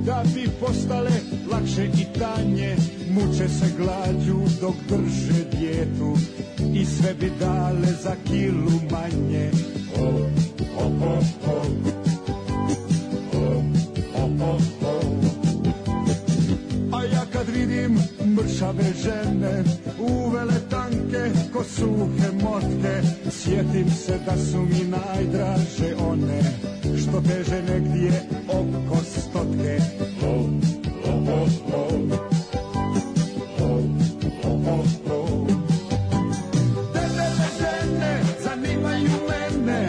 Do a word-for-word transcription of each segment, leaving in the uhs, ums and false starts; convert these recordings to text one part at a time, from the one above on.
da bi postale lakše i tanje, muče se glađu dok drže dijetu i sve bi dale za kilu manje. O, o, o, o. O, o, o, o. A ja kad vidim mršave žene, uvele tanke ko suhe motke, sjetim se da su mi najdraže one što teže negdje oko stotke. O, o, o, o. O, o, o, o. Debele žene zanimaju mene,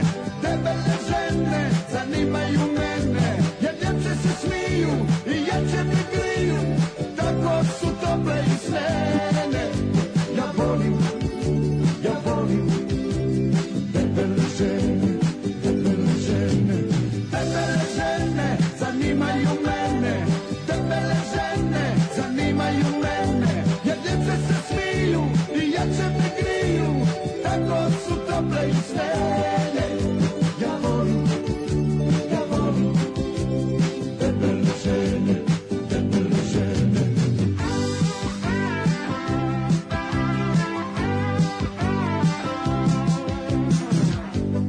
debele žene zanimaju mene, jer ljepše se smiju i jače mi griju, tako su tople i snene. Ja volim, ja volim debele žene, debele žene, debele žene zanimaju mene, debele žene zanimaju mene, jer ljepše se smiju i jače me griju, tako su tople i snene. Ja volim, ja volim debele žene, debele žene.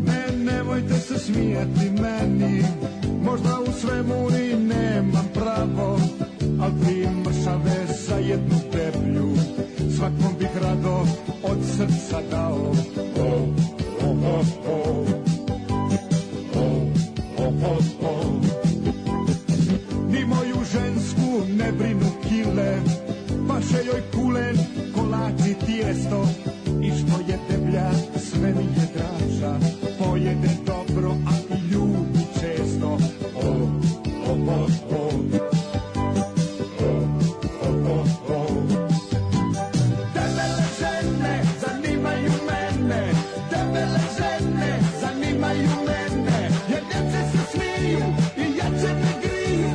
Ne, nemojte se smijati meni, možda u svemu i nemam pravo, al tri mršave za jednu deblju svakom bih rado od srca dao. O, o, o, o. O, o, o, o. Ni moju žensku ne brinu kile, paše joj kulen, kolači, tijesto, i što je deblja sve mi je draža, pojede dobro, a i ljubi često. O, o, o, o. O, o, o, o. Debele žene zanimaju mene, debele žene zanimaju mene, jer ljepše se smiju i jače me griju,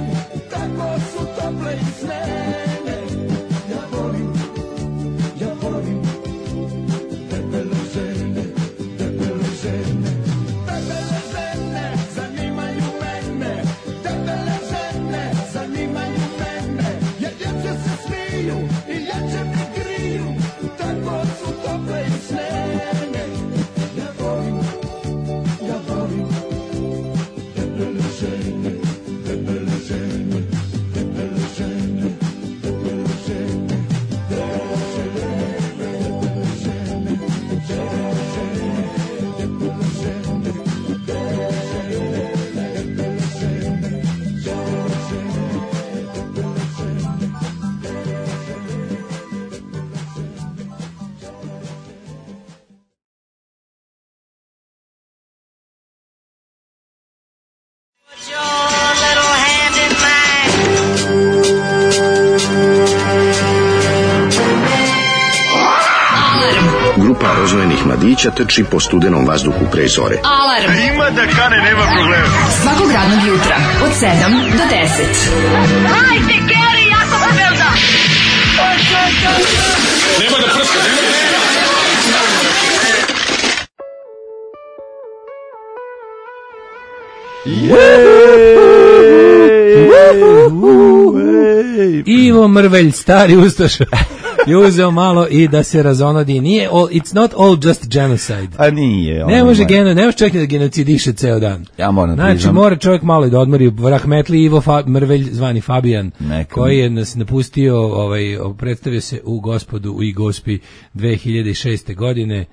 tako su tople i snene. Ja volim, ja volim debele žene, debele žene, debele žene zanimaju mene, debele žene zanimaju mene, jer ljepše se smiju i jače me griju, tako su tople i snene. Ja volim, ja volim debele žene, debele žene, debele žene, debele žene, debele žene, debele žene, debele žene, debele žene, debele žene, debele Grupa rozvojenih mladića trči po studenom vazduhu pre zore. Alarm. Ima da kane, nema problema. Svakog radnog jutra od sedam do deset. Hajde, Geri, jako se velda. Nema da prska, nema da Ivo Mrvelj, stari ustaša, je uzeo malo i da se razonodi. Nije all, it's not all just genocide. A nije. Ne može geno, ne može čovjek da genocidiše ceo dan. Ja moram znači, priznam. mora čovjek malo i da odmori. Rahmetli Ivo Fa, Mrvelj, zvani Fabijan, Neka. koji je nas napustio, ovaj, predstavio se u Gospodu i Gospi dve hiljade šeste. godine.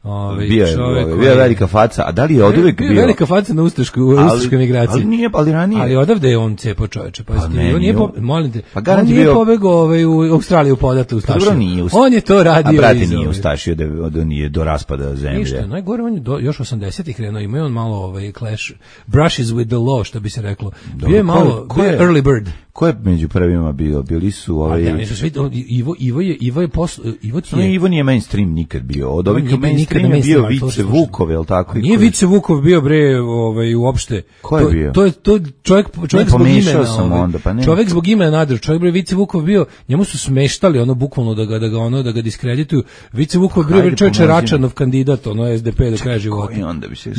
Ovaj bio je, čovjek bio je velika faca, a da li je oduvek bio? Bio velika faca na ustaškoj, u ustaškoj migraciji. Ali nije, ali ranije. Ali odavde je on cepo čoveče, pa, pa ne, on nije, po, molim te, pa on nije bio... pobegao ovaj, u Australiju podatu ustašio. Pa nije ust... On je to radio. A brate nije ustašio da, da nije do raspada zemlje. Ništa, najgore on je do, još osamdesetih krenuo, ima on malo ovaj clash, brushes with the law, što bi se reklo. Dobro, bio je malo, ko, ko je, early bird. Ko je među prvima bio? Bili su ovaj... A, nisu svi, Ivo, Ivo je, Ivo je posl... Ivo ti je... Ivo nije mainstream nikad bio. Od ovih mainstream je bio Vice Vukov, je li tako? Nije Vice Vukov bio, bre, ovaj, uopšte. Ko je bio? To je to čovjek, čovjek zbog imena. Sam ovaj, onda, pa ne. Čovjek zbog imena nadro. Čovjek, bre, Vice Vukov bio, njemu su smeštali ono bukvalno da ga, da ga, ono, da ga diskredituju. Vice Vukov bio, bre, čovječe Račanov kandidat, ono, S D P do kraja života.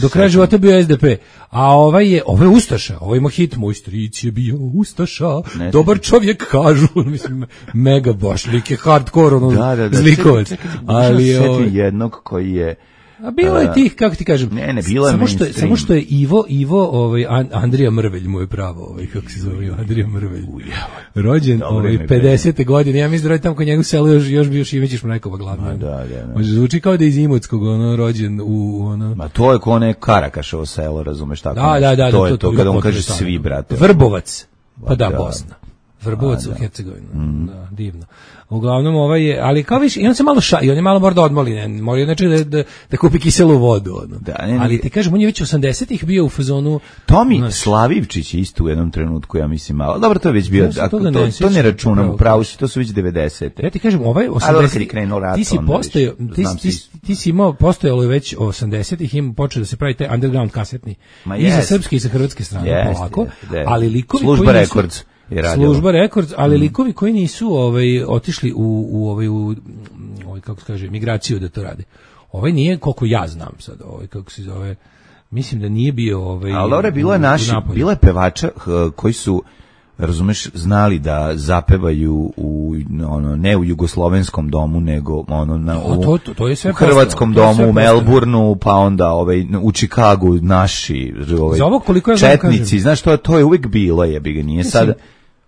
Do kraja života bio S D P. A ovaj je, ovaj je Ustaša, ovaj ima hit, moj stric je bio Ustaša. Ne, dobar čovjek kažu, mislim, mega baš, lik je hardcore, ono, da, da, da, zlikovac. Čekaj, čekaj, ali ovaj jednog koji je a bilo je tih, kako ti kažem, ne, ne, bilo je samo što je, samo što je Ivo, Ivo, ovaj Andrija Mrvelj mu je pravo, ovaj kako se zove, Andrija Mrvelj. Rođen ovaj pedesete godine, ja mislim da je tamo kod njega u selu još još bio Šimićić Mrajkova glavna. Da, da, da. Može zvuči kao da je iz Imotskog, ono rođen u ono. Ma to je ko ne Karakaševo selo, razumeš tako. Da, da, da, to da, je to, to kada on kaže svi, brate. Vrbovac. Pa da, da. Bosna. Vrbovac A, u da. Hercegovini. Mm. Da, divno. Uglavnom ovaj je, ali kao više, i on se malo ša, i on je malo možda odmoli, ne, mora znači da, da, da kupi kiselu vodu. Ono. Da, ne, ne, ali ti kažem, on je već osamdesetih bio u fazonu... Tomi znači, Slavivčić je isto u jednom trenutku, ja mislim, malo. Dobro, to je već bio, ja ako, to, ne, to ne računam, pravo si, to su već devedesete. Ja ti kažem, ovaj osamdesetih, ti si postojao, ti, ti, ti si imao, postojalo je već osamdesetih, im počeo da se pravi taj underground kasetni. Ma i za srpske i sa hrvatske strane, jest, polako, jest, jest. Ali likovi Služba koji Records. Služba Records, ali mm. likovi koji nisu ovaj otišli u u ovaj u ovaj kako se kaže migraciju da to rade. Ovaj nije koliko ja znam sad, ovaj kako se zove. Mislim da nije bio ovaj. Ali dobro, bilo je naši, bilo je pevača koji su razumeš znali da zapevaju u ono ne u jugoslovenskom domu nego ono na u, to, to, to je sve u hrvatskom postalo. domu u Melbourneu, pa onda ovaj u Chicagu naši ovaj za ovo koliko ja četnici, kažem, znaš to to je uvijek bilo, jebi ga, nije sad.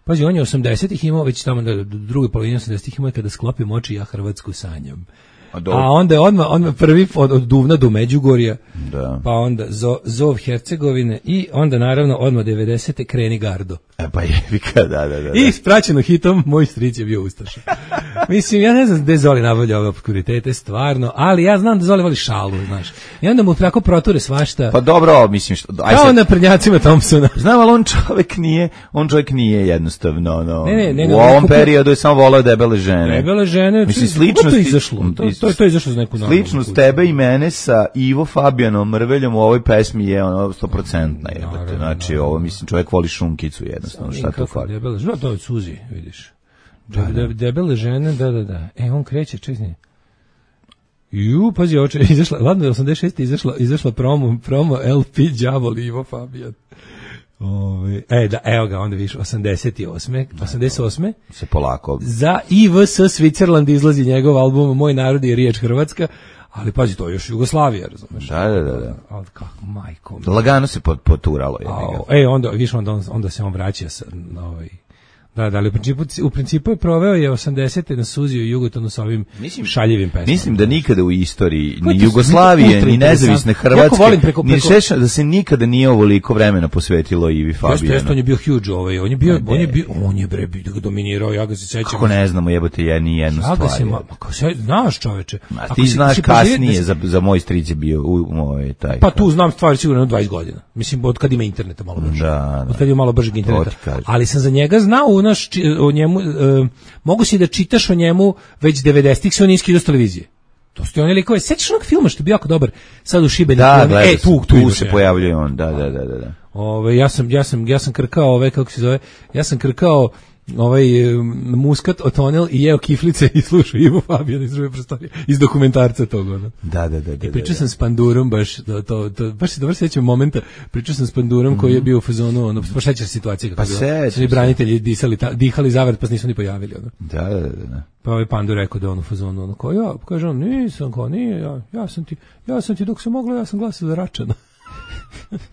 Pazi, on je osamdesetih imao već tamo na drugoj polovini osamdesetih imao kada sklopim oči ja Hrvatsku sanjam. A, A onda je odmah, odmah prvi od, od Duvna do Međugorja, da. Pa onda zo, Zov Hercegovine i onda naravno odmah devedesete Kreni Gardo. E pa jebika, da, da, da. I spraćeno hitom Moj stric je bio ustaša. Mislim, ja ne znam gde Zoli nabavlja ove obskuritete, stvarno, ali ja znam da Zoli voli šalu, znaš. I onda mu tako proture svašta. Pa dobro, mislim što... Aj kao sad, na prednjacima Thompsona. Znam, ali on čovjek nije, on čovjek nije jednostavno, no, ne, ne, ne, u ovom kupio, periodu je samo volao debele žene. Debele žene, mislim, sličnost to je izašlo. To, to, to je izašlo za neku normalnu. Sličnost tebe i mene sa Ivo Fabijanom Mrveljom u ovoj pesmi je ono sto posto jebate. Znači, no, ovo, mislim, čovjek voli šunkicu jednostavno, šta to fali. Debele žene, to je Suzi, vidiš. Da, da. Debele žene, da, da, da. E, on kreće, čekaj. Ju, pazi, oče, izašla, ladno je osamdeset šeste izašla, izašla promo, promo L P Đavol Ivo Fabijan. Ove, e, da, evo ga, onda vidiš, osamdeset osme osamdeset osme se polako. Za I V S Switzerland izlazi njegov album Moj narod je riječ Hrvatska, ali pazi, to je još Jugoslavija, razumeš? Da, da, da. da. Ali kako, majko. Lagano se poturalo. Je, e, onda, vidiš, onda, onda se on vraća sa, na ovaj... Da, da, ali u principu, u principu je proveo je osamdesete na Suzi u Jugotonu sa ovim mislim, šaljivim pesmama. Mislim da nikada u istoriji ni Jugoslavije, ni nezavisne Hrvatske, preko, preko, ni šeša, da se nikada nije ovoliko vremena posvetilo Ivi Fabijanu. Jeste, jeste, on je bio huge, ovaj, on je bio, on je bio, on je bre, bio dominirao, ja ga se sećam. Kako ne znamo, jebote, ja ni jednu stvar. Ja ga se, ma, kako se, znaš čoveče. A ti znaš si, kasnije, si, za, za moj stric je bio u, ovaj, taj. Pa tu znam stvari sigurno dvadeset godina. Mislim, od kad ima interneta malo brže. Da, da. Od kad ima malo bržeg interneta. Ali sam za njega znao, u naš, o njemu Uh, mogu si da čitaš o njemu već devedesetih se on iski do televizije. To su oni likove. Sećaš onog filma što je bio jako dobar sad u Šibeniku? Da, da, e, tu, tu, tu se pojavljuje on. Da, da, da, da. Ove, ja sam ja sam ja sam krkao ove kako se zove? Ja sam krkao ovaj um, muskat otonel i jeo kiflice i slušao Ivo Fabijan iz druge prostorije iz dokumentarca tog ono. Da, da, da, da. I pričao sam s Pandurom baš to to, to baš se dobro sećam momenta. Pričao sam s Pandurom mm-hmm. koji je bio u fazonu ono pa sećaš situacije kako pa je svi branitelji disali ta, dihali zavrt pa se nisu ni pojavili ono. Da, da, da. Pa ovaj Pandur rekao da on u fazonu ono kao ja kaže on nisam kao nije ja ja sam ti ja sam ti dok se moglo ja sam glasao za Račana.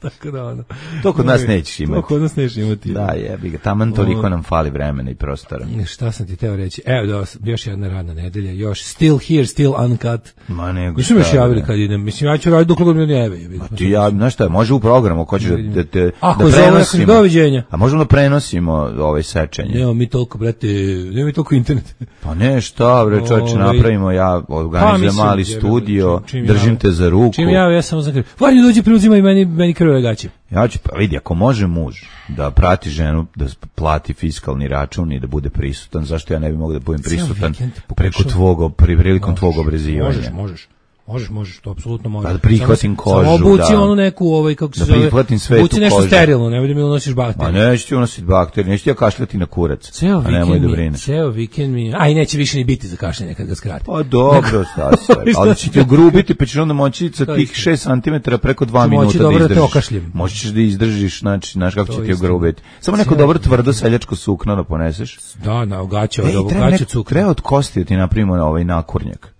Tako da ono. To kod nas nećeš imati. To kod nas nećeš imati. Da, jebi ga. Taman toliko nam fali vremena i prostora. Šta sam ti teo reći? Evo da još jedna radna nedelja, još still here, still uncut. Ma nego. Nisu mi još javili kad idem. Mislim ja ću raditi dok god mi ne jave. A ti ja, znaš šta, može u programu, ako hoćeš da da te da prenosimo. Doviđenja. A možemo da prenosimo ovaj sečenje. Evo mi toliko brate, nema mi toliko internet. Pa ne, šta bre, čoveče, napravimo ja organizujem pa, mali studio, držim te za ruku. Čim ja ja samo za Vani dođi preuzima i meni meni krve gaće. Ja ću, pa vidi, ako može muž da prati ženu, da plati fiskalni račun i da bude prisutan, zašto ja ne bi mogao da budem prisutan preko tvog, prilikom tvog obrezivanja? Možeš, možeš. Možeš, možeš, to apsolutno možeš. Da prihvatim kožu, samo obuci da. onu neku, ovaj, kako se da zove, prihvatim svetu obuci nešto kožu. sterilno, ne bude mi unosiš bakterije. Ma neću ti unositi bakterije, neću ti ja kašljati na kurac. Ceo vikend mi, ceo vikend mi, aj neće više ni biti za kašljanje kad ga skrati. Pa dobro, Stase, ali će ti ugrubiti, pa ćeš onda moći sa tih šest centimetara preko dva minuta da izdržiš. Da okašljem. Možeš da izdržiš, znači, znaš kako će ti ugrubiti. Samo neko dobro tvrdo seljačko sukno da poneseš. Da, na gaće, od ovog gaće cukra. Treba od kosti da ti napravimo na ovaj nakurnjak.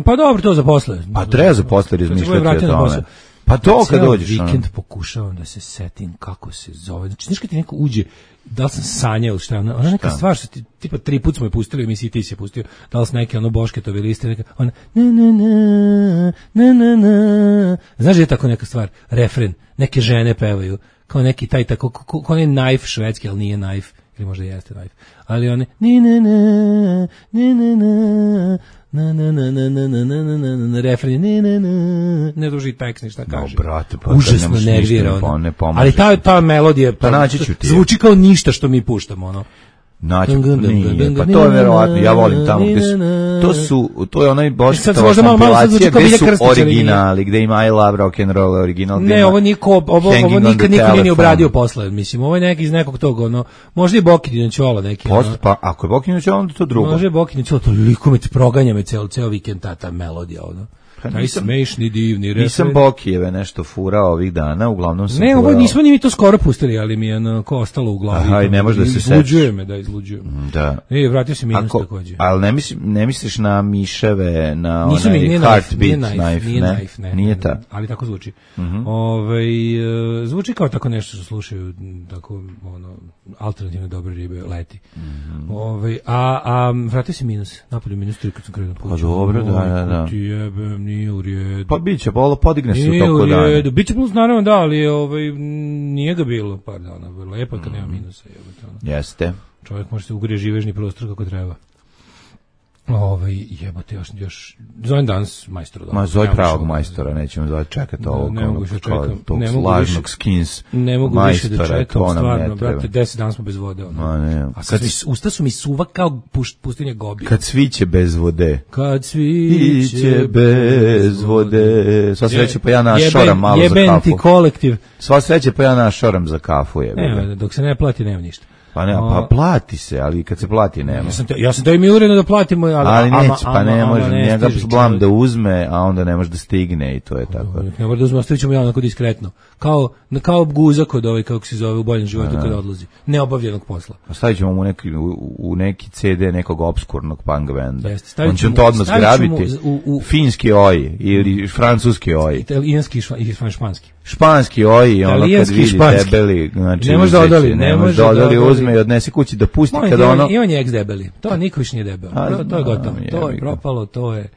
Pa dobro, to za posle. Pa treba za posle razmišljati o tome. Pa to kad dođeš. Cijel vikend pokušavam da se setim kako se zove. Znači, znaš kad ti neko uđe, da li sam sanjao ili šta, ona, ona neka stvar što ti, tipa tri put smo je pustili u emisiji, ti si je pustio, da li su neke ono Bošketovi liste, neka, ona, na, na, na, na, na, na. Znaš da je tako neka stvar, refren, neke žene pevaju, kao neki taj tako, kao onaj Knife švedski, ali nije Knife, ili možda jeste Knife, ali one, ni, na, na, ni, na, na, na na na na na na na na na na refren ne ne ne ne duži tekst ništa kaže. No, brate, pa užasno nervira ona. Ali ta ta melodija pa naći ću ti. Zvuči kao ništa što mi puštamo, ono. Naći, nije, pa to je verovatno, ja volim tamo gde su, to su, to je onaj Bošketova kompilacija gde su originali, gde ima I Love Rock and Roll original. Ne, ovo niko, ovo, ovo nikad niko nije obradio posle, mislim, ovo je neki iz nekog tog, ono, možda i Bokinja Ćola neki. Post, pa ako je Bokinja Ćola, onda to drugo. Može Bokinja Ćola, to liko me proganja me ceo, ceo vikend ta, ta melodija, ono. Taj smešni, divni refren. Nisam Bokijeve nešto furao ovih dana, uglavnom sam ne, furao. ovo nismo ni mi to skoro pustili, ali mi je onako ostalo u glavi. Aha, i ne može da se seća. Izluđuje me, da izluđujem. Da. E, vratio se minus Ako, takođe. Ali ne, misli, ne misliš na miševe, na Nisu onaj mi, Heartbeat knife, knife, nije ne? knife, ne, Nije ne, ta. ali tako zvuči. Uh-huh. Ove, zvuči kao tako nešto što slušaju, tako, ono, alternativne dobre ribe, leti. Uh-huh. Ove, a, a vratio se minus, napolju minus tri kad sam krenuo kuću. Pa dobro, da, da, da. Ti jebem, nije u redu. Pa biće, bolo podigne se u nije toku dana. Nije u biće plus naravno da, ali ovaj, nije ga bilo par dana. Lepo kad mm. nema minusa. Jebate, jeste. Čovjek može se ugrije živežni prostor kako treba. Ovaj jebote još još zovem danas majstora doma. Ma zove pravog majstora, nećemo zove čekati ovo ne mogu više čekam, ne mogu lažnog skins. Ne mogu više da čekam, stvarno, brate, deset dana smo bez vode. Ma ne. A kad mi, usta su mi suva kao pustinja Gobi. Kad sviće bez vode. Kad sviće bez vode. Sva sreće pa ja našoram malo za kafu. Jeben ti kolektiv. Sva sreće pa ja našoram za kafu je. Ne, dok se ne plati nema ništa. Pa ne, pa plati se, ali kad se plati nema. Ja sam te, ja sam to im uredno da platimo, ali ali neće, pa ne može, njega blam da uzme, a onda ne može da stigne i to je tako. Ne može da uzme, ostavit ćemo javno kod diskretno. Kao, kao guza kod ovaj, kako se zove, u boljem životu kada odlazi. Neobavljenog posla. Stavit ćemo mu neki, u, u neki ce de nekog obskurnog punk benda. Jeste, on će to odmah zgrabiti. U, u, finski oj ili francuski oj. Italijanski i španski. Španski oj, ono kad vidi debeli, znači ne može da odoli, ne može da odoli, uzme i odnese kući da pusti kada ono. I on je ex debeli. To niko više nije debel. To, to je gotovo. To je propalo, to je.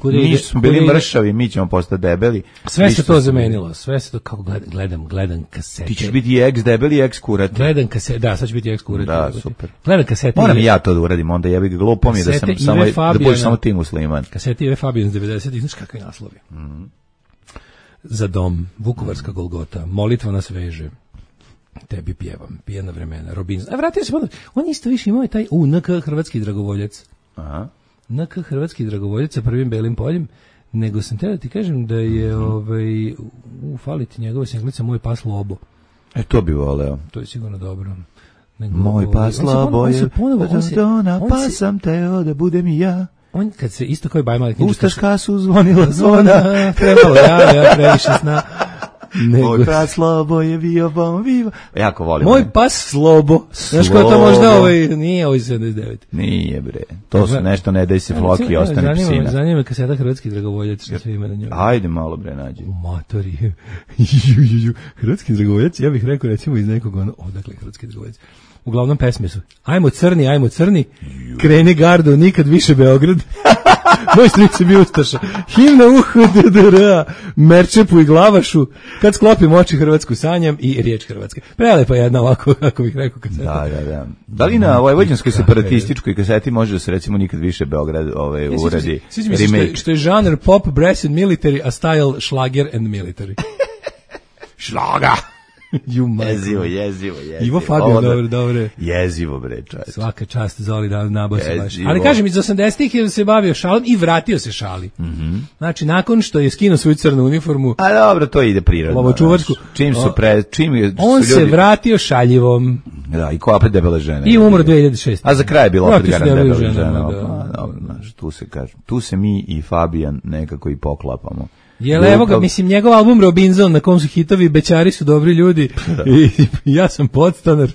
Mi smo bili mršavi, mi ćemo postati debeli. Sve se to zamenilo, sve se to kako gledam, gledam, gledam kasete. Ti ćeš biti ex debeli i ex kurati. Gledam kasete, da, sad će biti ex kurati. Da, super. Gledam kasete. Moram i ja to da uradim, onda jebi ga glupo mi je da sam samo da budeš samo ti musliman. Kasete Ive Fabijan iz devedesetih, znaš kakvi naslovi. Mhm. Za dom, Vukovarska Golgota, molitva nas veže. Tebi pjevam, pijena vremena, Robin. A vratio se, on isto više imao je taj u N K Hrvatski dragovoljac. Aha. N K Hrvatski dragovoljac sa prvim belim poljem, nego sam te da ti kažem da je ovaj, u faliti njegove singlica Moj pas Lobo. E, to bi voleo. To je sigurno dobro. Nego, Moj pas Lobo je, pa sam teo da budem i ja. On kad se isto kao i Bajmali knjiža... Ustaška su zvonila zvona. Trebalo ja, ja previše sna. Nego... Moj pas Slobo je bio bom viva. Jako volim. Moj pas Slobo. Znaš kao to možda ovaj... Nije ovaj sedamdeset devet. Nije bre. To su nešto ne daj se floki i ostane psina. Zanima me kaseta Hrvatski dragovoljac. Što sve ima na njoj. Ajde malo bre nađi. U matori. Hrvatski dragovoljac, ja bih rekao recimo iz nekog ono... Odakle Hrvatski dragovoljac? Uglavnom pesme su ajmo crni, ajmo crni, kreni gardo, nikad više Beograd. Moj stric je bio ustaša. Himna uhu, D D R A, Merčepu i Glavašu, kad sklopim oči Hrvatsku sanjam i riječ Hrvatske. Prelepa jedna ovako, kako bih rekao kaseta. Da, da, da. Da li na vojvođanskoj separatističkoj kaseti može da se recimo nikad više Beograd ovaj, uradi remake? Što je žanr pop, brass and military, a style šlager and military. Šlaga! jezivo, jezivo, jezivo. Ivo Fabijan, dobro, dobro. Jezivo, bre, čovječe. Svaka čast, Zoli, da nabao se baš. Ali kažem, iz osamdesetih je se bavio šalom i vratio se šali. Mm-hmm. Znači, nakon što je skinuo svoju crnu uniformu... A dobro, to ide prirodno. Lovočuvačku. Čim su pre... Čim je, on su se ljudi... vratio šaljivom. Da, i ko opet debele žene. I umro dve hiljade šeste. A za kraj je bilo opet garan debele žene. žene Da. Da. Dobro, znaš, tu se kaže. Tu se mi i Fabijan nekako i poklapamo. Jel, evo ga, mislim, njegov album Robinson, na kom su hitovi Bećari su dobri ljudi, i, i ja sam podstanar,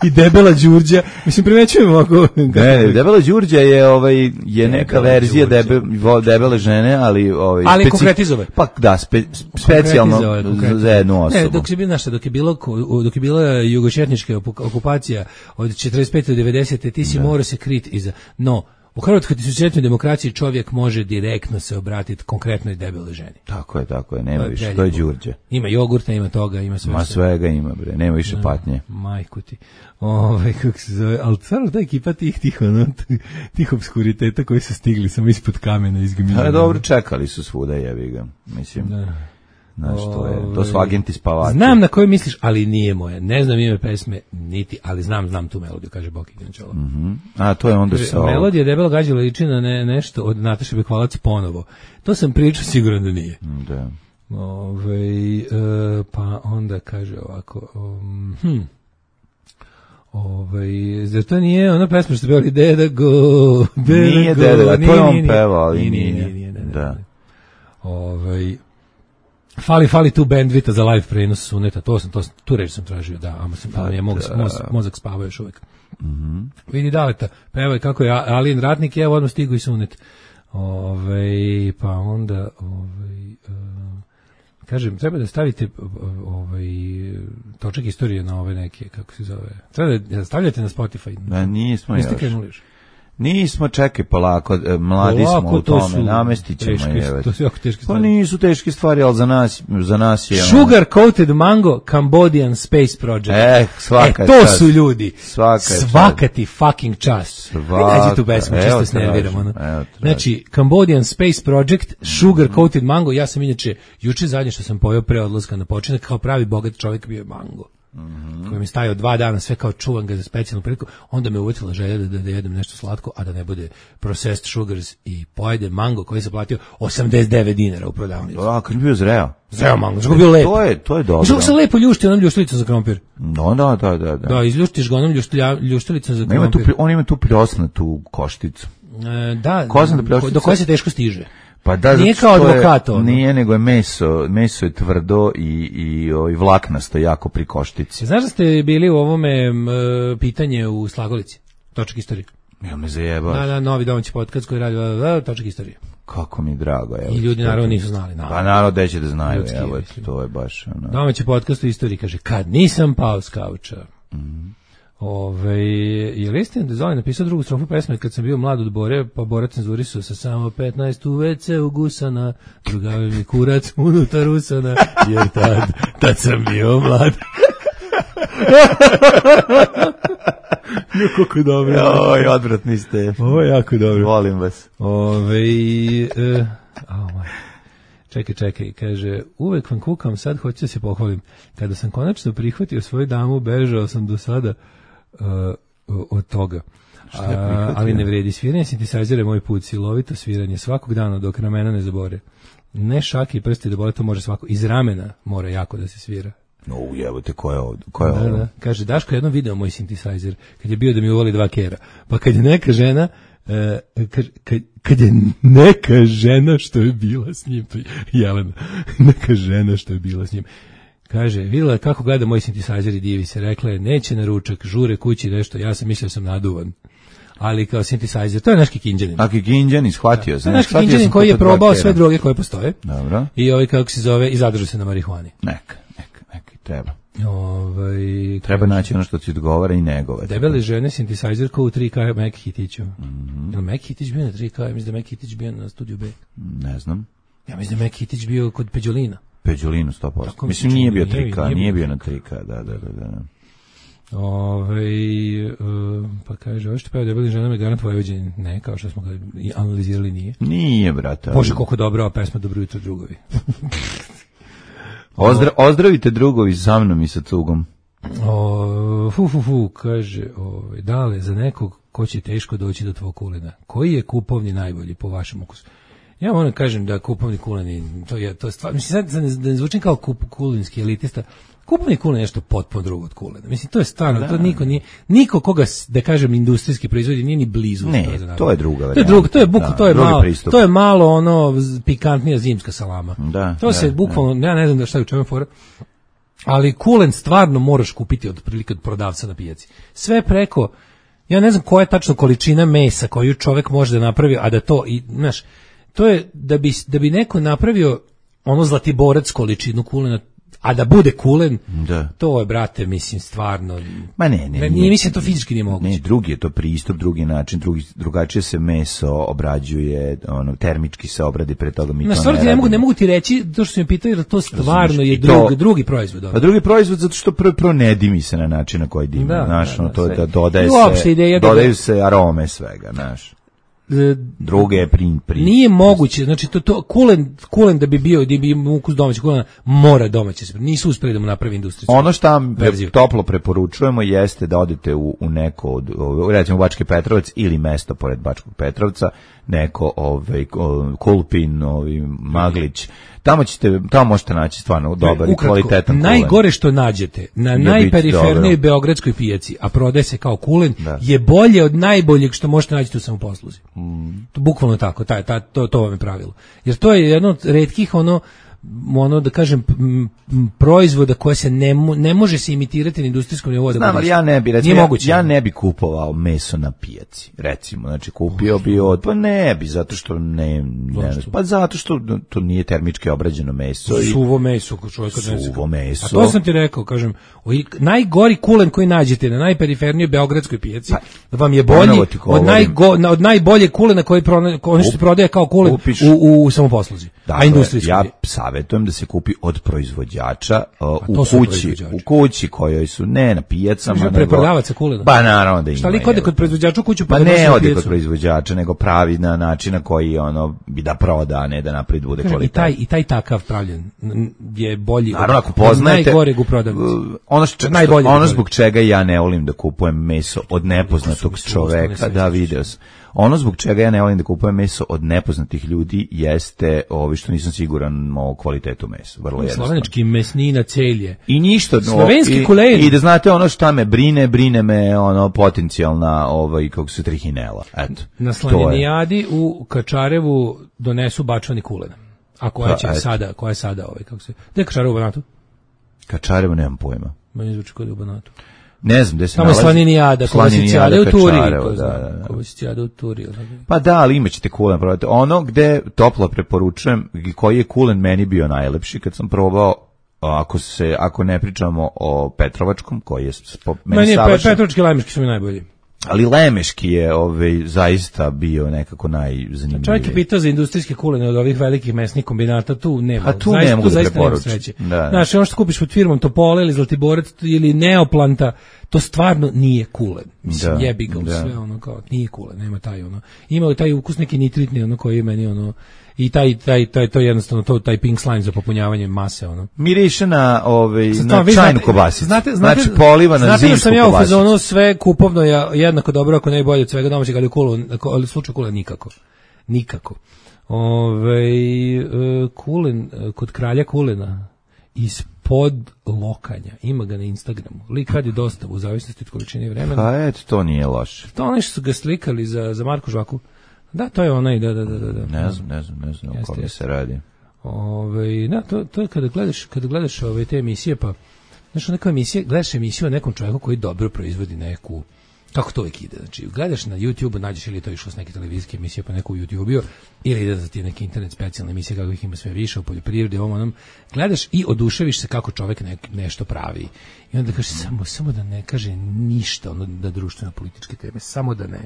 i Debela Đurđa, mislim, primećujemo ako... Ne, Debela Đurđa je, ovaj, je neka verzija debe, debele žene, ali... Ovaj, ali speci... konkretizove. Pa da, spe, specijalno za jednu osobu. Ne, dok je, znaš, dok je, bilo, dok je bila jugočetnička okupacija od četrdeset pete do devedesete ti si da. Morao se kriti iza... No, u Hrvatskoj tisícljetnoj demokraciji čovjek može direktno se obratiti konkretnoj debeloj ženi. Tako je, tako je, nema više, to je Đurđe. Ima jogurta, ima toga, ima sve. Ma svega ima, bre, nema više da, patnje. Majku ti. Ovaj, kako se zove, ali stvarno ta ekipa tih, tih, ono, tih obskuriteta koji su stigli samo ispod kamena izgmina. Ali dobro, čekali su svuda, jebi ga, mislim. Da. Znaš, to, je, to su agenti spavači. Znam na koju misliš, ali nije moje. Ne znam ime pesme, niti, ali znam, znam tu melodiju, kaže Boki Grančola. Mm-hmm. A, to je onda sa... Melodija Debela gađala liči na ne, nešto od Nataše Bekvalac ponovo. To sam pričao, siguran da nije. Da. Ove, e, pa onda kaže ovako... Um, hm. Ovaj, zar to nije ona pesma što pevali Deda Go, Deda nije Go, Deda, nije, to je on nije, pevao, ali nije. nije. nije, nije, nije, nije da. Ovaj, fali, fali tu bandvita za live prenos Suneta, to sam, to sam, tu reč sam tražio, da, ali sam, ali je mozak, mozak, mozak spavao još uvijek. Mm-hmm. Vidi Daleta, pevaj kako je Alin Ratnik, evo odmah stigu i Sunet. Ovaj, pa onda, ovaj, uh, kažem, treba da stavite ovaj točak istorije na ove neke, kako se zove. Treba da stavljate na Spotify. Da, nismo još. Niste krenuli još. Nismo, čekaj polako, mladi polako, smo u tome, su namestit ćemo. Teške, to su jako teške stvari. Pa nisu teške stvari, ali za nas, za nas je... Sugar Coated Mango, Cambodian Space Project. Eh, svaka e, to čast. su ljudi. Svaka, svaka ti fucking čast. Svaka. Nađi tu pesmu, čisto se nerviram. Ono. Znači, Cambodian Space Project, Sugar Coated Mango, ja sam inače, juče zadnje što sam pojeo pre odlaska na početak, kao pravi bogat čovjek bio je mango. Mm-hmm. Koji mi stajao dva dana, sve kao čuvam ga za specijalnu priliku, onda me uvetila želja da, da jedem nešto slatko, a da ne bude processed sugars i pojedem mango koji sam platio osamdeset devet dinara u prodavnici. A, kad je bio zreo? Zreo mango, što je bio lep. To je, to je dobro. Što se lepo ljušti onom ljuštilicom za krompir. No, da, da, da. Da, da izljuštiš ga onom ljuštilja, ljuštilicom za krompir. krompir. On ima tu pljosnatu košticu. E, da, da do koje se teško stiže. Pa da, nije kao advokat ono. Nije, nego je meso, meso je tvrdo i, i, i vlaknasto jako pri koštici. Znaš da ste bili u ovome m, pitanje u Slagolici? Točak istorije. Ja me zajebaš. Da, da, novi domaći podcast koji radi, da, da, točak istorije. Kako mi drago, evo. I ljudi naravno nisu znali. Naravno. Pa naravno da će da znaju, evo, to je baš... Ono. Domaći podcast u istoriji kaže, kad nisam pao s kauča. Mm. Ove, je li istina da Zoli napisao drugu strofu pesme kad sam bio mlad od Bore, pa Bora cenzurisao sa samo petnaest u ve ce ugusana, drugavi mi kurac unutar usana, jer tad, tad sam bio mlad. Kako je dobro. Oj, odvratni ste. Ovo je jako dobro. Volim vas. Ove, e, oh my. Čekaj, čekaj, kaže, uvek vam kukam, sad hoću da se pohvalim. Kada sam konačno prihvatio svoju damu, bežao sam do sada uh, od toga. A, ali ne vredi, sviranje sintesajzera je moj put, silovito sviranje, svakog dana dok ramena ne zabore. Ne šake i prsti da bole, to može svako. Iz ramena mora jako da se svira. No, ujevate, ko je ovdje? Ko je da, ovdje? Da. Kaže, Daško je jednom video moj sintesajzer, kad je bio da mi uvoli dva kera. Pa kad je neka žena, Uh, kad, kad, kad je neka žena što je bila s njim, Jelena, neka žena što je bila s njim, kaže, vidjela kako gleda moj sintesajzer i divi se, rekla je, neće na ručak, žure kući nešto, ja sam mislio sam naduvan. Ali kao sintesajzer, to je naš Kikinđanin. A Kikinđanin, shvatio sam. To je naš Kikinđanin koji je probao sve droge koje postoje. Dobro. I ovaj, kako se zove, i zadržao se na marihuani. Neka, neka, neka, treba. Ovaj, treba naći ono što ti odgovara i negove. Debele žene, sintesajzer kao u tri ka Mac Hitiću. Mm-hmm. Je li Mac Hitić bio na tri ka? Ja mislim da Mac Hitić bio na studiju B. Ne znam. Ja mislim da Mac Hitić bio kod Peđolina. Peđolinu sto posto. Tako mislim nije bio tri ka, nije, nije bio na tri ka, da, da, da, da. Ove, uh, pa kaže, ovo što peva Debeli ženama je garant Vojvođanin. Ne, kao što smo ga analizirali, nije. Nije, brate. Bože, koliko dobra ova pesma, dobro jutro drugovi. Ozdra, ozdravite drugovi sa mnom i sa cugom. O, fu, fu, fu, kaže, o, dale, za nekog ko će teško doći do tvog kulena. Koji je kupovni najbolji po vašem ukusu? Ja moram kažem da kupovni kulen, to je, to je stvar, mislim, sad da ne zvučim kao kup, kulinski elitista, kupovni kulen je nešto potpuno drugo od kulena. Mislim, to je stvarno, da. To niko nije, niko koga, da kažem, industrijski proizvodi nije ni blizu. Ne, to, to je druga varijanta. To je drugo, to je bukvalno, to je malo, pristup. To je malo ono pikantnija zimska salama. Da, to da, se bukvalno, da. Ja ne znam da šta je u čemu fora. Ali kulen stvarno moraš kupiti od prilike od prodavca na pijaci. Sve preko, ja ne znam koja je tačno količina mesa koju čovjek može da napravi, a da to, i, znaš, to je da bi, da bi neko napravio ono zlatiborac količinu kulena, a da bude kulen, da. To je, brate, mislim, stvarno... Ma ne, ne. Nije, mislim, to fizički nije moguće. Ne, drugi je to pristup, drugi način, drugi, drugačije se meso obrađuje, ono, termički se obradi, pre toga mi na, to stvarno, ne ne radimo. mogu, ne mogu ti reći, to što si mi pitao, jer to stvarno je drug, to, drugi proizvod. Pa drugi proizvod, zato što prvo, prvo ne dimi se na način na koji dimi, da, znaš, da, ono, da, to sve. Da dodaje se, se, dodaju se arome svega, znaš. Druge je prin, prin. Nije moguće, znači to, to kulen, kulen da bi bio, da bi imao ukus domaćeg kulena, mora domaće se. Nisu uspeli da mu napravi industrijsku. Ono što vam pre, toplo preporučujemo jeste da odete u, u neko od, recimo Bački Petrovac ili mesto pored Bačkog Petrovca, neko ovaj Kulpin, ovaj Maglić. Tamo ćete, tamo možete naći stvarno dobar i kvalitetan kulen. Najgore što nađete na najperifernijoj beogradskoj pijaci, a prodaje se kao kulen, da. Je bolje od najboljeg što možete naći u samoposluzi. Mm. To bukvalno tako, taj, taj, to, to vam je pravilo. Jer to je jedno od retkih ono, ono da kažem m, m, proizvoda koje se ne, ne može se imitirati na industrijskom nivou. Znam, ali ja ne bi recimo, ja, ja ne bi kupovao meso na pijaci, recimo, znači kupio bi od, pa ne bi, zato što ne, ne pa zato što to nije termički obrađeno meso. Suvo meso, čovjek suvo meso. A to sam ti rekao, kažem, najgori kulen koji nađete na najperifernijoj beogradskoj pijaci, pa, vam je bolji od, najgo, od najbolje kulena koji ono što se prodaje kao kulen Upiš, u, u samoposluzi, dakle, a industrijski. Ja savjetujem da se kupi od proizvođača uh, u kući, u kući kojoj su ne na pijacama, nego preprodavaca kulena. Ba naravno da ima. Šta li kod kod proizvođača u kuću pa ne ode kod proizvođača, nego pravi na način na koji ono bi da proda, a ne da napravi bude kvalitetno. I taj i taj takav pravljen je bolji. Naravno, ako poznajete najgoreg u prodavnici. Ono što ono zbog čega ja ne volim da kupujem meso od nepoznatog čoveka, da video sam. Ono zbog čega ja ne volim da kupujem meso od nepoznatih ljudi jeste ovi što nisam siguran o kvalitetu mesa. Vrlo jednostavno. Slovenački mesnina celje. I ništa. Slovenski kulen. I da znate ono šta me brine, brine me ono potencijalna ovaj, kako se trihinela. Eto. Na Slaninijadi u Kačarevu donesu bačvani kulen. A koja će pa, sada, koja je sada ovaj, kako se... Gde je Kačarevo u Banatu? Kačarevo nemam pojma. Meni zvuči kod u Banatu. Ne znam gde se tamo nalazi. Tamo je Slaninijada, koja se cijade u Turi. Da, da, koja se cijade u Turi. Pa da, ali imaćete kulen. Ono gde toplo preporučujem, koji je kulen meni bio najlepši, kad sam probao, ako se ako ne pričamo o Petrovačkom, koji je po, meni, meni savršen. Meni Petrovački, Lemeški su mi najbolji. Ali Lemeški je ovaj, zaista bio nekako najzanimljiviji. Čovjek je pitao za industrijske kulene od ovih velikih mesnih kombinata, tu nema. A tu ne mogu da preporučiti. Znaš, ono što kupiš pod firmom Topole ili Zlatiborac ili Neoplanta, to stvarno nije kulen. Mislim, da, jebi ga u sve, ono kao, nije kulen, nema taj ono. Ima taj ukus neki nitritni, ono koji je meni ono, i taj, taj, taj, to je jednostavno to, taj pink slime za popunjavanje mase, ono. Miriše na, ovaj, na čajnu kobasicu. Znate, znate, znači, poliva na znate zimsku da sam ja u kobasicu. fazonu sve kupovno je jednako dobro, ako ne i bolje od svega domaćeg, ali u kulu, ali u slučaju kule nikako. Nikako. Ove, kulen, kod kralja kulena, ispod lokanja, ima ga na Instagramu. Lik radi dostavu u zavisnosti od količine vremena. Pa eto, to nije loše. To ono što su ga slikali za, za Marku Žvaku. Da, to je onaj, da, da, da, da. Ne znam, ne znam, ne znam o kome se radi. Ove, da, to, to je kada gledaš, kada gledaš ove te emisije, pa, znaš, neka emisija, gledaš emisiju o nekom čovjeku koji dobro proizvodi neku, kako to uvijek ide, znači, gledaš na YouTube, nađeš ili to išlo s neke televizijske emisije pa neku YouTube-u, ili ide za ti neke internet specijalne emisije kako ih ima sve više u poljoprivredi, ovom onom, gledaš i oduševiš se kako čovjek ne, nešto pravi. I onda kažeš, samo, samo da ne kaže ništa ono da društveno političke teme, samo da ne.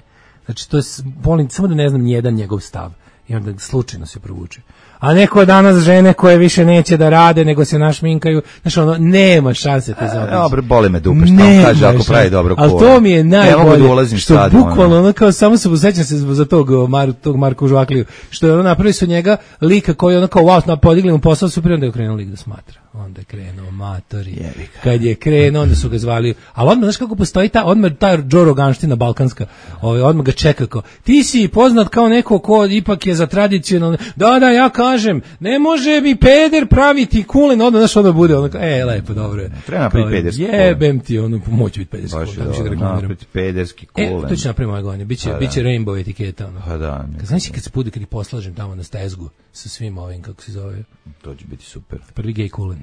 Znači, to je, volim, samo da ne znam nijedan njegov stav. I onda slučajno se provuče. A neko danas žene koje više neće da rade, nego se našminkaju, znači ono, nema šanse te zaobići. Dobro, boli me dupe, što on kaže ako pravi dobro kolo. Ali to mi je najbolje, da što sad, bukvalno, ono, kao, samo se sećam se za tog, Mar, tog Marka Žvakliju, što je ono napravili su njega lika koji ono kao, wow, podigli mu posao, super, onda je okrenuo lik da smatra. onda je krenuo matori. Kad je krenuo, onda su ga zvali, ali odmah, znaš kako postoji ta, odmah ta Joe Roganština balkanska, ovaj, odmah ga čeka kao, ti si poznat kao neko ko ipak je za tradicionalne, da, da, ja kažem, ne može mi peder praviti kulen, odmah, znaš, odmah bude, ono kao, e, lepo, dobro je. Treba napraviti pederski kulen. Jebem ti, ono, moći biti pederski kulen, tako ću da reklamiram. Napraviti pederski kulen. E, to će napraviti moje godine, biće, pa biće rainbow etiketa, ono. Pa da. Kad znaš kad se bude, kad ih poslažem tamo na stezgu, sa svim ovim, kako se zove. To će biti super. Prvi gej kulen.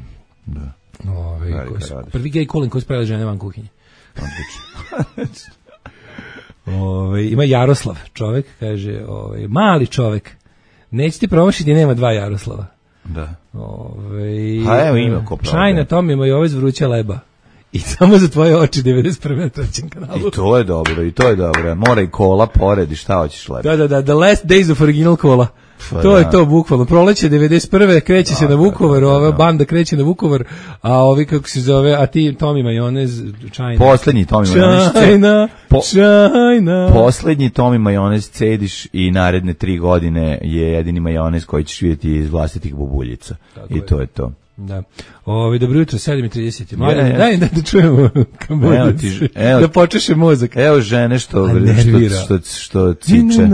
Da. Ove, koji su, prvi gej kulen koji spravili žene van kuhinje. Odlično. Ove, ima Jaroslav, čovek, kaže, ove, mali čovek, neće ti promašiti, nema dva Jaroslava. Da. Ove, ha, evo ima ko pravo. Čajna Tom ima i ove zvruća leba. I samo za tvoje oči devedeset prve na trećem kanalu. I to je dobro, i to je dobro. Mora i kola pored i šta hoćeš lepo. Da, da, da, The Last Days of Original Kola. Pa, to da. je to bukvalno. Proleće devedeset prve kreće da, se na Vukovar, da, da, da, ova banda kreće na Vukovar, a ovi kako se zove, a ti Tomi majonez, čajna. Poslednji Tomi majonez. Čajna, po, čajna. Poslednji Tomi majonez cediš i naredne tri godine je jedini majonez koji ćeš vidjeti iz vlastitih bubuljica. Tako I je. To je to. Da. Ovi, dobro jutro, sedam i trideset. Mali, ja, ja. Daj da, da čujemo evo ti, evo, da počeše mozak. Evo žene što što, što, što ciče.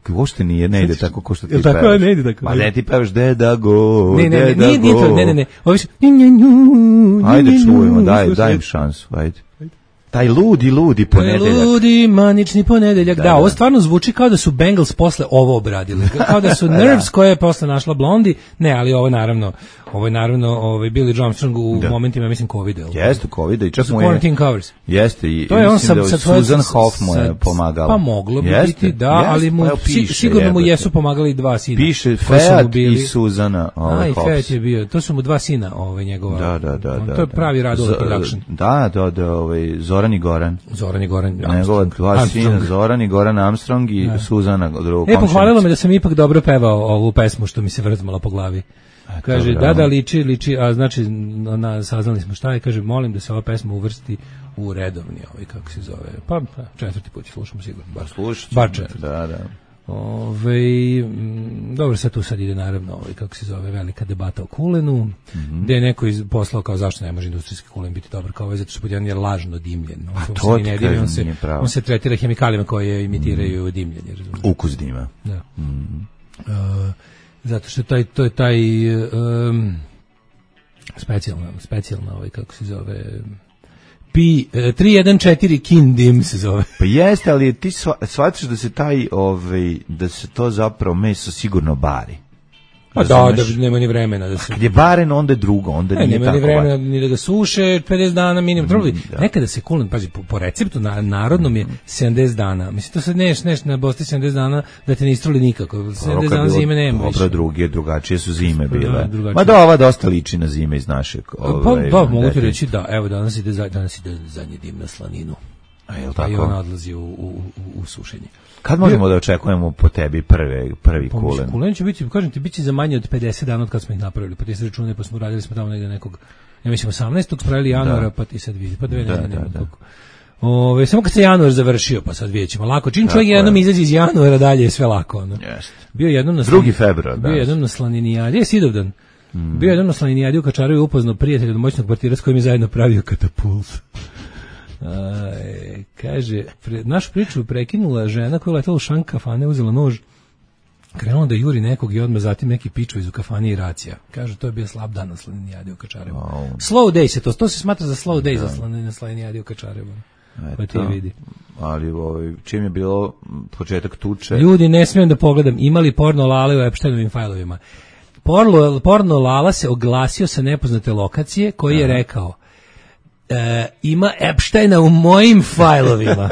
Uopšte nije, ne ide tako ko što ti pevaš. Tako ne ide tako. Ma ne ti pevaš deda go, ne, ne, deda ne, go. Nije to, ne, ne, ne. Ovi su... Ajde čujemo, daj, daj im šansu, ajde. Taj ludi, ludi ponedeljak. Ludi, manični ponedeljak. Da, da, da, ovo stvarno zvuči kao da su Bengals posle ovo obradili. Kao da su Nerves koje je posle našla Blondi. Ne, ali ovo naravno, ovo je naravno ovaj Billy Joe Armstrong u da. momentima, mislim, Covida. Jeste, Covida i čak mu je... Quarantine covers. Jeste, i to je on sam, da Susan Hoff mu je pomagala. Pa moglo bi jeste, biti, da, jeste, ali mu pa piše, sigurno mu jebate. Jesu pomagali dva sina. Piše Feat i Suzana ovaj Hoff. Aj, Feat je bio, to su mu dva sina ovaj njegova. Da, da, da. On, da to je pravi Radova production. Da, da, da, ovaj, Zoran i Goran. Zoran i Goran Njegova dva sina, Zoran i Goran Armstrong i da. Suzana drugo. E, pohvalilo me da sam ipak dobro pevao ovu pesmu što mi se vrzmala po glavi. Kaže, da, da, liči, liči, a znači, na, saznali smo šta je, kaže, molim da se ova pesma uvrsti u redovni, ovaj, kako se zove, pa četvrti put slušamo sigurno, bar, slušati, bar četvrti. Da, da. Ove, m, dobro, sad tu sad ide naravno, ovaj, kako se zove, velika debata o kulenu, mm-hmm. gde je neko iz, poslao kao zašto ne može industrijski kulen biti dobar kao ovaj, zato što jedan je lažno dimljen. On, a to ti kažem, on, se, on se tretira hemikalijama koje imitiraju mm. dimljenje. Razumiješ? Ukus dima. Da. Mm. Uh, zato što taj, to je taj um, specijalna, specijalna ovaj, kako se zove... P tri jedan četiri Kindim se zove. Pa jeste, ali ti shvatiš da se taj ovaj da se to zapravo meso sigurno bari. Pa da, da nema ni vremena da se. Kad je baren, onda je drugo, onda ne, nije nema tako. Nema ni vremena ni da ga suše pedeset dana minimum. Mm, da. Nekada se kulen, pazi, po, po receptu na, narodnom je sedamdeset dana. Mislim, to sad neš, neš na Bosti sedamdeset dana da te ne istruli nikako. sedamdeset dana zime nema. Dobro, druge, drugačije su zime bile. Da, ma da, ova dosta liči na zime iz našeg. Ovaj, pa da, mogu ti reći da, evo, danas ide, danas ide zadnji dim na slaninu. A je li tako? I on odlazi u, u, u, u sušenje. Kad možemo da očekujemo po tebi prve, prvi pa, kulen? Kulen će biti, kažem ti, biće za manje od pedeset dana od kad smo ih napravili, pa ti se računali, pa smo radili smo tamo negde nekog, ja mislim osamnaestog spravili januara, da. Pa ti sad vidi, pa dve da, ne, da, da. Ove, samo kad se januar završio, pa sad vidjet ćemo lako. Čim čovjek jednom izađe iz januara, dalje je sve lako. Ono. Yes. Bio jednom na drugi februar, bio jednom na Slaninijadi, je Sidovdan. Mm. Bio jednom na Slaninijadi u Kačarevu upoznao prijatelja od moćnog kvartira s kojim je zajedno pravio katapult. A, e, kaže, pre, našu priču prekinula žena koja je letala u šank kafane, uzela nož, krenula da juri nekog i odmah zatim neki piču iz u kafani i racija. Kaže, to je bio slab dan na Slaninijadi u Kačarevu. Oh. Slow day se to, to se smatra za slow day da. Za na Slaninijadi u Kačarevu. Pa ti vidi. Ali ovaj, čim je bilo početak tuče... Ljudi, ne smijem da pogledam, imali porno lale u Epsteinovim fajlovima. Porno, porno lala se oglasio sa nepoznate lokacije koji je rekao E, ima Epsteina u mojim fajlovima.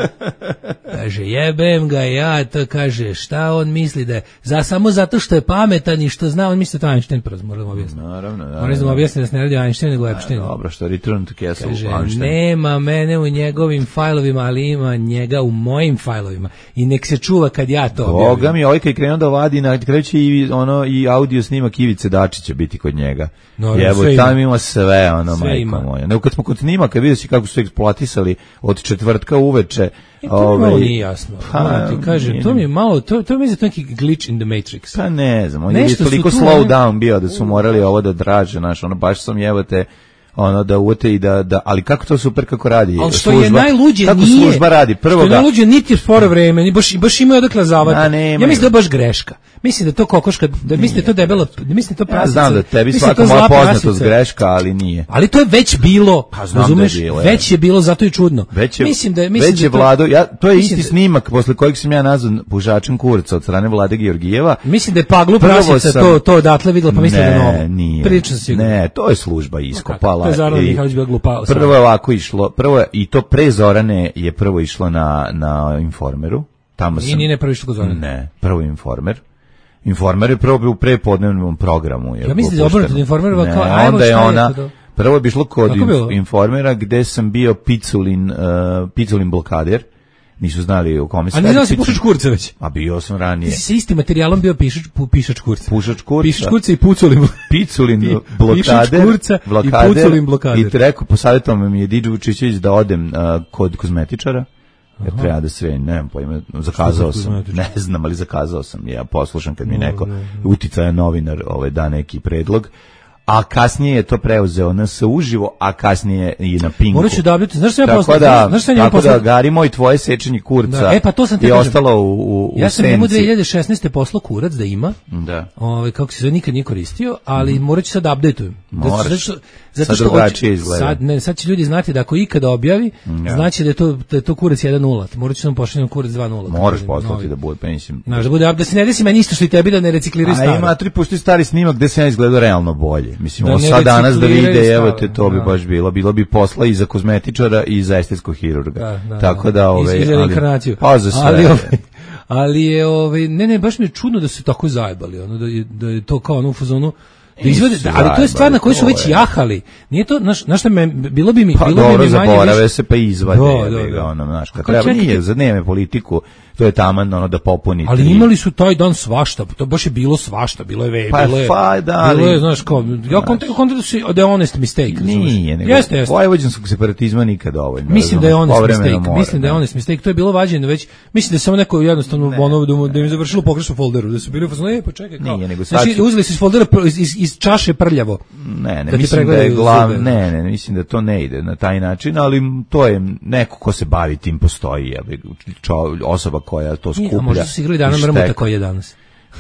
Kaže, jebem ga ja, to kaže, šta on misli da je, za, samo zato što je pametan i što zna, on misli da to Einstein, prvo moramo objasniti. Naravno, da. Moramo objasniti da se ne radi Einstein, nego Epstein. Dobro, što Return to Castle kaže, Einstein. Nema mene u njegovim fajlovima, ali ima njega u mojim fajlovima. I nek se čuva kad ja to objavim. Boga mi, ovaj kad je krenuo da vadi, na kreće i, ono, i audio snimak Ivice Dačića biti kod njega. No, jebo, tam ima sve, ono, sve majko moja. Nego kad smo kod snima, kad vidio si kako su eksploatisali od četvrtka uveče, E, to ovaj, nije jasno. Pa, Pa, ti kažem, nije, to mi je malo, to, to mi je to neki glitch in the Matrix. Pa ne znam, on je Nešto su toliko tu, slow ne- down bio da su morali ovo da draže, znaš, ono, baš sam jebote, ono, da uvete i da, da, ali kako to super kako radi Ali što služba, je najluđe kako nije, služba radi, prvo što je ga, najluđe niti je sporo vreme, ni baš, baš imaju odakle zavati. A, nemaju. Ja mislim da je baš greška. Mislim da je to kokoška, da mislim da je to debela, da mislim da je to ja prasica. znam da tebi mislim da je svaka to moja zla poznatost prasica. greška, ali nije. Ali to je već bilo, Pa znam razumeš? da je bilo, već je bilo, zato je čudno. Već je, mislim da je, mislim već da je to- Vlado, ja, to je mislim isti da- snimak posle kojeg sam ja nazvan pužačem kurca od strane Vlade Georgijeva. Mislim da je Paglu Prvo prasica sam- to, to odatle videla, pa mislim da je Ne, novo. nije. Pričam sigurno. Ne, to je služba iskopala. To je Zorana i- Mihajlović bila glupa. Prvo je ovako išlo, prvo je, i to pre Zorane je prvo išlo na, na Informeru. Tamo Nije, sam, nije ne prvo išlo kod Zorane. Ne, prvo Informer. Informer je prvo bio u prepodnevnom programu. Je Ja mislim da je pušteno. obrnuto, Informerova Ne, kao, ajmo, onda je šta je ona, to? prvo je bi išlo kod Kako inf- bilo? Informera gde sam bio Piculin, uh, Piculin blokader. Nisu znali o kome se A ne radi. znao si Piculin- pušač kurca već? A bio sam Ti ranije. si sa istim materijalom bio pišač, pu, pišač kurca. Pušač kurca. Pišač kurca i puculin. Piculin Pi- blokader, pišač kurca i blokader, puculin blokader. i rekao, posavjetovao mi je Didžo Vučićević da odem uh, kod kozmetičara, jer treba da sve, ne znam pojma, zakazao Što za sam, kozmetičar? ne znam, ali zakazao sam, ja poslušam kad mi neko uticajan novinar ovaj, da neki predlog, a kasnije je to preuzeo na se uživo, a kasnije i na Pinku. Morat ću da update. Znaš što ja Tako posle? da, Znaš što ja njemu tako da, posle? Gari moj, tvoje sečenje kurca Da, e, pa to sam te je kažem. ostalo u, u, u Ja sam njemu senci. dve hiljade šesnaeste poslao kurac da ima. Da. Ovaj kako se zove, nikad nije koristio, ali morat ću sad da updateujem. Moraš. Zato što, zato Sad što drugačije hoće- izgleda. Sad, ne, sad će ljudi znati da ako ikada objavi, Ja. znači da je to, da je to kurac jedan nula. Morat ću sam pošaljem kurac dva nula. Moraš poslati da bude, pa mislim. Znaš, da bude, da se ne desi meni isto što i tebi da ne recikliraju A staro. ima tri pusti stari snimak gde se ja izgledao realno bolje. Mislim, Da ovo ne sad danas da recikliraju vide, evo staro, te, to bi da. baš bilo. Bilo bi posla i za kozmetičara i za estetskog hirurga. Da, da, Tako da. da, ove, I, i za reinkarnaciju. Pa za sve. Ali, ovaj, ali je, ovaj, ne, ne, baš mi je čudno da su tako zajebali, ono, da je, da je to kao ono u fazonu, da izvode, Nisu ali to je stvar na kojoj su zajebali, već to je. jahali. Nije to, znaš, znaš šta me, bilo bi mi, Pa bilo dobro, bi mi manje zaborave više- se pa izvade. Da, da, jebi ga, da. ono, znaš, kad Kako treba, čekaj, nije, ti- za dnevne politiku, to je taman, ono, da popuni. Ali tri. imali su taj dan svašta, to baš je bilo svašta, bilo je ve, Pa, bilo je, fa, da, bilo je, ali- znaš, kao, ja kontra, kontra da su the honest mistake, razumeš? Nije, nego Jeste, jeste. vojvođanskog separatizma nikad dovoljno. Mislim da je honest Povremeno mistake, mora, mislim da je da. honest mistake, to je bilo vađeno već, mislim da je samo neko jednostavno ono da, mu- da im je završilo u pogrešnom folderu, da su bili u fazonu, e, pa čekaj, kao. Nije, nego sad Znači, će- uzeli su iz foldera, pr- iz, iz, iz čaše prljavo. Ne, ne, Da ti mislim da je pregledaju glav, zube. ne, ne, ne, mislim da to ne ide na taj način, ali to je neko ko se bavi tim postoji, jebi, čo- osoba koja to Nije, skuplja. a možda su se igrali dana i mrmota šteka. koji je danas.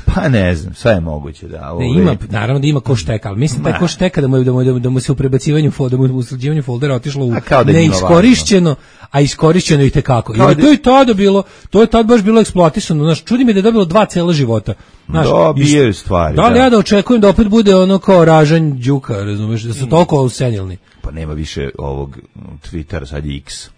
Pa ne znam, sve je moguće da. Ne, Ove, ima, naravno da ima ko šteka, ali mislim taj ko šteka da mu, je- da mu, da mu se u prebacivanju fo- da mu u sređivanju foldera otišlo u A kao da je njima neiskorišćeno, a iskorišćeno i tekako. Kao I da- to je tada bilo, to je tad baš bilo eksploatisano. Znaš, čudi me da je dobilo dva cela života. Znaš, Dobijaju i- stvari, Da li da. ja da očekujem da opet bude ono kao ražanj đuka, razumeš, da su toliko senilni. Pa nema više ovog Twittera, sad je X.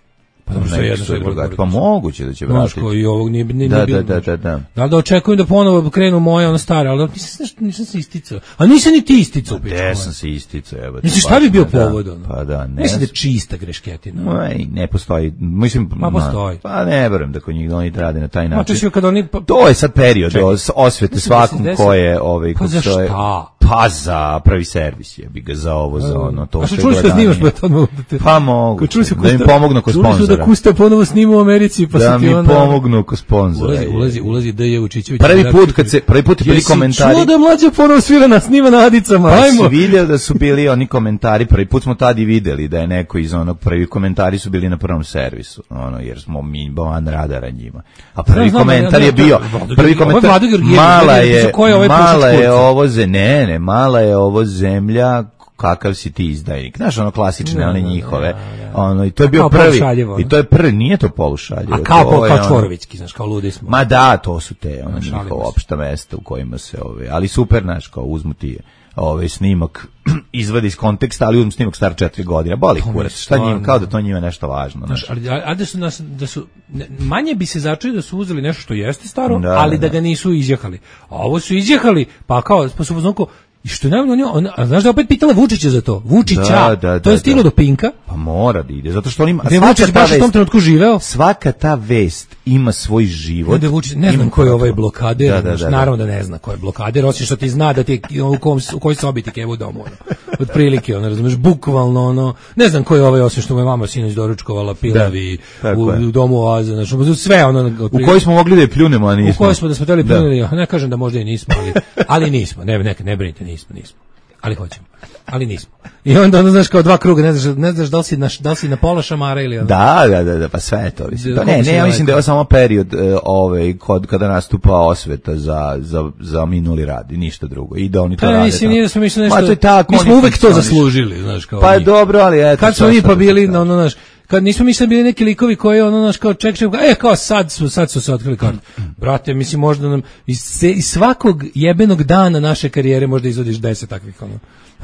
Pa dobro, Ne, sve jedno, X sve je drugačije. drugo. Pa moguće da će Znaš, vratiti. kao i ovog nije, nije, Da, nije bilo. da, da, da, da. Da li da očekujem da ponovo krenu moje ono stare, ali nisam, nisam se isticao. A nisam ni ti isticao. pičko Gde moja. sam se isticao, evo. Mislim, šta baš bi bio ne, da. povod? Ono? Pa da, ne. Mislim da je čista grešketina. Aj, ne postoji. Mislim, Ma, postoji. Pa ne verujem da kod njih oni rade na taj Ma, način. to si kad oni... Pa, To je sad period Čekaj. os- osvete Mislim da svakom se desi- ko je ovaj Pa ko za se je- šta? Pa za pravi servis je bi ga za ovo za ono to A što što je čuli što gledanje. snimaš, pa to odmah da te... Pa mogu. Kad čuli su Da im Kusta- pomognu kod Čuli su da sponzora. Kusta ponovo snima u Americi, pa Da su ti mi onda... pomognu kod sponzora. Ulazi, ulazi, ulazi D J Vučićević. Prvi put kad se prvi put je bili Jesi komentari. čuo da mlađa ponovo svira na snima na Adicama? Pa Ajmo! si vidio da su bili oni komentari, prvi put smo tad i videli da je neko iz onog, prvi komentari su bili na prvom servisu, ono, jer smo mi van radara njima. A prvi Znam, znam, komentar ja, je ja, bio, Vlado prvi Georgijević, ovo je komentar, Vlado Georgijević, mala gledaj, je, ko je ovaj mala pušač je kurca? ovo, ze, ne, ne, mala je ovo zemlja, kakav si ti izdajnik. Znaš, ono klasične, Da, one da, njihove, da, da. ono, i to je A bio kao prvi, polušaljivo, ono. i to je prvi, nije to polušaljivo. A kao, to kao, je kao ono- Čvorovićki, znaš, kao ludi smo. Ma da, to su te, ono, Šalimo njihova se. opšta mesta u kojima se, ove, ali super, znaš, kao uzmu ti ovaj snimak, izvadi iz konteksta, ali uzmu snimak star četiri godine, boli To mi kurac, je šta njima, stvarno- kao da to njima nešto važno, znaš. Znaš, ali, a, a da su, nas, da su ne, manje bi se začuli da su uzeli nešto što jeste staro, Da, ali da, da ga nisu izjehali. A ovo su izjehali, pa kao, pa su u fazonu kao, i što je najbolje, on, on, a znaš da je opet pitala Vučića za to? Vučića, Da, da, to je da, stiglo da. do Pinka, Pa mora da ide, zato što on ima, gde je svaka Vučić ta baš u tom vest, trenutku živeo. svaka ta vest ima svoj život. Onda je Vučić, ne znam ima ko je ovaj protokol. blokader, Da, da, znaš, da, da. naravno da ne zna ko je blokader, osim što ti zna da ti je, u, kom, u kojoj sobi ti kevu u domu. Ono. otprilike, ono, razumeš, bukvalno, ono, ne znam ko je ovaj osim što mu je mama sinoć doručkovala pilavi u, u domu Oaza, znači, sve ono, otprilike, u kojoj smo mogli da je pljunemo, a nismo. U kojoj smo da smo teli pljunili, da. Ne kažem da možda i nismo, ali, ali nismo, ne, ne, ne brinite, nismo, nismo, ali hoćemo. Ali nismo. I onda ono, znaš, kao dva kruga, ne znaš, ne znaš da li si na, da li si na pola šamara ili ono. Da, da, da, da, pa sve je to. Mislim. To ne, ne, ja mislim da je ovo samo period uh, ovaj, kod, kada nastupa osveta za, za, za minuli rad i ništa drugo. I da oni to pa, rade. Mislim, nije da smo mišli nešto, Ma, to je tako, mi smo uvek to zaslužili, znaš, kao pa mi. dobro, ali eto. Kad smo mi pa bili, ono, znaš, kad nismo mislili bili neki likovi koji ono naš kao ček ček e kao sad su sad su se otkrili kartu. Brate, mislim možda nam iz, iz svakog jebenog dana naše karijere možda izvodiš deset takvih ono.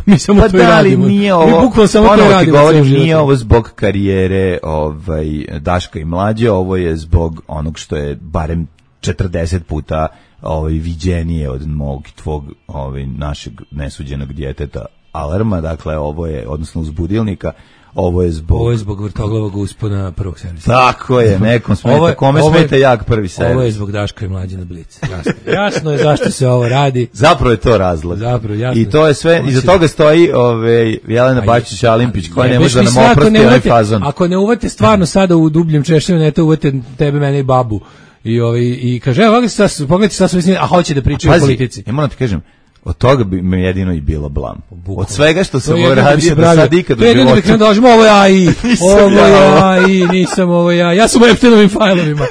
Mi samo pa to da, radimo. Nije ovo, mi bukvalno samo to radimo. Govorim, nije ovo zbog karijere ovaj, Daška i Mlađe, ovo je zbog onog što je barem četrdeset puta ovaj, viđenije od mog tvog ovaj, našeg nesuđenog djeteta Alarma, dakle ovo je, odnosno uzbudilnika, ovo je zbog... Ovo je zbog vrtoglavog uspona prvog servisa. Tako je, nekom smeta, ovo je, kome ovo je, smeta jak prvi servis. Ovo je zbog Daška i Mlađe na Blic. Jasno, jasno je zašto se ovo radi. Zapravo je to razlog. Zapravo, jasno. I to je sve, iza toga stoji ove, Jelena Bačić-Alimpić, koja ne može da nam oprosti onaj fazon. Ako ne uvate stvarno sada u dubljem češćenu, ne to uvate tebe, mene i babu. I, ovaj, i kaže, evo, pogledajte sad sve, a hoće da pričaju o politici. Ja moram ti kažem, od toga bi me jedino i bilo blam. Od svega što sam uradio da sad ikad u životu. To je jedno da kažem, ovo ja i, ovo ja i, nisam ovo ja. Ja sam u Epsteinovim fajlovima.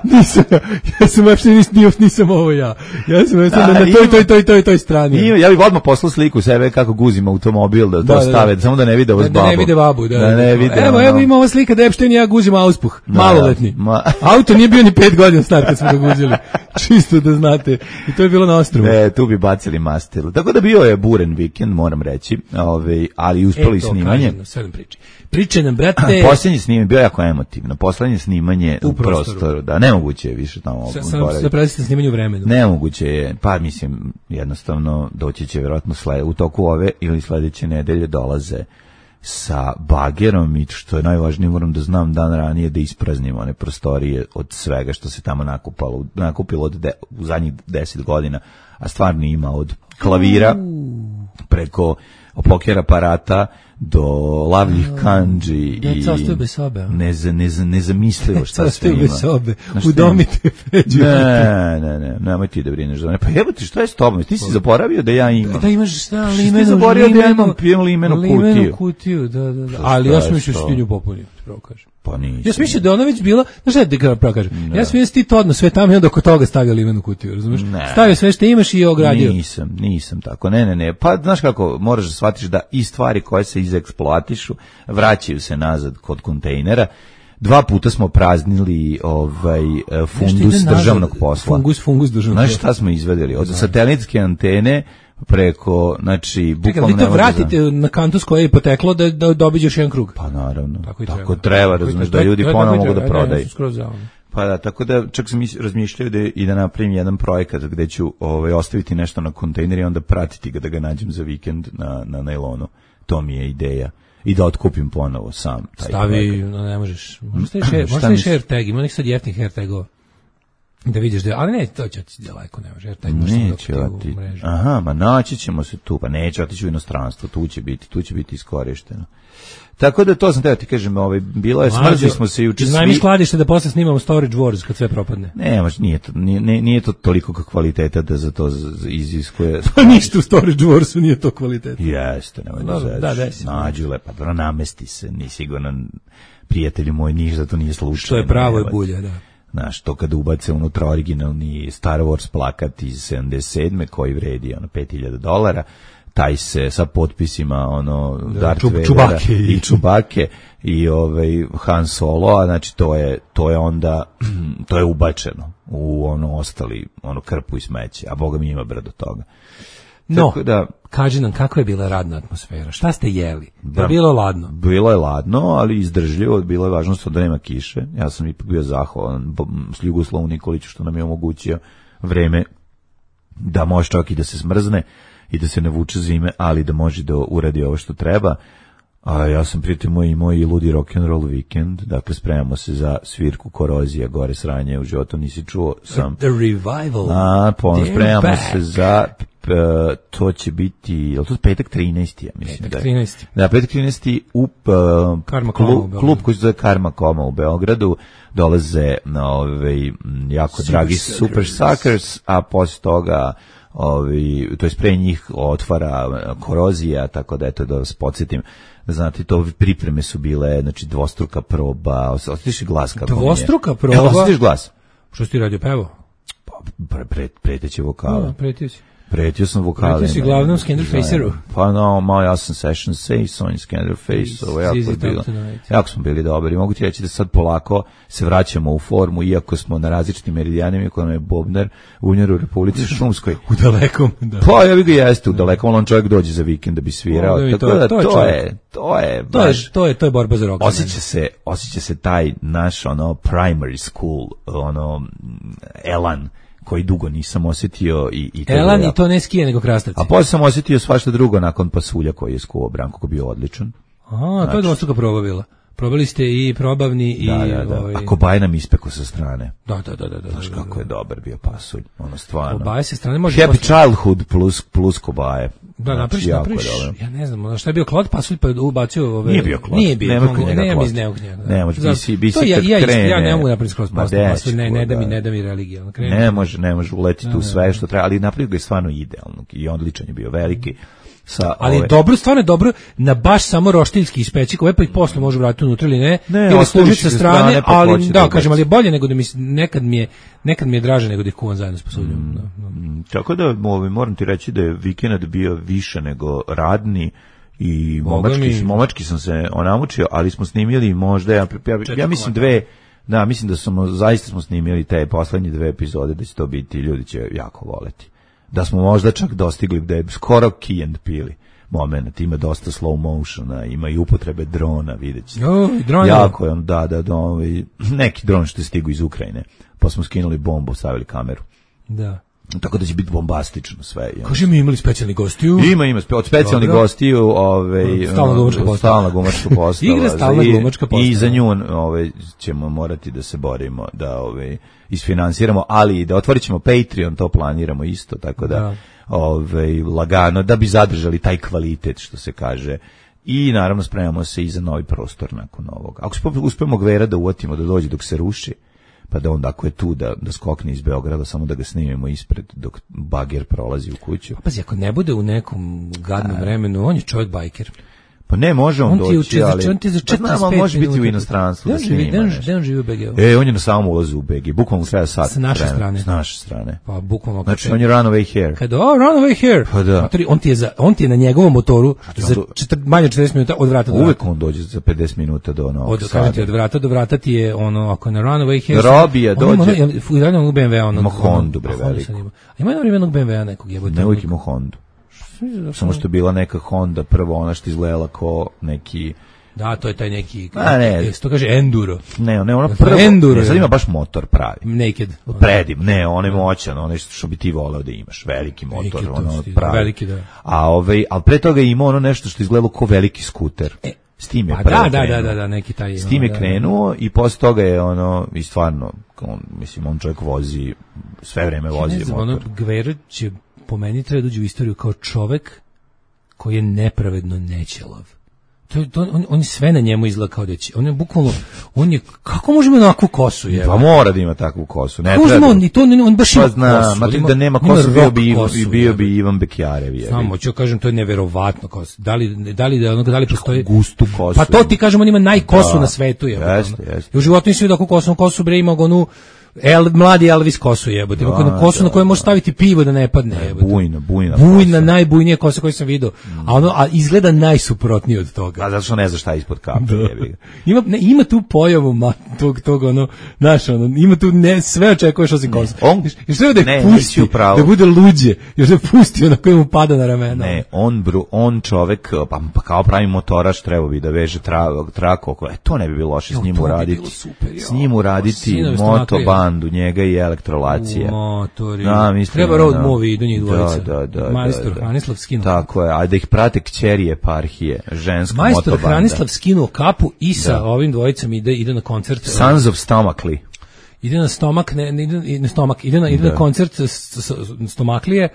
Nisam ja, ja sam u Epsteinovim, nisam ovo ja. Ja sam na toj, toj, toj, toj, toj strani. Ja bih odmah poslao sliku sebe kako guzim automobil, da to stave, samo da ne vide ovo s babu. Da ne vide babu, da. Da ne vide. Evo, evo ima ova slika da Epstein i ja guzimo auspuh, maloletni. Auto nije bio ni pet godina star kad smo ga guzili. Čisto da znate. I to je bilo na ostrvu. E, tu bi bacili mastilu. Tako da bio je buren vikend, moram reći, ovaj, ali uspeli e, snimanje. Kažem, sve nam priči. Priče nam, brate... Posljednje snimanje bio jako emotivno. Posljednje snimanje u, u prostoru. prostoru. Da, nemoguće je više tamo. Sad predstavite snimanje u vremenu. Nemoguće je, pa mislim, jednostavno doći će vjerojatno sled, u toku ove ili sledeće nedelje dolaze sa bagerom i što je najvažnije, moram da znam dan ranije da ispraznimo one prostorije od svega što se tamo nakupalo, nakupilo od de, u zadnjih deset godina, a stvarno ima od klavira preko poker aparata do lavljih kanđi i neza, neza, nezamislivo šta sve ima. Bez sobe, udomite Feđu. Ne, ne, ne, nemoj ti da brineš za mene. Pa jebo ti, šta je s tobom? Ti si zaboravio da ja imam. Da imaš šta, limenu, ti zaboravio da ja imam pijem limenu kutiju. Limenu kutiju, da, da, da. Ali ja sam mislio što ti nju popunio, pravo kažem. Pa nisam. Ja sam mislio da je ona već bila, znaš šta da pravo kažem, ne. Ja sam mislio ti to odno sve tamo i onda oko toga stavio limenu kutiju, razumiješ? Stavio sve što imaš i ogradio. Nisam, nisam tako, ne, ne, ne, pa znaš kako, moraš da shvatiš da i stvari koje se izeksploatišu, vraćaju se nazad kod kontejnera. Dva puta smo praznili ovaj fundus državnog posla. Fungus, fungus državnog posla. Znaš šta smo izvedeli? Od satelitske antene preko, znači, bukvalno... Čekaj, vi to vratite za... na kantu s koje je poteklo da, da dobiš još jedan krug. Pa naravno, tako, tako treba, treba razumiješ, da ljudi ponovo mogu da prodaju. Pa da, tako da čak sam razmišljao da i da napravim jedan projekat gde ću ovaj, ostaviti nešto na kontejner i onda pratiti ga da ga nađem za vikend na, na nailonu. To mi je ideja. I da otkupim ponovo sam. Taj Stavi, no, ne možeš. Možeš li share tag, ima nek sad jeftnih hair tagova. Da vidiš da, ali ne, to će ti daleko, ne može, jer taj neće oti. Aha, ma naći ćemo se tu, pa neće otići u inostranstvo, tu će biti, tu će biti iskorišteno. Tako da to sam teo ti kažem, ovaj, bilo je, smrzli smo se juče svi. Iznajmi skladište da posle snimamo Storage Wars kad sve propadne. Ne, može, nije to, nije, nije to toliko kvaliteta da za to iziskuje. Pa ništa u Storage Warsu nije to kvaliteta. Jeste, nemoj da zadaš. Da, desi. Nađu lepa, da namesti se, ni sigurno, prijatelji moji, niš da to nije slučajno. Što je pravo je bulja, da. Znaš, to kada ubace unutra originalni Star Wars plakat iz sedamdeset sedme koji vredi ono pet hiljada dolara, taj se sa potpisima ono da, Darth Vadera Čubake i Čubake i ovaj Han Solo, a znači to je to je onda to je ubačeno u ono ostali ono krpu i smeće, a boga mi ima brdo toga. No, tako da, kaži nam kako je bila radna atmosfera, šta ste jeli? Da, bilo ladno? Bilo je ladno, ali izdržljivo, bilo je važno da nema kiše. Ja sam ipak bio zahvalan s Ljugoslavu Nikoliću što nam je omogućio vreme da može čak i da se smrzne i da se ne vuče zime, ali da može da uradi ovo što treba. A ja sam pritom i moj ludi rock'n'roll vikend, dakle spremamo se za svirku Korozija, gore sranje u životu nisi čuo sam. The Revival. A, po, spremamo se za to će biti, je li to petak trinaesti, ja mislim. Petak trinaesti. Da, petak trinaesti u uh, klub, klub koji se zove Karma Koma u Beogradu, dolaze na ovaj jako super dragi Super Suckers, a posle toga ovi, to je pre njih otvara Korozija, tako da eto da vas podsjetim, da znate, to pripreme su bile, znači dvostruka proba, osjetiš glas kako dvostruka je. proba? Evo, osjetiš glas? Što si ti radio, pevo? Pa, pre, pre, preteće vokale. No, pretio si. Pretio sam vokale. Pretio si glavnom Scanderfaceru. Pa no, malo ja sam session say, Sony Scanderface, ovo jako je bilo. Jako smo bili dobri. Mogu ti reći da sad polako se vraćamo u formu, iako smo na različitim meridijanima, iako nam je Bobner Unjer u Republici Šumskoj. U dalekom, da. Pa ja bih ga jeste u dalekom, ali on čovjek dođe za vikend da bi svirao. O, tako to, da to, to, to je, je, to je, to je, to je, to je borba za rock. Osjeća se, osjeća se taj naš, ono, primary school, ono, elan, koji dugo nisam osjetio i, i to Elan ja. I to ne skije nego krastavci. A posle sam osjetio svašta drugo nakon Pasulja koji je skuo Branko, koji je bio odličan. A, to znači, je dvostruka proba bila. Probali ste i probavni i... Da, da, da. Ovaj... A Kobaj nam ispekao sa strane. Da, da, da. da, da Znaš da, kako da, je dobar bio Pasulj. Ono stvarno. Kobaj sa strane može... Happy posle... childhood plus, plus Kobaje. Da, napriš, napriš, ja ne znam, šta je bio Klod Pasulj pa je ubacio ove... Nije bio Klod. Nije bio, nema kod njega ne, Klod. iz neog njega. Ne može, bi si, bi si ja, kad ja, krene. Ja ne mogu napraviti skroz Pasulj, ne, ne da mi, da. ne da mi religija. Ne može, ne može uletiti u sve što treba, ali napravio ga je stvarno idealno i odličan je bio, veliki. Sa ali ove... dobro, stvarno je dobro na baš samo roštiljski ispeći, koje pa ih posle može vratiti unutra ili ne, ne ili služiti sa strane, strane pa ali da, da kažem, ali je bolje nego da mi, nekad mi je, nekad mi je draže nego da ih kuvam zajedno s pasuljom. Mm, da, da. Tako da ovaj, moram ti reći da je vikend bio više nego radni i momački, mi... momački sam se onamučio, ali smo snimili možda, ja, ja, ja mislim dve, da, mislim da smo, zaista smo snimili te poslednje dve epizode, da će to biti, ljudi će jako voleti. Da smo možda čak dostigli da je skoro Key and Peele moment, ima dosta slow motiona, ima i upotrebe drona, vidjet ćete. Oh, dron jako je on, da, da, da, ovaj, neki dron što je stigu iz Ukrajine, pa smo skinuli bombu, stavili kameru. Da. Tako da će biti bombastično sve. Kaže mi imali specijalni gostiju? Ima, ima od specijalnih gostiju, ovaj stalna glumačka postava. Stalna glumačka postava. Igra stalna glumačka postava. I za nju ovaj ćemo morati da se borimo da ovaj isfinansiramo, ali i da otvorićemo Patreon, to planiramo isto, tako da, da. ovaj lagano da bi zadržali taj kvalitet što se kaže. I naravno spremamo se i za novi prostor nakon ovog. Ako uspemo Gvera da uvatimo da dođe dok se ruši, pa da onda ako je tu da, da skokne iz Beograda, samo da ga snimimo ispred dok bager prolazi u kuću. Pazi, ako ne bude u nekom gadnom vremenu, on je čovjek bajker. Pa ne, može on, on doći, ti ali... On ti za četrdeset pet minuta može biti u inostranstvu da se nima nešto. Gde on živi u B G-u? E, on je na samom ulazu u B G, bukvalno treba sat. S naše strane. S naše strane. Pa bukvalno. Znači, on je run away here. Kada, oh, run away here. Pa da. Matori, on, ti je za, on ti je na njegovom motoru za četir, manje od četrdeset minuta od vrata do vrata. Uvek on dođe za pedeset minuta do Novog od, Sada. Od vrata do vrata ti je ono, ako je na run away here... Robija dođe. U jednog B M W-a. Ima Hondu, bre, veliko. Ima jednog jednog B M W-a nekog jebote. Ne uvijek ima Hondu. Samo što je bila neka Honda, prvo ona što izgledala ko neki... Da, to je taj neki, a ne, to kaže enduro. Ne, ne, ona prvo, enduro, ne, sad ima baš motor pravi. Naked. Predim, ne, on je moćan, on je što bi ti voleo da imaš, veliki motor, naked, ono pravi. Veliki, da. A ovaj, al pre toga ima ono nešto što izgledalo kao veliki skuter. E, s tim je pa prvo da, da, krenuo. da, da, da, neki taj. S tim je da, krenuo da, da. I posle toga je ono, i stvarno, on, mislim, on čovjek vozi, sve vreme vozi ne znam, motor. Ono, Gver će po meni treba dođe u istoriju kao čovek koji je nepravedno nećelav. To, to, on, on je sve na njemu izgleda kao da će. On je bukvalno, on je, kako možemo onakvu kosu je? Pa mora da ima takvu kosu. Ne treba. On, to, on baš ima pa zna, kosu. Ma ima, da nema kosu, bio bi, kosu, bio bi Ivan Bekjarev. Samo ću kažem, to je neverovatno kosu. Da li, da li, da ono, da li postoji... Gustu kosu. Pa to ti kažem, on ima najkosu da, na svetu. Je, jeste, jeste. I u životu nisi vidio kako kosu, kosu bre ima onu... El, mladi Elvis kosu jebote, ima da, kosu da, na kojoj može staviti pivo da ne padne jebote. Bujna, bujna. Bujna, najbujnija kosa koju sam vidio. Mm. A ono a izgleda najsuprotnije od toga. A zato što ne zna šta je ispod kape, jebi. Ima ne, ima tu pojavu ma, tog tog ono, znaš, ono, ima tu ne sve očekuješ osim kosa. On i što da ne, pusti, da bude luđe, još da pusti na kojem mu pada na ramena. Ne, on bru, on čovek pa, pa kao pravi motoraš treba bi da veže tra, trako, e, to ne bi bilo loše s njim uraditi. S njim uraditi moto bandu, njega i elektrolacija. Motori. Da, mislim, treba road no, movie do njih dvojica. Da, da, da. Majstor da, Hranislav skinuo. Tako je, a da ih prate kćeri eparhije, ženska Majstor motobanda. Majstor Hranislav skinuo kapu i sa da. ovim dvojicama ide, ide na koncert. Sons of Stomachly. ide na stomak, ne, ne ide na stomak, ide na, ide na koncert stomaklije,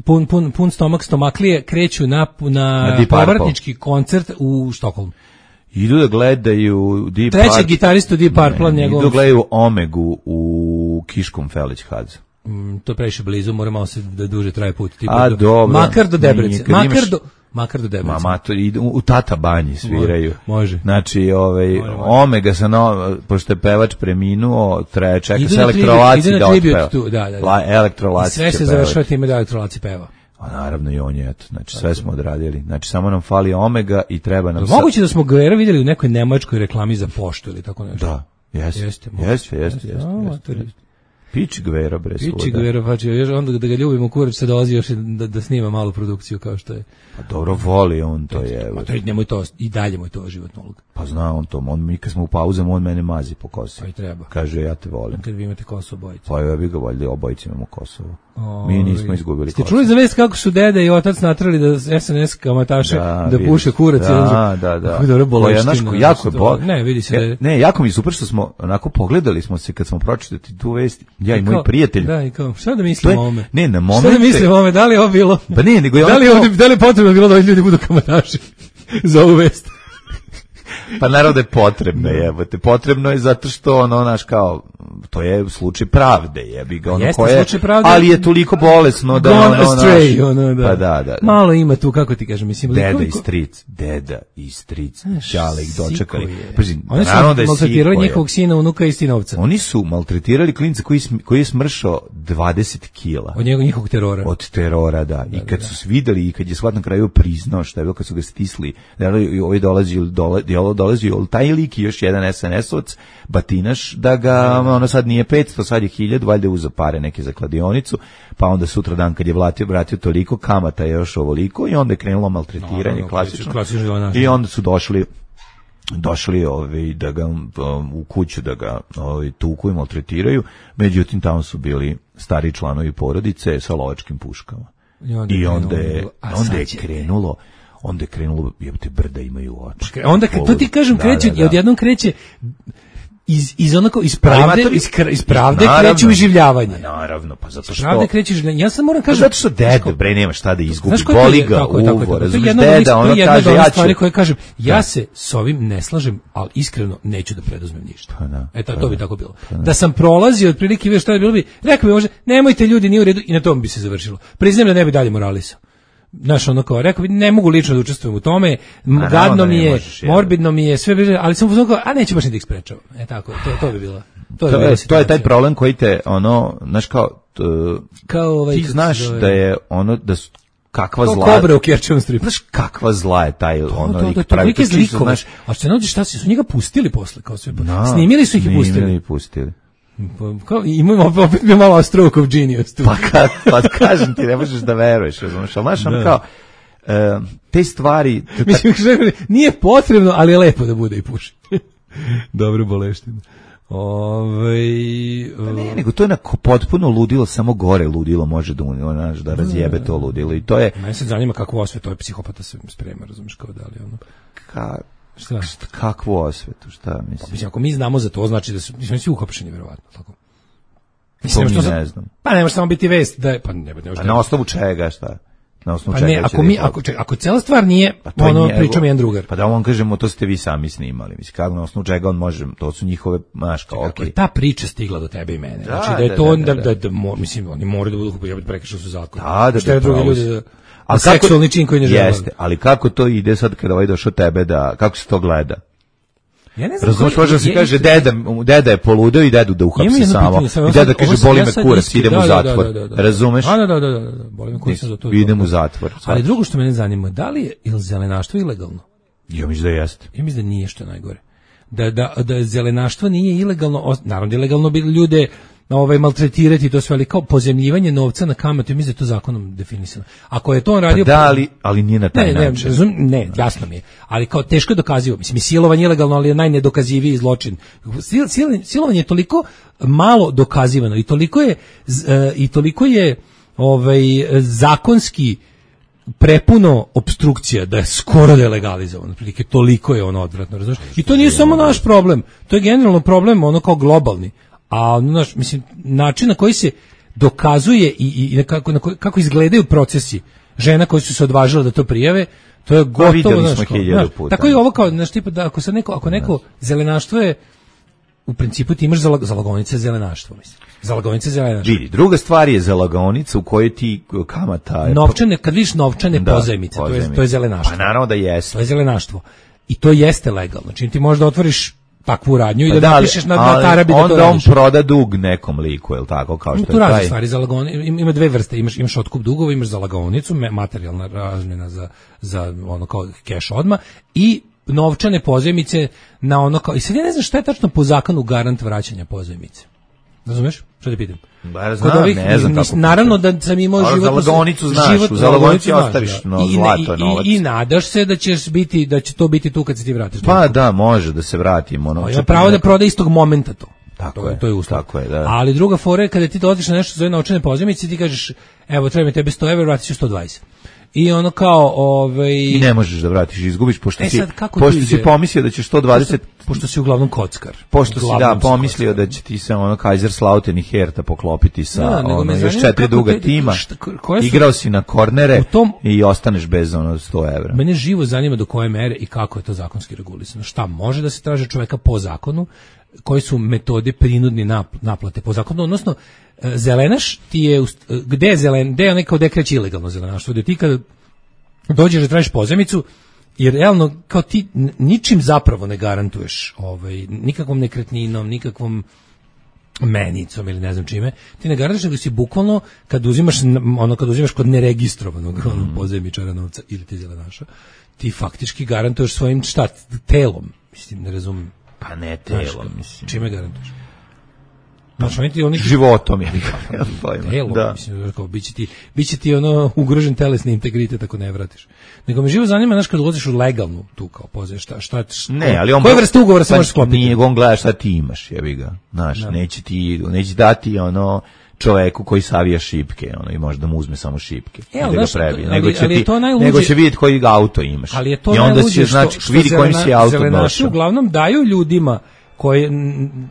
pun, pun, pun stomak stomaklije, kreću na, na, na povratnički koncert u Štokholmu. Idu da gledaju Deep Treći Purple. gitaristu Deep Purple, njegov... Idu da gledaju Omegu u Kiškom Felić-Hadzu. Mm, to je previše blizu, mora malo se da duže traje put. Tipa A, do, dobro. Makar do Debrecen. Makar, imaš... do, makar do Debrecen. Mama, to idu u Tata Banji sviraju. Može. Znači, ovaj, može, može. Omega sa no, pošto je pevač preminuo, traje, čeka idu se na elektrolaci tribut, da otpeva. Tu, da, da, da. La, elektrolaci I sve se završava time da elektrolaci peva. A naravno i on je, eto, znači sve smo odradili. Znači samo nam fali Omega i treba nam... Moguće da smo Guerra vidjeli u nekoj nemačkoj reklami za poštu ili tako nešto. Da, jeste, jeste, jeste, jeste, jeste. Piči Guerra, bre, svuda. Piči Guerra, pa će još onda da ga ljubimo, kurac se dolazi još da, da snima malu produkciju kao što je. Pa dobro, voli on to je. Pa to je, nemoj to, i dalje mu je to životna uloga. Pa zna on to, on, mi kad smo u pauzama, on mene mazi po kosi. Pa i treba. Kaže, ja te volim. Kad vi imate Kosovo obojice. Pa ja bih ga voljeli, obojice imamo Kosovo. O, mi nismo izgubili Ste Kosovo. čuli za vest kako su deda i otac natrali da S N S kamataše da, da puše kurac? Da, da, da. Dobro, boleština. Jako, jako je bol. Ne, vidi se da je... Ne, jako mi je super što smo, onako, pogledali smo se kad smo pročitali tu vest, ja i, i moj prijatelj. Da, i kao, šta da mislim o ovome? Ne, na momente... Šta da mislim o ovome? Da li je ovo bilo? Pa ne, nego je da li je ovdje, da li je potrebno bilo da ovi ljudi budu kamataši za ovu vest? Pa naravno da je potrebno, jebote. Potrebno je zato što ono, naš kao, to je slučaj pravde, jebi ga, ono Jeste, koje, pravde, ali je toliko bolesno da gone ono, astray, naš, ono, da. Pa da, da, da. Malo ima tu, kako ti kažem, mislim. Deda koliko... i stric, deda i stric, čale ih dočekali. Pazi, oni su da maltretirali njihovog sina, unuka i sinovca. Oni su maltretirali klinca koji, koji je smršao dvadeset kila. Od njegov, njihovog terora. Od terora, da. I kad su videli i kad je svat na kraju priznao šta je bilo, kad su ga stisli, da ovaj dolazi, dolazi, dolazi, taj lik i još jedan S N S-ovac, batinaš, da ga, ono sad nije petsto, sad je hiljadu, valjda uza pare neke za kladionicu, pa onda sutra dan kad je vratio, vratio toliko, kamata je još ovoliko i onda je krenulo maltretiranje, no, klasično. klasično I onda su došli došli ovi, da ga um, u kuću da ga ovi, tuku i maltretiraju, međutim tamo su bili stari članovi porodice sa lovačkim puškama. I onda, I onda je, onda je krenulo onda je krenulo, jebote, brda imaju oči. Onda, to ti kažem, kreće, da, da, da. I odjednom kreće iz, iz onako, iz pravde, to, iz, iz pravde naravno, kreće uživljavanje. Naravno, pa zato što... Iz pravde kreće uživljavanje. Ja sam moram kažem... Pa zato što deda, bre, nema šta da izgubi, boli ga uvo, razumiješ, deda, ono kaže, ja ću... stvari koje kažem, ja se s ovim ne slažem, ali iskreno neću da preduzmem ništa. Pa da, Eto, pa to bi tako bilo. Da, da sam prolazio otprilike, već šta je bilo bi, rekao bi može, nemojte ljudi, nije u redu, i na tom bi se završilo. Priznajem da ne bi dalje moralisao. Znaš, ono kao, rekao bi, ne mogu lično da učestvujem u tome, a, gadno mi je, morbidno mi je, sve, ali sam uzmano kao, a neću baš ni da ih sprečavam. E tako, to, to bi bilo. To, to, je, to je taj problem koji te, ono, znaš kao, t, kao ovaj, ti znaš da je, ono, da su, kakva to zla... Kobre u Kerčevom stripu. Znaš kakva zla je taj, to, ono, to, to, to, pravi, to zlikove, znaš... A što se nađe, šta si, su njega pustili posle, kao sve, no, snimili su ih i pustili. Snimili i pustili. Kao, imamo opet mi malo stroke of genius tu. Pa, kad, pa kažem ti, ne možeš da veruješ, razumiješ, ali znaš, ono kao, uh, te stvari... Mislim, nije potrebno, ali je lepo da bude i puši. Dobro boleština. Ove, pa ne, nego to je na potpuno ludilo, samo gore ludilo može da, onaš, da razjebe to ludilo i to je... Mene se zanima kakvu osvetu ovaj psihopata se sprema, razumiješ, kao da li ono... Ka... Šta? Kakvu osvetu, šta mislim? Pa, mislim, ako mi znamo za to, znači da su, mislim, svi uhapšeni, verovatno, tako. Mislim, to mi ne znam. Pa ne može samo biti vest da je, pa ne, ne može. A na osnovu čega, šta? Na osnovu pa čega ne, ako mi, ako, čega, ako cela stvar nije, pa ono, pričam jedan drugar. Pa da on kažemo, to ste vi sami snimali, mislim, kako na osnovu čega on može, to su njihove, znaš, kao, okej. Okay. Ta priča stigla do tebe i mene, da, znači da je to, da, da, da, da, da, da mislim, oni moraju da budu kupiti, prekršili su zakon. Da, da, šta je drugi ljudi da... Ali seksualni čin koji ne žele. Jeste, ali kako to ide sad kada ovaj došao tebe da, kako se to gleda? Ja ne znam. Razumiješ, može se kaže, deda, deda je poludeo i dedu da uhapsi samo. I deda kaže, boli me kurac, idem u zatvor. Razumeš? Da, da, da, da, boli me kurac za to. Idem u zatvor. Ali drugo što mene zanima, da li je ili zelenaštvo ilegalno? Ja mislim da jeste. Ja mislim da nije, što je najgore. Da, da, da zelenaštvo nije ilegalno, naravno ilegalno bi ljude ovaj maltretirati, to sve, ali kao pozemljivanje novca na kamatu, mislim da je to zakonom definisano. Ako je to on radio... Pa da, ali, ali nije na taj ne, način. Ne, razum, ne, jasno mi je. Ali kao teško je dokazivo. Mislim, silovanje je ilegalno, ali je najnedokaziviji zločin. Sil, sil, silovanje je toliko malo dokazivano i toliko je, i toliko je ovaj, zakonski prepuno opstrukcija da je skoro da je legalizovano. Prilike, toliko je ono odvratno, razumiješ? I to nije samo naš problem. To je generalno problem, ono kao globalni. A znaš, mislim, način na koji se dokazuje i, i kako, na koji, kako izgledaju procesi žena koji su se odvažile da to prijave, to je gotovo, znaš, kao, znaš, tako i ovo kao, znaš, tipa da ako se neko, ako neko zelenaštvo je, u principu ti imaš za zalagonice zelenaštvo, mislim. Zalagonice zelenaštvo. Vidi, druga stvar je zalagonica u kojoj ti kamata... Novčane, kad vidiš novčane da, pozajmice, to je, to je zelenaštvo. Pa naravno da jeste. To je zelenaštvo. I to jeste legalno. Čim ti možda otvoriš takvu radnju i pa da, da napišeš na, na tarabi da to radiš. Onda on proda dug nekom liku, je li tako? Kao što tu je razne taj... stvari, zalagoni, ima dve vrste, imaš, imaš otkup dugova, imaš zalagonicu, materijalna razmjena za, za ono kao keš odmah i novčane pozajmice na ono kao, i sad ja ne znam šta je tačno po zakonu garant vraćanja pozajmice. Razumeš? Što te pitam? Ba, znam, ovih, ne znam kako. Naravno da sam imao život... Zalagonicu znaš, život, u zalagonici ostaviš no, i, zlato, i, novac. I, I nadaš se da ćeš biti, da će to biti tu kad se ti vratiš. Pa tako. Da, može da se vratimo. Ono, ima pravo da proda istog momenta to. Tako to, je, to je uslov. Tako je, da. Ali druga fora je kada ti dođeš na nešto zove novčane pozajmice, ti kažeš, evo, treba mi tebe sto evra, vratit ću sto dvadeset. I ono kao, ovaj i ne možeš da vratiš, izgubiš pošto e si sad, pošto si pomislio da ćeš sto dvadeset pošto, pošto si uglavnom kockar. Pošto si da pomislio da će ti se ono Kaiserslautern i Hertha poklopiti sa da, ono još četiri duga te, tima. Šta, su, igrao si na kornere tom, i ostaneš bez ono sto evra. Mene živo zanima do koje mere i kako je to zakonski regulisano. Šta može da se traži čoveka po zakonu, koji su metode prinudne naplate po zakonu, odnosno zelenaš ti je, gde je zelen, gde je onaj kao dekreći ilegalno zelenaštvo, gde ti kad dođeš da tražiš pozajmicu, jer realno kao ti ničim zapravo ne garantuješ ovaj, nikakvom nekretninom, nikakvom menicom ili ne znam čime, ti ne garantuješ nego si bukvalno kad uzimaš, ono, kad uzimaš kod neregistrovanog mm. ono, pozajmičara novca ili ti zelenaša, ti faktički garantuješ svojim šta, telom, mislim, ne razumem. Pa ne telom, mislim. Čime garantuješ? Znači, oni ti oni životom je telo, da. Mislim, kao biće ti biće ti ono ugrožen telesni integritet ako ne vratiš. Nego me živo zanima, znaš, kad ulaziš u legalnu tu kao pozaj, šta šta ne, ali on koje vrste ugovora se pa može sklopiti? Nije, on gleda šta ti imaš, jebi ga. Znaš, da. neće ti neće dati ono čoveku koji savija šipke, ono, i može da mu uzme samo šipke. E, ali, da ga prebi, ali, nego će ali ti, nego će vidjeti koji auto imaš. Ali je to i onda će znači vidi kojim si auto došao. Uglavnom daju ljudima koje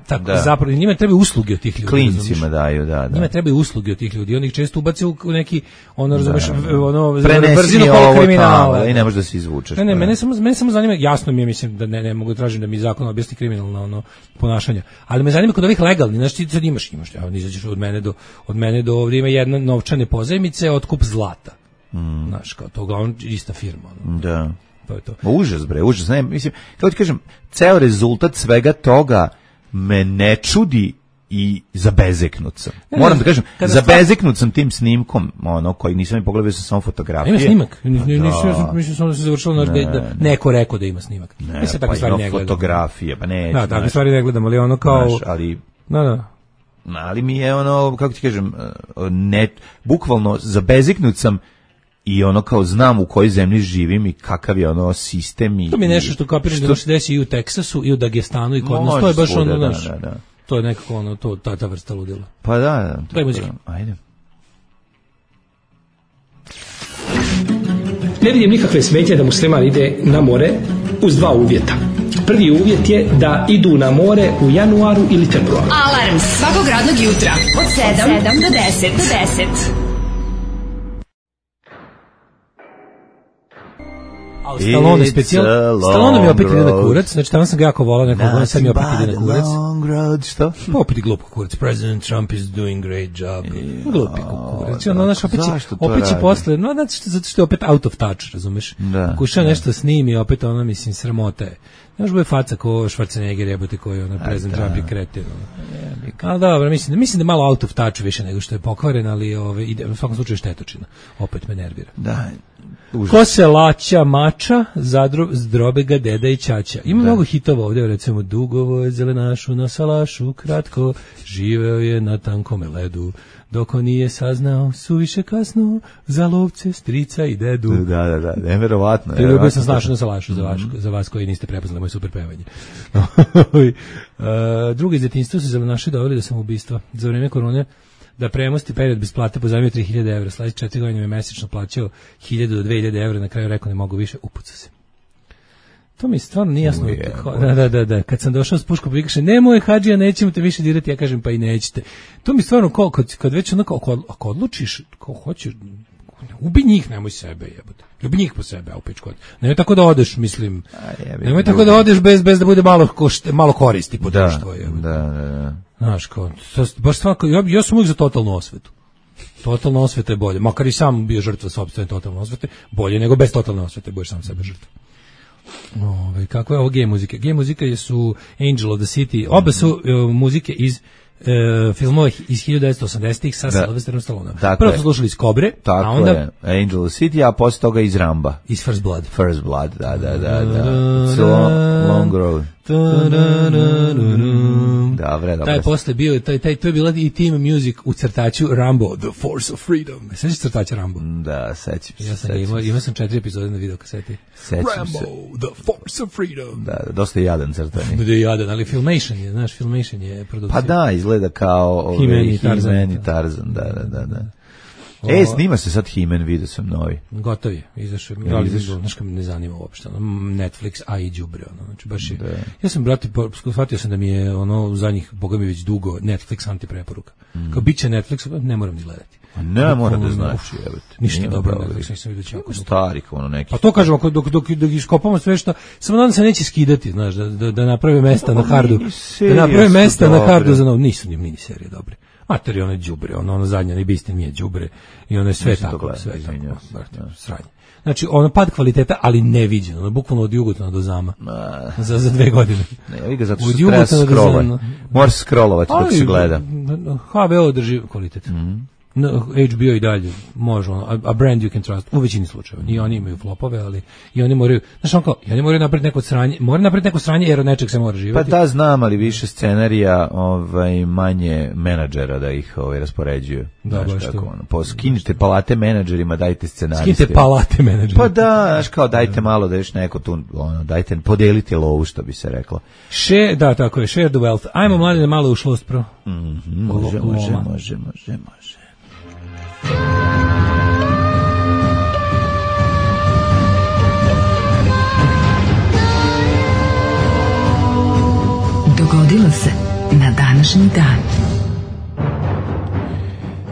tako da. Zapravo njima trebaju usluge od tih ljudi. Klincima daju, da, da. Njima trebaju usluge od tih ljudi. Oni ih često ubace u neki ono razumeš, da. ono brzinu kolo kriminala i ne možeš da se izvučeš. Ne, ne, mene samo mene samo zanima, jasno mi je, mislim da ne ne mogu tražiti da mi zakon objasni kriminalno ono ponašanje. Ali me zanima kod ovih legalnih, znači ti sad imaš imaš, ja izađeš od mene do od mene do ovdje ima jedna novčane pozajmice, otkup zlata. Mm. Znaš, kao to uglavnom ista firma. Ono. Da. To je to. Užas, bre, užas. Ne, mislim, kako ti kažem, ceo rezultat svega toga me ne čudi i zabezeknut sam. Ne, Moram ne, da kažem, zabezeknut sam tim snimkom, ono, koji nisam i pogledao, sam samo fotografije. Ima snimak. Nisam, mislim samo da se završilo, ne, da neko rekao da ima snimak. Ne, mislim, pa stvari ne fotografije, pa neću. Da, takve stvari ne gledam, ali ono kao... Znaš, ali... Da, da. Ali mi je ono, kako ti kažem, ne, bukvalno zabezeknut sam i ono kao znam u kojoj zemlji živim i kakav je ono sistem i... To mi je nešto što kapiraš da se desi i u Teksasu i u Dagestanu i kod nas, to je baš ono, da, naš, da, da. to je nekako ono, to, ta, ta vrsta ludila. Pa da, da. Daj muzika. Ajde. Ne vidim nikakve smetnje da musliman ide na more uz dva uvjeta. Prvi uvjet je da idu na more u januaru ili februaru. Alarm svakog radnog jutra od sedam do deset. Do deset. A Stallone specijal, Stallone mi opet ide na kurac, znači tamo sam ga jako volao nekog, sad mi opet ide na kurac. Što? Pa opet je glup kurac, President Trump is doing great job. Glupi kurac, ono, znaš, opet će, opet će posle, no, zato što je opet out of touch, razumeš? Kuša nešto snimi, opet ono, mislim, sramota je. Znaš, bude faca ko Schwarzenegger, jebote, koji ono, President Trump je kretin. Ali dobro, mislim, mislim da je malo out of touch više nego što je pokvaren, ali ove, ide, u svakom slučaju štetočina. Opet me nervira. Da, užas. Ko se laća mača, zadro, zdrobe ga deda i ćaća. Ima da. Mnogo hitova ovdje, recimo, dugovo je zelenašu na salašu, kratko, živeo je na tankome ledu, dok on nije saznao, suviše kasno, za lovce, strica i dedu. Da, da, da, neverovatno. Te ljubio sam slašu na salašu za, vaš, za vas koji niste prepoznali moje super pevanje. uh, drugi iz djetinjstva su zelenaši doveli da sam ubistva. Za vrijeme korone da premosti period bez plate pozajmio tri hiljade evra, sledeće četiri godine me mesečno plaćao hiljadu do dve hiljade evra, na kraju rekao ne mogu više, upucao se. To mi stvarno nije jasno. Da, da, da, da. Kad sam došao s puškom, pa kaže, nemoj hadžija, nećemo te više dirati, ja kažem, pa i nećete. To mi stvarno, kao, kad, kad već onako, ako, ako odlučiš, kao hoćeš, ubi njih, nemoj sebe, jebote. Ljubi njih po sebe, a u pičku. Nemoj tako da odeš, mislim. Nemoj tako da odeš bez, bez da bude malo, košte, malo koristi po društvo. Da, da, da. Znaš, kao, baš svako, ja, ja sam uvijek za totalnu osvetu. Totalna osveta je bolje. Makar i sam bio žrtva sopstvene totalne osvete, bolje nego bez totalne osvete, budeš sam sebe žrtva. Ove, kako je ovo gej muzika? Gej muzika su Angel of the City, oba su uh, muzike iz uh, filmova iz hiljadu devetsto osamdesetih sa Sylvesterom Stalloneom. Prvo smo slušali iz Kobre, tako a onda je. Angel of the City, a posle toga iz Ramba. Iz First Blood. First Blood, da, da, da, da. So long road. Dobre, dobre. Taj posle bio, taj, taj, to je bila i team music u crtaču Rambo, The Force of Freedom. Sećaš crtača Rambo? Da, sećam se. Ja sam imao, imao sam četiri epizode na videokaseti. Sećam se. Rambo, The Force of Freedom. Da, dosta jadan crtani. Da je jadan, ali Filmation je, znaš, Filmation je produkcija. Pa da, izgleda kao He-Man i Tarzan. He-Man i Tarzan, da, da, da, da. E, snima se sad He-Man, vidio sam novi. Gotov je, izašao. Ja, izašao. Znaš kad me ne zanima uopšte. Netflix, a i đubre. Ono. Znači, baš je, ja sam, brate, shvatio sam da mi je ono u zadnjih, boga mi već dugo, Netflix antipreporuka. Mm. Kao bit će Netflix, ne moram ni gledati. A ne, mora da znaš. Ništa nije dobro, Netflix nisam vidio čako. Stari, ono neki. Pa to kažemo, dok, dok, dok, dok iskopamo sve što, samo nadam se neće skidati, znaš, da, da, da naprave mesta na hardu. Da naprave mesta na hardu za novo. Nisu ni mini serije dobre. Mater je ono đubre, ono, ono zadnje, ne biste nije đubre i ono je sve tako, gleda, sve tako, brate, sranje. Znači, ono pad kvaliteta, ali neviđeno, ono, bukvalno od Jugotana do Zama, za, za dve godine. Ne, ja ga zato što treba scrollovati, moraš scrollovati dok se gleda. H B O drži kvalitet. Mm-hmm. No, H B O i dalje može, ono, a, a brand you can trust, u većini slučajeva. I oni imaju flopove, ali i oni moraju, znaš on kao, i oni moraju napraviti neko sranje, moraju napraviti neko sranje jer od nečeg se mora živjeti. Pa da, znam, ali više scenarija, ovaj, manje menadžera da ih ovaj, raspoređuju. Da, znaš, baš tako, to. Ono, po, skinite palate menadžerima, dajte scenariste. Skinite palate menadžerima. Pa da, znaš kao, dajte malo da još neko tu, ono, dajte, podelite lovu, što bi se reklo. Share, da, tako je, share the wealth. Ajmo, mladine, malo u šlost, pro. Mm-hmm, može, može, može, može, može. Dogodilo se na današnji dan.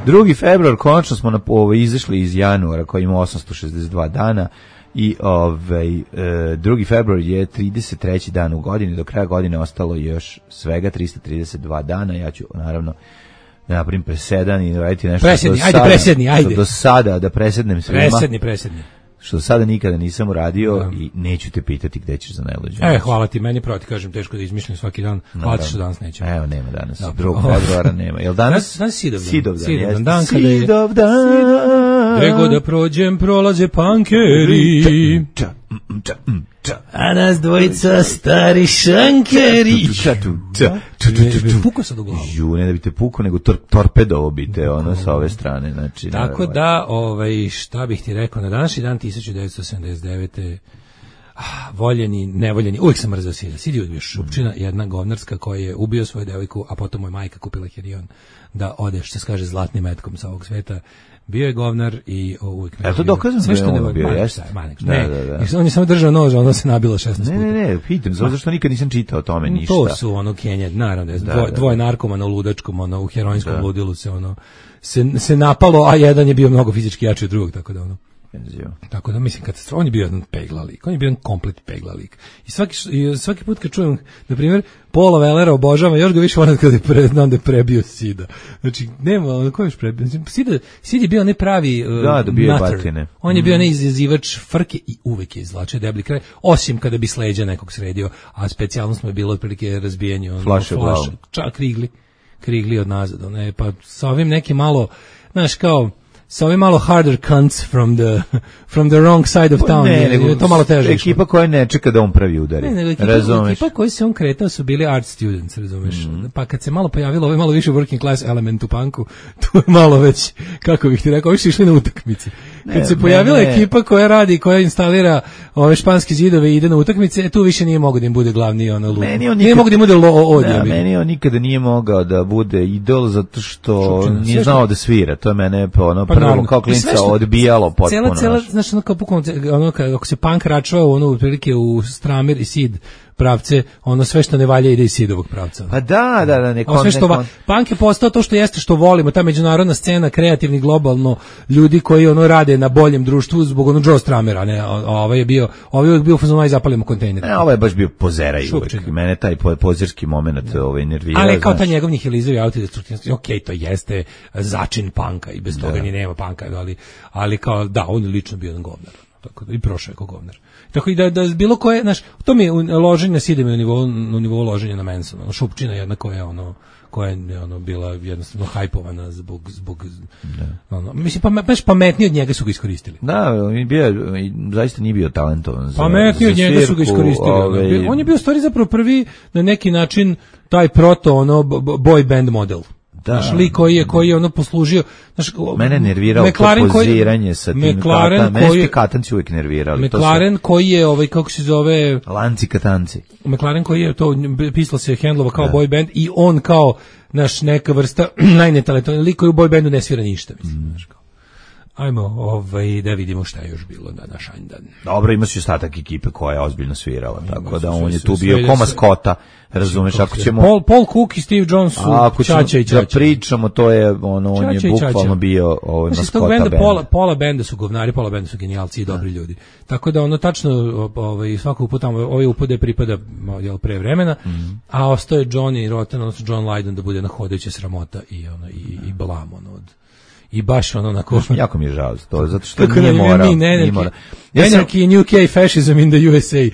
drugi februar, konačno smo na, ovaj, izašli iz januara koji ima osamsto šezdeset dva dana i ovaj, e, drugi februar je trideset treći dan u godini, do kraja godine ostalo još svega trista trideset dva dana, ja ću naravno da napravim presedan i raditi nešto presedni, do ajde, sada, presedni, ajde. do sada da presednem svima. Presedni, presedni. Što sada nikada nisam uradio da. I neću te pitati gde ćeš za najluđu. E, hvala ti, meni proti, kažem, teško da izmišljam svaki dan. Hvala ti što danas nećemo. Evo, nema danas. drugog februara nema. Jel danas? Danas Sidovdan. Sidovdan, Sidovdan, dan kada je... Sidovdan. Nego da prođem, prolaze pankeri. A nas dvojica stari šankeri. Puko sad u glavu. Ju, ne da bi te puko, nego tor torpedovo bi te ono sa ove strane. Znači, tako da, ovaj, šta bih ti rekao, na današnji dan tisuću devetsto sedamdeset devete. Ah, voljeni, nevoljeni, uvijek sam mrzao Sida. Sid je bio šupčina, jedna govnarska koja je ubio svoju devojku, a potom mu je majka kupila herion da ode, što se kaže, zlatnim metkom sa ovog sveta. Bio je govnar i o, uvijek... Je to dokazano da je on bio, jeste? Ne, da, on je samo držao nož, ono se nabilo šesnaest puta. Ne, ne, ne, pitam, zato što nikad nisam čitao o tome ništa. To su ono Kenja, naravno, da, dvoje, da, dvoje narkomana u ludačkom, ono, u heroinskom da. ludilu se ono, se, se napalo, a jedan je bio mnogo fizički jači od drugog, tako da ono... Tako da mislim kad on je bio jedan pegla lik, on je bio jedan komplet pegla lik. I svaki i svaki put kad čujem, na primjer, Paula Wellera obožavam, još ga više volim kad je pre, znam da je prebio Sida. Znači nema, on ko je još prebio? Sida, Sid je bio ne pravi uh, da, dobio batine. On je bio ne izazivač frke i uvek je izvlačio deblji kraj, osim kada bi s leđa nekog sredio, a specijalnost mu je bilo otprilike razbijanje on flaše, flaše, čak krigli, krigli od nazad, ne, pa sa ovim neki malo, znaš kao sa ovim malo harder cunts from the from the wrong side of town. Ne, nego je to malo teže. Ekipa koja ne čeka da on pravi udari. Ne, nego ekipa, ekipa koji se on kretao su bili art students, razumeš? Mm. Pa kad se malo pojavilo ovaj malo više working class element u punku, tu je malo već, kako bih ti rekao, više išli na utakmice. kad ne, se pojavila ne, ne. ekipa koja radi, koja instalira ove španske zidove i ide na utakmice, tu više nije mogao da im bude glavni ono lud. Nije mogao da im bude lo od. Da, meni on nikada nije mogao da bude idol zato što Šupčina, nije znao da svira. To je mene ono pa, prvo kao klinca odbijalo potpuno. Cela cela znači ono kao pukom ono kako se punk račvao ono otprilike u Stramer i Sid pravce, ono sve što ne valja ide iz Sidovog pravca. Pa da, da, da, neko, sve što va, punk je postao to što jeste što volimo, ta međunarodna scena, kreativni, globalno, ljudi koji ono rade na boljem društvu zbog ono Joe Stramera, ne, ovaj je bio, ovaj je bio fazon aj zapalimo kontejner. Ne, ovaj je baš bio pozeraj uvek. Mene taj pozerski momenat ovaj nervira. Ali kao ta njegov nihilizovi autodestruktivnost, okej, to jeste začin punka i bez toga ni nema punka, ali ali kao da, on je lično bio jedan govnar. Tako da i prošao je kao govnar. Tako i da, da bilo koje, znaš, to mi je loženje na Sidem na nivou, na nivou loženja na Mansona. Ono, Šupčina jedna koja je ono, koja je ono, bila jednostavno hajpovana zbog, zbog da. Ono, mislim, pa, baš pametniji od njega su ga iskoristili. Da, on je bio, zaista nije bio talentovan za pametniji od njega su ga iskoristili. Ove... On je bio u stvari zapravo prvi na neki način taj proto, ono, boy band model. Da, naš lik koji je koji je ono poslužio, znaš, mene nervirao to poziranje sa tim katanama, mene katanci uvijek nervirali. McLaren koji je ovaj kako se zove lanci katanci. McLaren koji je to pisalo se hendlova kao da. Boy band i on kao naš neka vrsta najnetalentovniji lik koji u boy bandu ne svira ništa, mislim, mm. znaš kao. Ajmo, ovaj, da vidimo šta je još bilo na naš dan. Dobro, imaš i ostatak ekipe koja je ozbiljno svirala, ima, tako da on je tu bio ko maskota, razumeš, ako ćemo... Paul, Paul Cook i Steve Jones su Čača i Čača. Da pričamo, to je, ono, on je bukvalno bio ovaj, maskota benda. Pola, pola benda su govnari, pola benda su genijalci i dobri ljudi. Tako da, ono, tačno, ovaj, svakog puta, ovaj upode pripada, jel, pre vremena, mm. a ostaje Johnny Rotten, odnosno John Lydon da bude na hodajuća sramota i, ono, i, i blam, ono, od... I baš ono onako... Jako mi je žao to, zato što nije morao. Anarchy in U K, fascism in the U S A.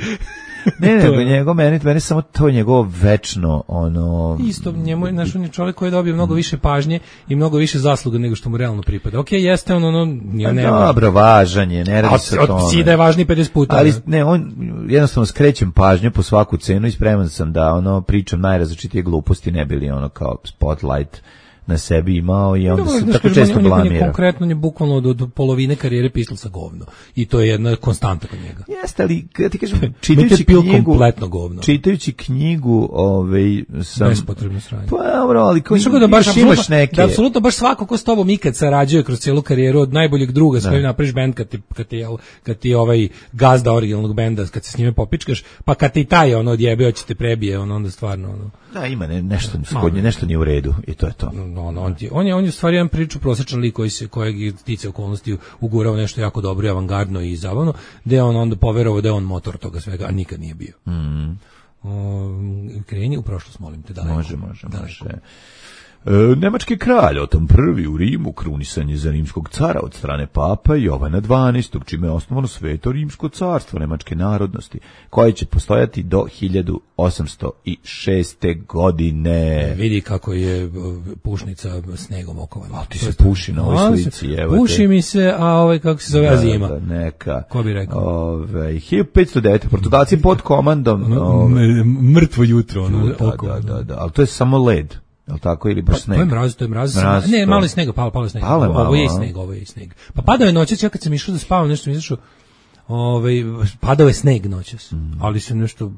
Ne, nego njegov, meni, meni samo to njegovo večno, ono... Isto, njemu je, naš, on je čovjek koji je dobio mnogo više pažnje i mnogo više zasluga nego što mu realno pripada. Ok, jeste on, ono... Ja ne dobro, važan je, ne radi se o tome. Od da je važniji pedeset puta. Ali, ne, on, jednostavno skrećem pažnju po svaku cenu i spreman sam da, ono, pričam najrazličitije gluposti, ne bili ono kao spotlight na sebi imao i onda se tako često blamira. On je konkretno je bukvalno od, od polovine karijere pisao sa govno. I to je jedna konstanta kod njega. Jeste, ali ja ti kažem, čitajući knjigu, kompletno govno. Čitajući knjigu, ovaj sam bespotrebno sranje. Pa dobro, ali kao da baš imaš neke. Da apsolutno baš svako ko s tobom ikad sarađuje kroz celu karijeru od najboljeg druga s kojim napraviš bend kad ti kad ti kad ti ovaj gazda originalnog benda kad se s njime popičkaš, pa kad ti taj ono odjebe hoćete prebije, on onda stvarno ono. Da, ima ne, nešto skodnje, nešto nije u redu i to je to. No, no, on, je, on je on je u stvari jedan priču prosječan lik koji se kojeg tiče okolnosti ugurao nešto jako dobro i avangardno i zabavno, da on onda poverovao da je on motor toga svega, a nikad nije bio. Mhm. O, kreni u prošlost, molim te, daleko. Može, može, može. E, nemački kralj Oton prvi u Rimu krunisan je za rimskog cara od strane papa Jovana dvanaestog, čime je osnovano Sveto rimsko carstvo nemačke narodnosti, koje će postojati do hiljadu osamsto šeste. godine. E, vidi kako je pušnica snegom okovana. A ti se puši na ovoj slici, evo te. Puši mi se, a ovaj kako se zove, da, zima. Da, neka. Ko bi rekao? Ove, hiljadu petsto devete. Portugalci pod komandom... Ove, mrtvo jutro. Ono, da, da, da, da, ali to je samo led. Jel tako ili baš sneg? To je mraz, to je mraz. mraz ne, malo je snega, palo, palo je snega. Palo je malo, ovo je sneg, ovo je sneg. Pa padao je noćas, ja kad sam išao da spavam, nešto mi izašao, ovaj, padao je sneg noćas, mm. ali se nešto,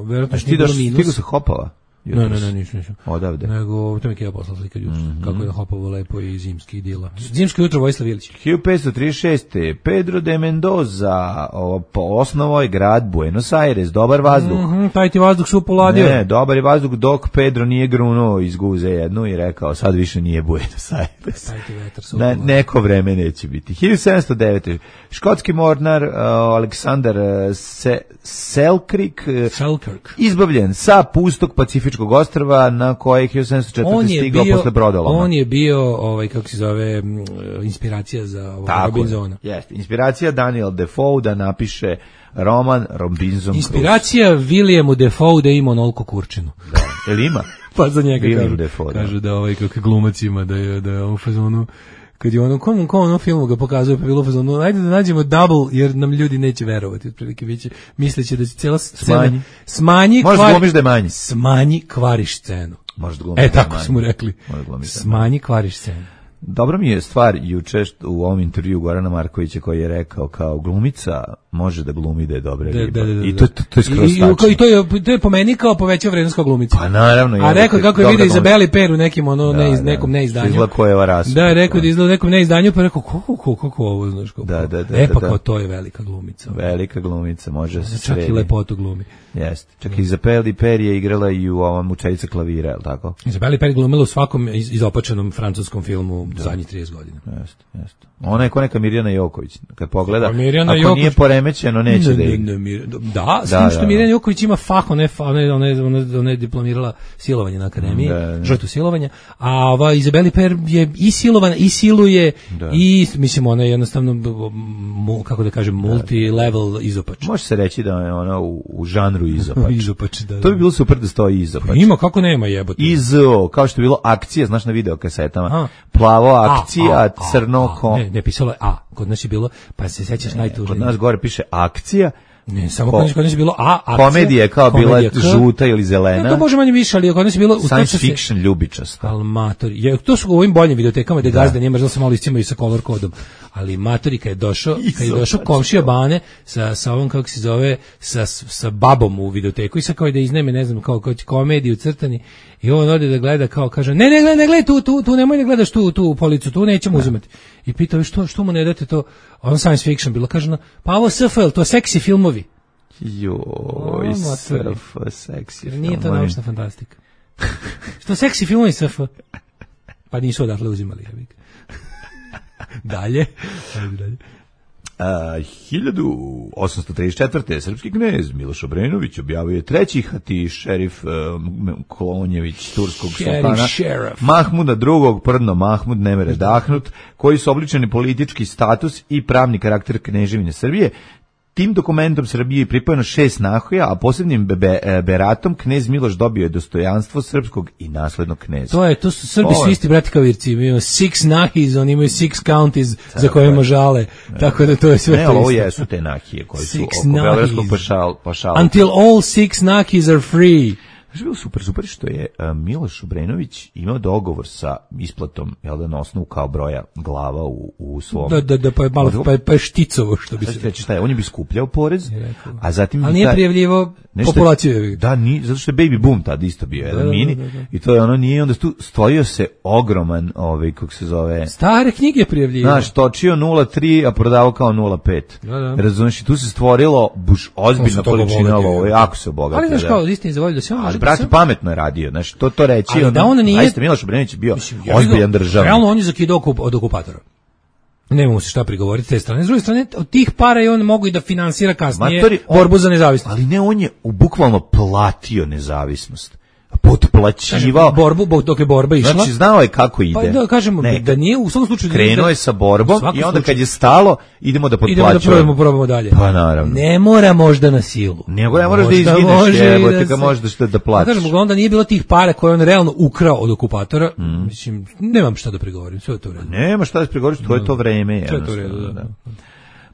verovatno što nije bilo minus. Stigo se hopava? Ne, ne, ne, nisam, nisam. Odavde. Nego, to mi je poslao slika jutro, mm-hmm. kako je na Hopovo lepo i zimski idila. Zimsko jutro Vojislav Ilić. hiljadu petsto trideset šeste. Pedro de Mendoza osnovao je grad Buenos Aires, dobar vazduh. Mm-hmm, taj ti vazduh su poladio. Ne, dobar je vazduh dok Pedro nije grunuo iz guze jednu i rekao sad više nije Buenos Aires. Taj ti vetar su Na, neko vreme neće biti. hiljadu sedamsto devete. Škotski mornar uh, Aleksandar uh, Se, Selkirk, Selkirk izbavljen sa pustog Pacifičkog ostrva na koje hiljadu sedamsto četvrte. stigao posle brodoloma. On je bio, ovaj, kako se zove, inspiracija za Robinsona. Jeste, inspiracija Daniel Defoe da napiše roman Robinson Crusoe. Inspiracija Williamu Defoe da ima onoliko kurčinu. Da, jel ima? Pa za njega William kažu, Defoe, kažu da, da ovaj kako glumac ima, da je, da je on u fazonu, kad je ono, kom, kom onom filmu ga pokazuje, pa bilo u fazonu, ajde da nađemo double, jer nam ljudi neće verovati, otprilike biće, misleće da će cijela scena smanji, smanji možeš kvari, glumiš da je manji. Smanji, kvariš scenu. Možeš glumiš E, da je tako manji. su mu rekli. Smanji, kvariš scenu. Dobro mi je stvar juče što u ovom intervju Gorana Markovića koji je rekao kao glumica može da glumi da je dobra Da, riba. da, da, da. I to, to, to je skroz I, i, tačno. i to je, to je po meni kao povećao vrednost kao glumica. Pa naravno. A rekao kako je vidio dobra Izabeli Per u nekim, ono, Da, ne, da. nekom neizdanju. Izgleda Kojeva rasa. Da, rekao da izgleda u nekom neizdanju, pa rekao, kako, kako, kako ovo, znaš, kako. Da, da, da, e, pa da, kao da. to je velika glumica. Velika glumica, može da se Čak sredi. i lepotu glumi. Jeste. Čak i Izabeli Per je igrala i u ovom Učiteljica klavira, je li tako? Izabeli Per glumila u svakom iz, izopačenom francuskom filmu zadnjih trideset godina. Jeste, jeste. Ona je ko neka Mirjana Joković. Kad pogleda, Pa Mirjana ako Joković- nije poremećeno, neće Ne, da ne, igra. ne, Mir- da, s Da, tim što da, Mirjana da. Joković ima fah, ona je, fa- ona je, ona je, ona je, ona je diplomirala silovanje na akademiji, Da, da. žrtvu silovanja, a ova Izabeli Per je i silovana, i siluje, Da. i, mislim, ona je jednostavno, b- b- mu- kako da kažem, multi-level izopač. Može se reći da je ona u, u žanru izopač. Izopač, da, da. To bi bilo super da stoji izopač. Ima, kako nema jebote. Izo, kao što je bilo akcija, znaš na video kasetama. A. Plavo A, akcija, a, a, crno a, ko... Ne, ne, pisalo je A, kod nas je bilo, pa se sećaš najtužnije. Kod nas gore piše akcija. Ne, samo Ko- kod nas, kod nas je bilo A, akcija. Komedija je kao bila komedija K. žuta ili Ne, zelena. to može manje više, ali kod nas je bilo... Science tačno se- fiction ljubičasta. Ali matori, je, to su u ovim boljim videotekama gde gazda nije možda se malo iscimaju sa color kodom, ali matori kad je došao, kad je došao komšija Bane sa, sa ovom, kako se zove, sa, sa babom u videoteku i sa kao da izneme, ne znam, kao, kao komediju crtani i on ode da gleda kao, kaže, ne, ne, gledaj, ne gledaj tu, tu, tu, nemoj da gledaš tu, tu policu, tu nećemo uzimati. I pitao, što, što mu ne date to, on science fiction bilo, kaže, no, pa ovo S F L, to seksi filmovi. Joj, A, surf, seksi. Jer nije to filmovi. naučna fantastika. Što seksi filmovi S F? Pa nisu odatle uzimali. Ja bih. Dalje. Ajde dalje. A, hiljadu osamsto trideset četvrte. srpski knez Miloš Obrenović objavio je treći hati šerif um, Kolonjević turskog Šerif, sultana šerif. Mahmuda drugog, prdno Mahmud ne mere dahnut, koji su obličeni politički status i pravni karakter kneževine Srbije. Tim dokumentom Srbiji je pripojeno šest nahoja, a posebnim be, be, beratom knez Miloš dobio je dostojanstvo srpskog i naslednog kneza. To je, to su Srbi Ovo su je- isti brati kao Irci, imaju six nahis, oni imaju six counties za Tako kojima je. žale, tako da to je sve Ne, to ali ovo isto. jesu te nahije koji su Six oko Beogradskog nahis. pašal, pašala. Until all six nahis are free. Znaš, je bilo super, super što je a, Miloš Obrenović imao dogovor sa isplatom, jel da, na osnovu kao broja glava u, u svom... Da, da, da, pa je malo, Od- pa je, pa je šticovo, što bi Sad ću se... reći šta je, on je bi skupljao porez, rekao. a zatim... bi Ali nije taj- prijavljivo nešto- populaciju. je. Da, ni, zato što je Baby Boom tad isto bio, jedan da, mini, da, da. i to je ono nije, onda tu stvorio se ogroman, ovaj, kako se zove... Stare knjige prijavljivo. Znaš, točio nula tri, a prodavao kao nula pet. Da, da. Razumiješ, i tu se stvorilo buš On ozbiljna se toga količina obogatio. lova, jako se obogatio. Ali znaš da. kao, istini za volju da se on može... Ali, da brate, se- pametno je radio, znaš, to, to reći, Ali ono, da on nije- zaista Miloš Obrenović je bio Ja ozbiljan bih ga- državnik. Realno on je zakidao okup, od okupatora. Nemamo se šta prigovoriti s te strane. S druge strane, od tih para i on mogu i da finansira kasnije Matori, on- borbu za nezavisnost. Ali ne, on je u- bukvalno platio nezavisnost. Potplaćivao. Kažem, borbu, bo- dok je borba išla. Znači, znao je kako ide. Pa da kažemo, Ne, da nije u svakom slučaju... krenuo da- je sa u borbom svakom i onda slučaju- kad je stalo, idemo da potplaćujemo. Idemo da probamo, probamo dalje. Pa naravno. Ne mora možda na silu. Nego ne moraš da Možda izgineš, može i jebote da ga se- možeš da, da Pa platiš. kažem, onda nije bilo tih para koje je on realno ukrao od okupatora. Mm. Mislim, nemam šta da prigovorim, sve je to u redu. Nema šta da pregovoriš, to je to vreme. Sve je to u redu, jednostavno, da.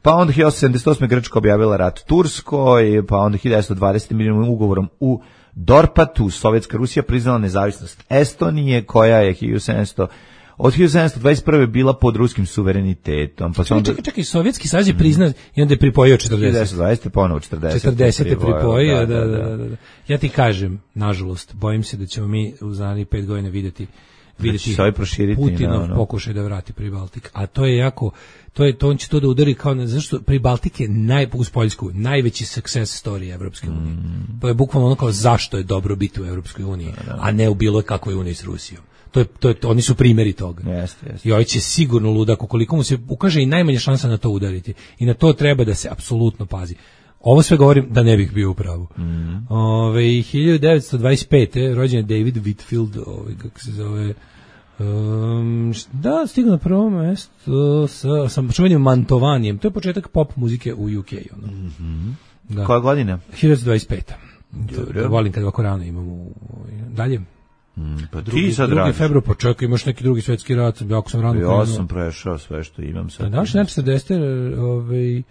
Pa onda hiljadu osamsto sedamdeset osme. Grčka objavila rat Turskoj, pa onda hiljadu devetsto dvadesete. milijonom ugovorom u Dorpatu Sovjetska Rusija priznala nezavisnost Estonije, koja je hiljadu sedamsto od hiljadu sedamsto dvadeset prve bila pod ruskim suverenitetom. Pa se Čekaj, onda čekaj, čekaj, Sovjetski savez je priznat i onda je pripojio hiljadu četrdeset. devetsto dvadesete ponovo četrdeset. četrdesete pripojio, da, da, da, da. Ja ti kažem, nažalost, bojim se da ćemo mi u narednih pet godina vidjeti vidjeti se ovaj proširiti Putinov na ono. pokušaj da vrati Pribaltik. A to je jako, to je to on će to da udari kao, zašto Pribaltik je naj, uz Poljsku, najveći success story Evropske unije. Mm. To je bukvalno ono kao zašto je dobro biti u Evropskoj uniji, a ne u bilo kakvoj uniji s Rusijom. To je, to je, oni su primjeri toga. Jeste, jeste. I ovaj će sigurno ludak, ukoliko mu se ukaže i najmanja šansa na to udariti. I na to treba da se apsolutno pazi. Ovo sve govorim da ne bih bio u pravu. Mm. Ove, hiljadu devetsto dvadeset pete. rođen je David Whitfield, ovaj, kako se zove, um, da, stigao na prvo mesto sa, sa čuvenim Mantovanjem. To je početak pop muzike u U K. Ono. Mm-hmm. Da. Koja godina? hiljadu dvadeset peta. Dobro. To, volim kad ovako rano imamo u, dalje. Mm, pa Drugi, ti sad drugi radiš. februar, pa čekaj, imaš neki drugi svetski rat, jako sam rano krenuo. Ja sam prešao sve što imam sad. Naš znači četrdesete ovaj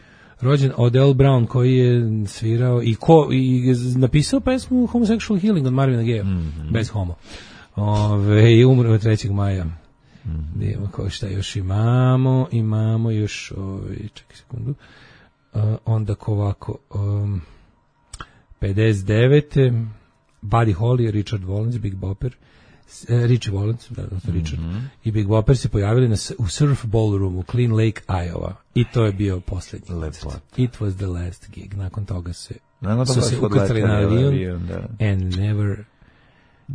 rođen Odell Brown koji je svirao i ko i napisao pesmu Homosexual Healing od Marvina Gaye, mm -hmm. bez homo. Ove, i umro trećeg maja. Mm-hmm. Idemo ko šta još imamo, imamo još, ovaj, čekaj sekundu, uh, onda ko ovako, um, pedeset devete Buddy Holly, Richard Valens, Big Bopper, uh, Richie Valens, da, da, Richard, mm-hmm. i Big Bopper se pojavili na, u Surf Ballroom u Clean Lake, Iowa. I to je bio posljednji koncert. It was the last gig. Nakon toga se Nakon su se ukrcali na avion and never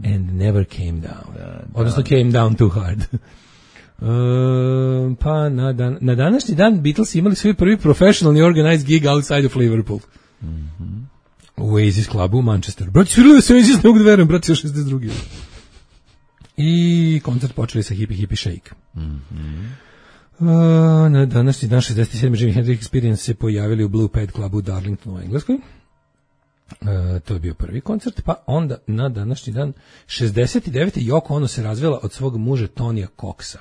and never came down. Da, da. Odnosno came down too hard. Uh, pa na, dan, na današnji dan Beatles imali svoj prvi professionally organized gig outside of Liverpool. Mm-hmm. U Oasis klubu u Manchesteru. Brati, svirali da se Oasis, ne mogu da verujem, brati, šezdeset drugi I koncert počeli sa Hippie Hippie Shake. Mm-hmm. Uh, na današnji dan šezdeset sedme Jimi Hendrix Experience se pojavili u Blue Pad klubu u Darlingtonu u Engleskoj. Uh, to je bio prvi koncert, pa onda na današnji dan šezdeset devete Yoko Ono se razvela od svog muža Tonija Coxa.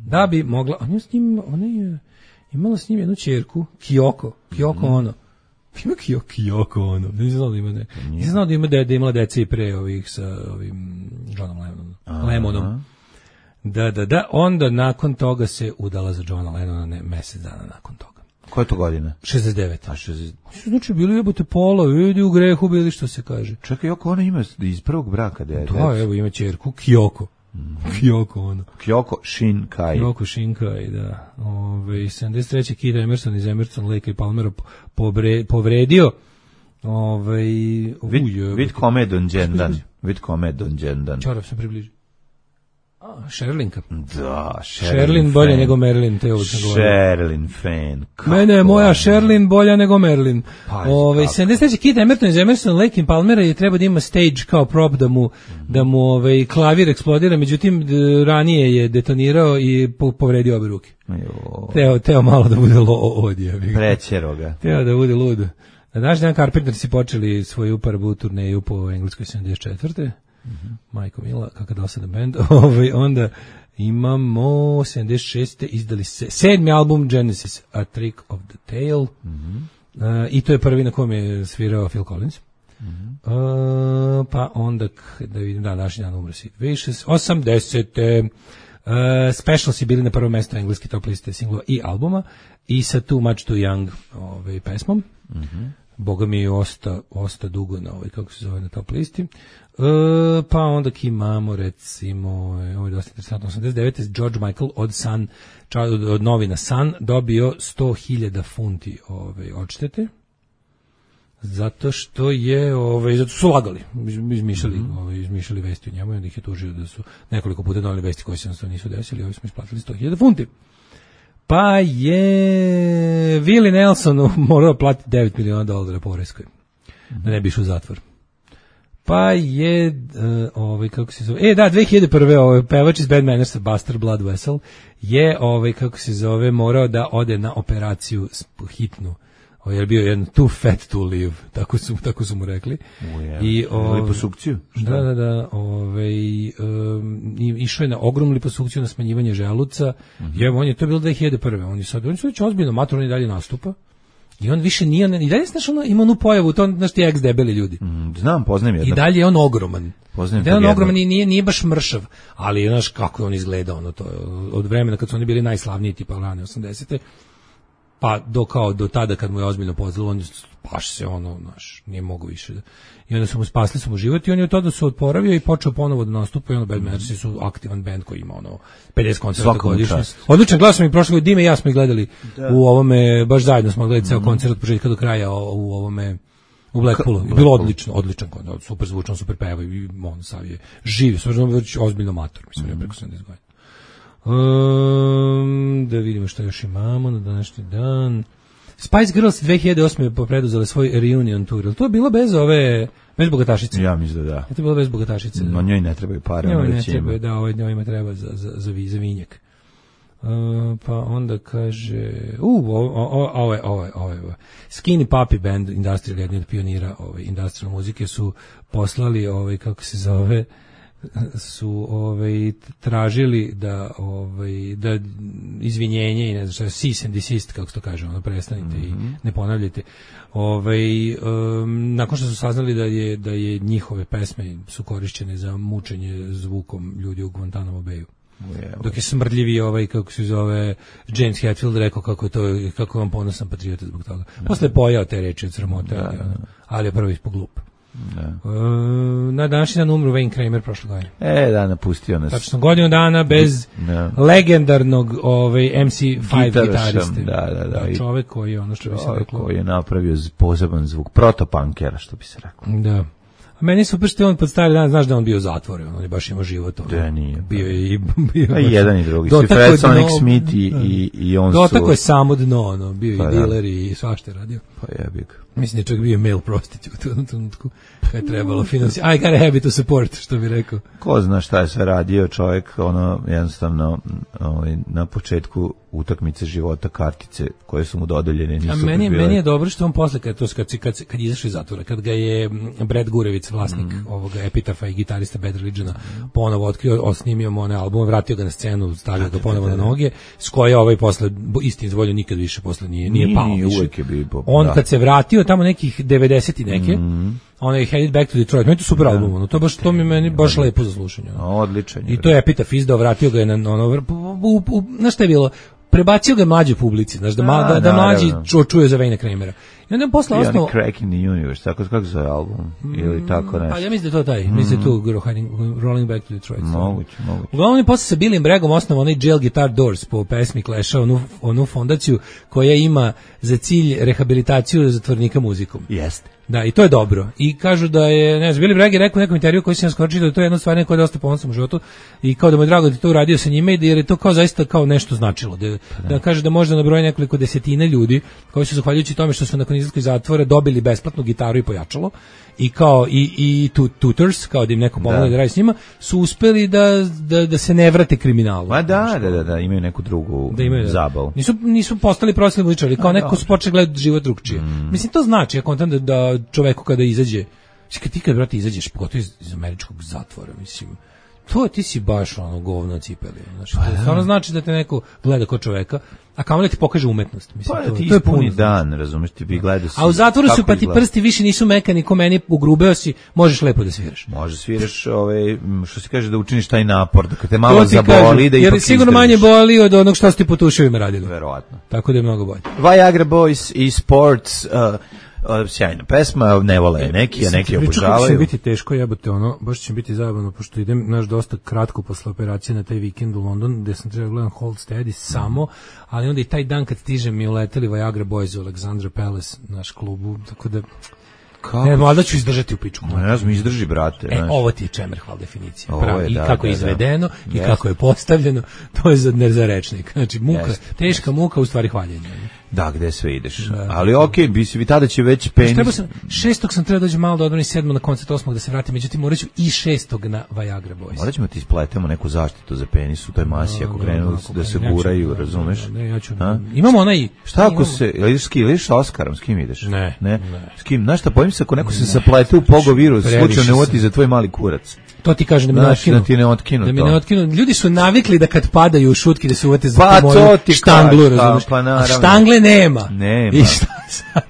Da bi mogla, ona je s njim, ona je imala s njim jednu ćerku, Kyoko, Kyoko mm-hmm. Ono. Ima Kyoko, Kyoko Ono. Nisam znao da ima ne. Nisam znao da ima da imala dece i pre ovih sa ovim Johnom Lennonom. Lemonom. Da, da, da. Onda nakon toga se udala za Johna Lennona ne, mesec dana nakon toga. Koje to godine? šezdeset devete A šezdeset Znači, bili jebote pola, vidi u grehu, bili što se kaže. Čekaj, Yoko Ono ima iz prvog braka dete. Da, evo ima ćerku, Kyoko. Mm-hmm. Kyoko Ono. Kyoko Shinkai. Kyoko Shinkai, da. Ove, sedamdeset treće Keith Emerson iz Emerson, Lake i Palmera pobre, povredio Ove, vid, vid kome donđendan. Vid kome donđendan. Čarav se približi. A, Sherlinka. Da, Sherlin bolje nego Merlin, te uvijek sam govorio. Sherlin fan. Mene je moja Sherlin bolja nego Merlin. Ove, sedamdeset treće Keith Emerson iz Emerson, Lake and Palmera je treba da ima stage kao prop da mu, mm-hmm. da mu ove, klavir eksplodira, međutim d, ranije je detonirao i po, povredio obe ruke. Teo, teo malo da bude lo, odje. Prećero ga. Teo da bude lud. Na naš dan Carpenter si počeli svoju prvu turneju po Engleskoj sedamdeset četvrte Mm-hmm. Majko Mila, kakav dosadan band. Ovaj, onda imamo sedamdeset šeste izdali se sedmi album Genesis, A Trick of the Tail. Mm-hmm. Uh, I to je prvi na kom je svirao Phil Collins. Mm-hmm. Uh, pa onda, da vidim, da, naši dan umre Sid Vicious. osamdesete Uh, Special si bili na prvo mesto engleske top liste singlova i albuma i sa Too Much Too Young ovaj, pesmom. Mm-hmm. Boga mi je osta, osta dugo na ovaj, kako se zove, na top listi. E, pa onda imamo, recimo, ovo je dosta interesantno, osamdeset devete George Michael od Sun, od, od novina Sun, dobio sto hiljada funti ovaj, odštete, zato što je, ovaj, zato su lagali, izmišljali, mm-hmm. ovaj, izmišljali vesti u njemu i onda ih je tužio da su nekoliko puta donali vesti koje se jednostavno nisu desili, ovi smo isplatili sto hiljada funti. Pa je Willie Nelson morao platiti devet miliona dolara poreskoj, da ne bi išao u zatvor. Pa je, uh, ovaj, kako se zove, e da, dve hiljade prve ovaj, pevač iz Bad Mannersa, Buster Blood Vessel, je, ovaj, kako se zove, morao da ode na operaciju hitnu. Ovaj, je bio jedan too fat to live, tako su, tako su mu rekli. Uje, I, ovaj, liposukciju? Šta? Da, da, da. Ovaj, um, išao je na ogromnu liposukciju, na smanjivanje želuca. Mm-hmm. I evo, on je, to je bilo dve hiljade prve On je sad, on je sad već ozbiljno matur, on i dalje nastupa. I on više nije, i dalje znaš, ono, ima onu pojavu, to znaš ti ex debeli ljudi. Mm, znam, poznajem jednog. I dalje je on ogroman. Poznajem I dalje je on ogroman i nije, nije baš mršav, ali znaš kako je on izgledao, ono, to, od vremena kad su oni bili najslavniji, tipa rane osamdesete pa do kao do tada kad mu je ozbiljno pozlilo, on baš se ono, znaš, nije mogu više. I onda su mu spasli su mu život i on je od tada se odporavio i počeo ponovo da nastupa i ono Bad Mannersi su aktivan band koji ima ono pedeset koncerta godišnje. Odličan glas sam i prošle godine, Dime i ja smo ih gledali da. U ovome, baš zajedno smo gledali ceo mm-hmm. koncert od početka do kraja u ovome u Blackpoolu. Ka, bilo odlično, odličan koncert, super zvučan, super peva i on sav je živ, stvarno već ozbiljno mator, mislim, mm-hmm. preko sedamdeset godina. Um, da vidimo što još imamo na današnji dan. Spice Girls dve hiljade osme preduzele svoj reunion tour. To je bilo bez ove, bez bogatašice. Ja mislim da da. To je bilo bez bogatašice. No njoj ne trebaju pare. Njoj ne trebaju, da, ovaj njojima treba za, za, za, za vinjak. Uh, pa onda kaže, uh, ovo je, ovo je, ovo je, Skinny Puppy Band, Industrial, jedni od pionira ove, industrial muzike, su poslali, ovaj, kako se zove, su ovaj tražili da ovaj da izvinjenje i ne znam šta, cease and desist, kako se to kaže, ono, prestanite mm-hmm. i ne ponavljajte. Ovaj um, nakon što su saznali da je da je njihove pesme su korišćene za mučenje zvukom ljudi u Guantanamo Bayu. Dok je smrdljivi ovaj, kako se zove, James Hetfield rekao kako je to, kako vam ponosan patriota zbog toga. Posle je pojao te reči od sramote, ali, ali je prvo ispod glup. Da. Uh, na današnji dan umru Wayne Kramer prošle godine. E, da, napustio nas. Tačno godinu dana bez da. legendarnog ovaj, em si pet gitariste. Da, da, da. da čovek koji je ono što bi se reklo. Koji je napravio poseban zvuk, protopankera, što bi se reklo. Da. A meni super što je on pod stari dan, znaš da on bio u zatvoru, on je baš imao život. On, da, nije. Bio je i... Bio a i jedan i drugi. Si Fred Sonic Smith i, i, i on su... Dotako je samo dno, ono, bio pa, i diler i svašta je radio. Pa jebi ga. Mislim da je čak bio male prostitute u jednom trenutku kada je trebalo finansirati. I got a habit to support, što bi rekao. Ko zna šta je sve radio čovjek, ono, jednostavno, ovaj, na početku utakmice života kartice koje su mu dodeljene nisu. A meni, meni je dobro što on posle kad to kad kad kad izašao iz zatvora, kad ga je Brad Gurevic, vlasnik mm. ovoga Epitafa i gitarista Bad Religiona, ponovo otkrio, osnimio mu onaj album, vratio ga na scenu, stavio ga ponovo na noge, s koje ovaj posle istini zvolju nikad više posle nije nije pao više. Uvijek je bio. On da. Kad se vratio tamo nekih devedeset i neke, mm. onaj Headed Back to Detroit, meni to super da. Album, ono, to baš to mi meni baš lepo za slušanje. Ono. Odličan je. I to je Epitaf izdao, vratio ga je na ono, na šta je bilo? Prebacio ga mlađoj publici, znaš, da, da, da, da mlađi ču, čuje za Wayne Kramera. I onda je posle ostao... Cracking the Universe, tako kako zove album, mm, ili tako nešto. Pa ja mislim da je to taj, mm. mislim da je to Rolling Back to Detroit. Moguće, moguće. Uglavnom je posle sa Billyem Braggom osnovao onaj Jail Guitar Doors po pesmi Clash-a, onu, onu fondaciju koja ima za cilj rehabilitaciju zatvornika muzikom. Jeste. Da, i to je dobro. I kažu da je, ne znam, Billy Bragg je rekao u nekom intervju koji sam skočio da je to jedna stvar koja je dosta ponosan u životu i kao da mu je drago da je to uradio sa njime jer je to kao zaista kao nešto značilo. Da, da kaže da može da nabroji nekoliko desetina ljudi koji su zahvaljujući tome što su nakon izlaska iz zatvora dobili besplatnu gitaru i pojačalo i kao i i tutors, kao da im neko pomogne da, da radi s njima, su uspeli da, da, da se ne vrate kriminalu. Pa da, da, da, da, imaju neku drugu da imaju, zabavu. Nisu, nisu postali profesionalni muzičari, kao neko su počeli gledati život drugčije. Mm. Mislim, to znači, ja kontam da, da čoveku kada izađe, kad ti kad, brate, izađeš, pogotovo iz, iz američkog zatvora, mislim, to ti si baš ono govno cipeli. Znači, to stvarno znači da te neko gleda kao čoveka, a kamo da ti pokaže umetnost. Mislim, pa to, ti to je puni dan, razumeš, ti bi gledao si. A u zatvoru su pa ti prsti više nisu mekani, ko meni ugrubeo si, možeš lepo da sviraš. Možeš sviraš, ovaj, što se kaže da učiniš taj napor, da kad te malo zaboli, da ipak jer sigurno manje boli od onog što su ti po tuševima radili. Verovatno. Tako da je mnogo bolje. Viagra Boys i Sports, uh, Uh, sjajna pesma, ne vole neki, a neki obožavaju. Kako će biti teško, jebote, ono, baš će biti zabavno, pošto idem, naš, dosta kratko posle operacije na taj vikend u London, gde sam trebao gledam Hold Steady samo, ali onda i taj dan kad stižem mi uleteli Viagra Boys u Alexandra Palace, naš klubu, tako da... Kako? Ne, mlada ću izdržati u pičku. No, ja znam, izdrži, brate. E, znaš. Ovo ti je Čemerhval definicija. Ovo je, I da, kako da, je izvedeno, da. i yes. kako je postavljeno, to je za, ne za rečnik. Znači, muka, yes. teška yes. muka, u stvari hvaljenje. Da, gde sve ideš. Da, ali okej, okay, bi se vi tada će već penis. Sam, šestog sam trebao dođe malo da odbrani sedmo na koncert osmog da se vratim, međutim morat ću i šestog na Viagra Boys. Morat ćemo ti ispletemo neku zaštitu za penis u toj masi, ako krenu da se guraju, razumeš? Ne, ja ću. Imamo onaj... Šta ako se, ideš s kim, ideš sa Oskarom, s kim ideš? Ne. Ne? S kim? Znaš šta, bojim se ako neko se saplete u pogovirus, slučajno ne uvati za tvoj mali kurac. To ti kaže da mi ne otkinu. Da ti ne otkinu da mi to. ne otkinu. Ljudi su navikli da kad padaju u šutki da se uvate za pa, tu moju štanglu, razumiješ? Pa, a štangle nema. Nema. I šta sad?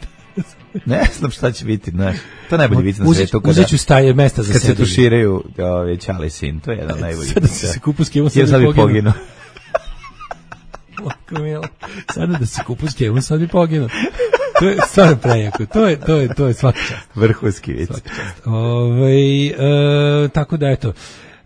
Ne znam šta će biti, znaš. To najbolji vic na svetu. Uzet ću staje mesta za kad se tuširaju ove Čale sin, to je jedan najbolji vic. Sada se kupu s kevom sad bi poginuo. Sada da se kupu s kevom sad bi poginuo. To je stvarno prejako. To je, to je, to je svaka čast. Vrhunski vic. Ove, e, tako da, eto,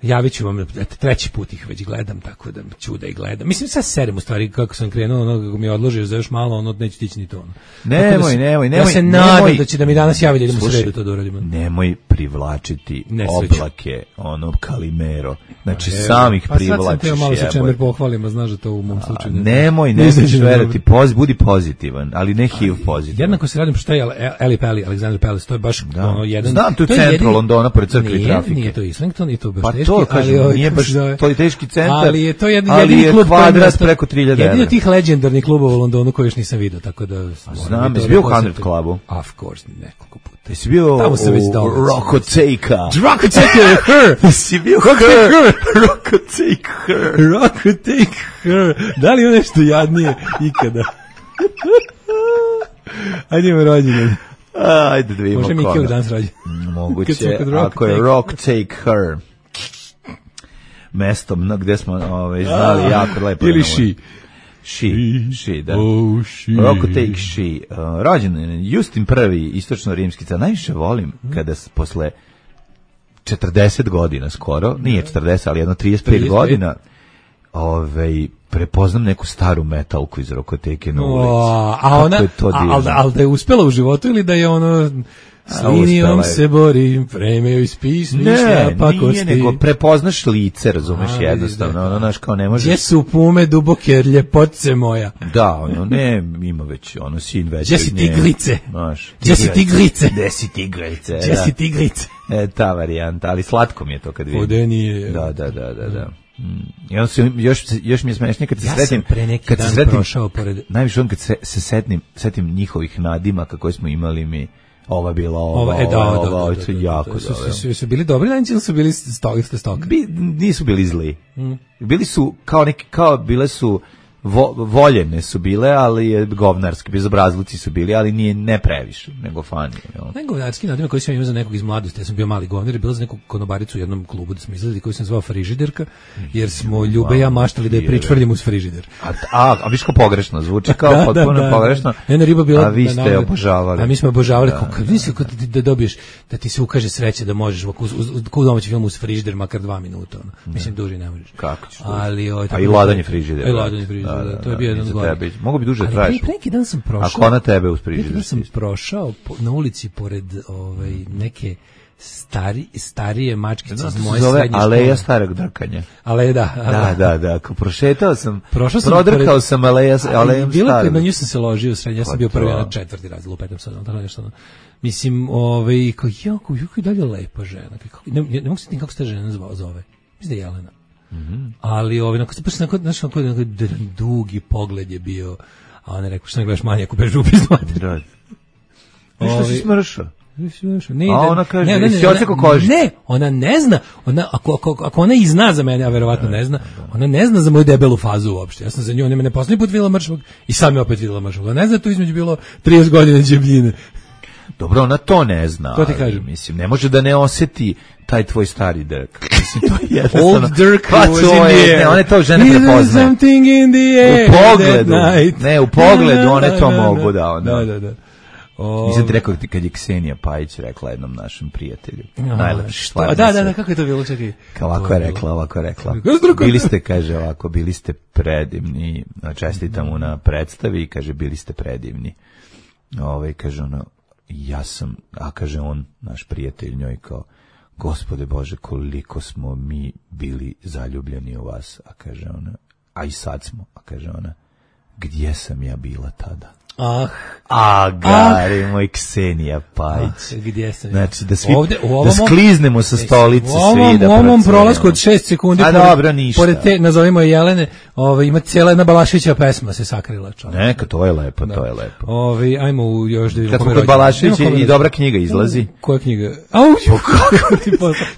javit ću vam, eto, treći put ih već gledam, tako da ću da ih gledam. Mislim, sad serem u stvari, kako sam krenuo, ono, kako mi je odložio za još malo, ono, neće tići ni to. Ono. Nemoj, da se, nemoj, nemoj. Ja se nadam da će da mi danas javi da idemo u sredu to da uradimo. Nemoj privlačiti Nesreću. Oblake, ono, Kalimero. Znači, pa, samih pa privlačiš. Pa sad sam te malo se čemer pohvalim, a znaš da to u mom slučaju. A, nemoj, ne znaš verati, poz, budi pozitivan, ali ne H I V pozitivan. Jednako se radim što je Eli Pally, Alexander Palace, to je baš da. ono jedan... Znam, tu je centru Londona, pored crkve i trafike. Nije to Islington, i to baš pa teški, to, kažem, ali... Nije baš to je teški centar, ali je to jedini, ali jedini je klub kvadrat preko tri hiljade evra. Jedini od tih legendarnih klubova u Londonu koji još nisam vidio, tako da... Znam, jesi bio u Hundred Clubu? Of course, nekoliko puta. Jesi bio u Rockoteka? Rockoteka her! Jesi bio her? Rockoteka her! Rockoteka her! Da li je nešto jadnije ikada? Ajde imamo rođendan. Ajde da vidimo koga. Može Miki danas rođen. Moguće, ako je Rock Take Her. mestom na, gde smo ovaj, znali A, jako lepo. Ili ši. Ši, ši, da. Oh, ši. Roko take ši. Uh, rođen Justin prvi, istočno-rimski car. Najviše volim kada s, posle četrdeset godina skoro, nije četrdeset, ali jedno trideset pet trideset pet godina, ovaj, prepoznam neku staru metalku iz Rokoteke na ulici. O, a ona, ali da, al da je uspela u životu ili da je ono... S linijom se borim, premeo iz pismi, ne, pa nije, nego prepoznaš lice, razumeš, a, jednostavno, ono, znaš, kao ne možeš... Gdje su pume duboke, ljepotce moja? Da, ono, ne, ima već, ono, sin već... Gdje si tiglice? Znaš, gdje si tiglice? Gdje si tiglice? Gdje si tiglice? E, ta varijanta, ali slatko mi je to kad vidim. Vodenije. Da, da, da, da, da. Mm. I onda se, još, još mi je smešnije kad se ja sretim... Ja sam pre neki kad dan se sretim, prošao pored... Najviše on kad se, se setim, setim njihovih nadimaka koje smo imali mi... Ova bila ova, ova, e, da, ova, da, ova, da, ova, da, da, jako da, su, dobro. su, su bili dobri lanci ili su bili stoga, stoka? Bi, nisu bili zli. Mm. Bili su kao neki, kao bile su vo, voljene su bile, ali je govnarski, bezobrazluci su bili, ali nije ne previše, nego fani. Ne govnarski nadime koji sam imao za nekog iz mladosti, ja sam bio mali govnar, je bilo za neku konobaricu u jednom klubu da smo izlazili koji sam zvao Frižiderka, jer smo Ljube ja maštali da je pričvrljimo uz frižider. A, a, a viš kao pogrešno, zvuči kao da, potpuno da, da, pogrešno, jedna riba bila, a vi ste obožavali. A mi smo obožavali, da, kako, misli, da, da, da dobiješ, da ti se ukaže sreće da možeš u domaći film uz frižider makar dva minuta, ono. Mislim, duži ne možeš. Kako ćeš? Ali, o, a i ladanje frižidera. I ladanje frižidera, to je bio jedan Tebi, mogu bi duže da traješ. Ali neki dan sam prošao. Ako ona tebe uz frižider. Neki dan sam prošao po, na ulici pored ovaj, neke stari, starije mačkice iz moje zove srednje škole. Aleja starog drkanja. Aleja, da. Da, da, da. Ako prošetao sam, prošao sam prodrkao pored, sam Aleja, Alejom bilo starog. Na nju sam se ložio u srednje, ja sam bio prvi na četvrti razred, lupetam sad, tako nešto. Mislim, ovaj, kao, jako, jako i dalje lepa žena. Kako, ne, ne, ne mogu se tim kako se ta žena zove. Mislim da je Jelena. Mm-hmm. Ali ovaj nakon baš nakon znaš kako dugi pogled je bio, a ona rekao što ne gledaš manje ako bežu upis mater. Što si smršao? Ne, a ona kaže, ne, ne, ne, ona, ne, ona ne zna, ona, ako, ako, ako ona i zna za mene, a verovatno ne zna, ona ne zna za moju debelu fazu uopšte. Ja sam za nju, ona me ne poslednji put videla mršavog i sam je opet videla mršavog. Ona ne zna tu između bilo trideset godina džebljine. Dobro, ona to ne zna. To ti kažem. Mislim, ne može da ne osjeti taj tvoj stari Dirk. Mislim, to je jednostavno... Old Dirk pa was in the air. Ne, one to žene prepoznaje. Something in the air. U pogledu. Ne, u pogledu one to mogu da onda. Da, da, da. O... Nisam ti rekao kad je Ksenija Pajić rekla jednom našem prijatelju. Najlepši stvar. Da, da, da, kako je to bilo, čekaj. Ovako je rekla, ovako je rekla. Bili ste, kaže ovako, bili ste predivni, čestitam mu na predstavi i kaže, bili ste predivni. Ove, kaže ono, ja sam, a kaže on, naš prijatelj njoj kao, Gospode Bože, koliko smo mi bili zaljubljeni u vas, a kaže ona, a i sad smo, a kaže ona, gdje sam ja bila tada? Ah, a gari ah, moj Ksenija Pajić. Ah, gdje sam ja? Znači da svi ovde, u da skliznemo sa stolice svi da. U ovom prolasku od šest sekundi. A pored, dobro, ništa. Pored te nazovimo je Jelene, ovaj ima cijela jedna Balaševića pesma se sakrila, čovjek. Neka, to je lepo, da. To je lepo. Ovaj ajmo u još da vidimo. Kad kod Balaševića i dobra knjiga izlazi. Koja knjiga? Au, kako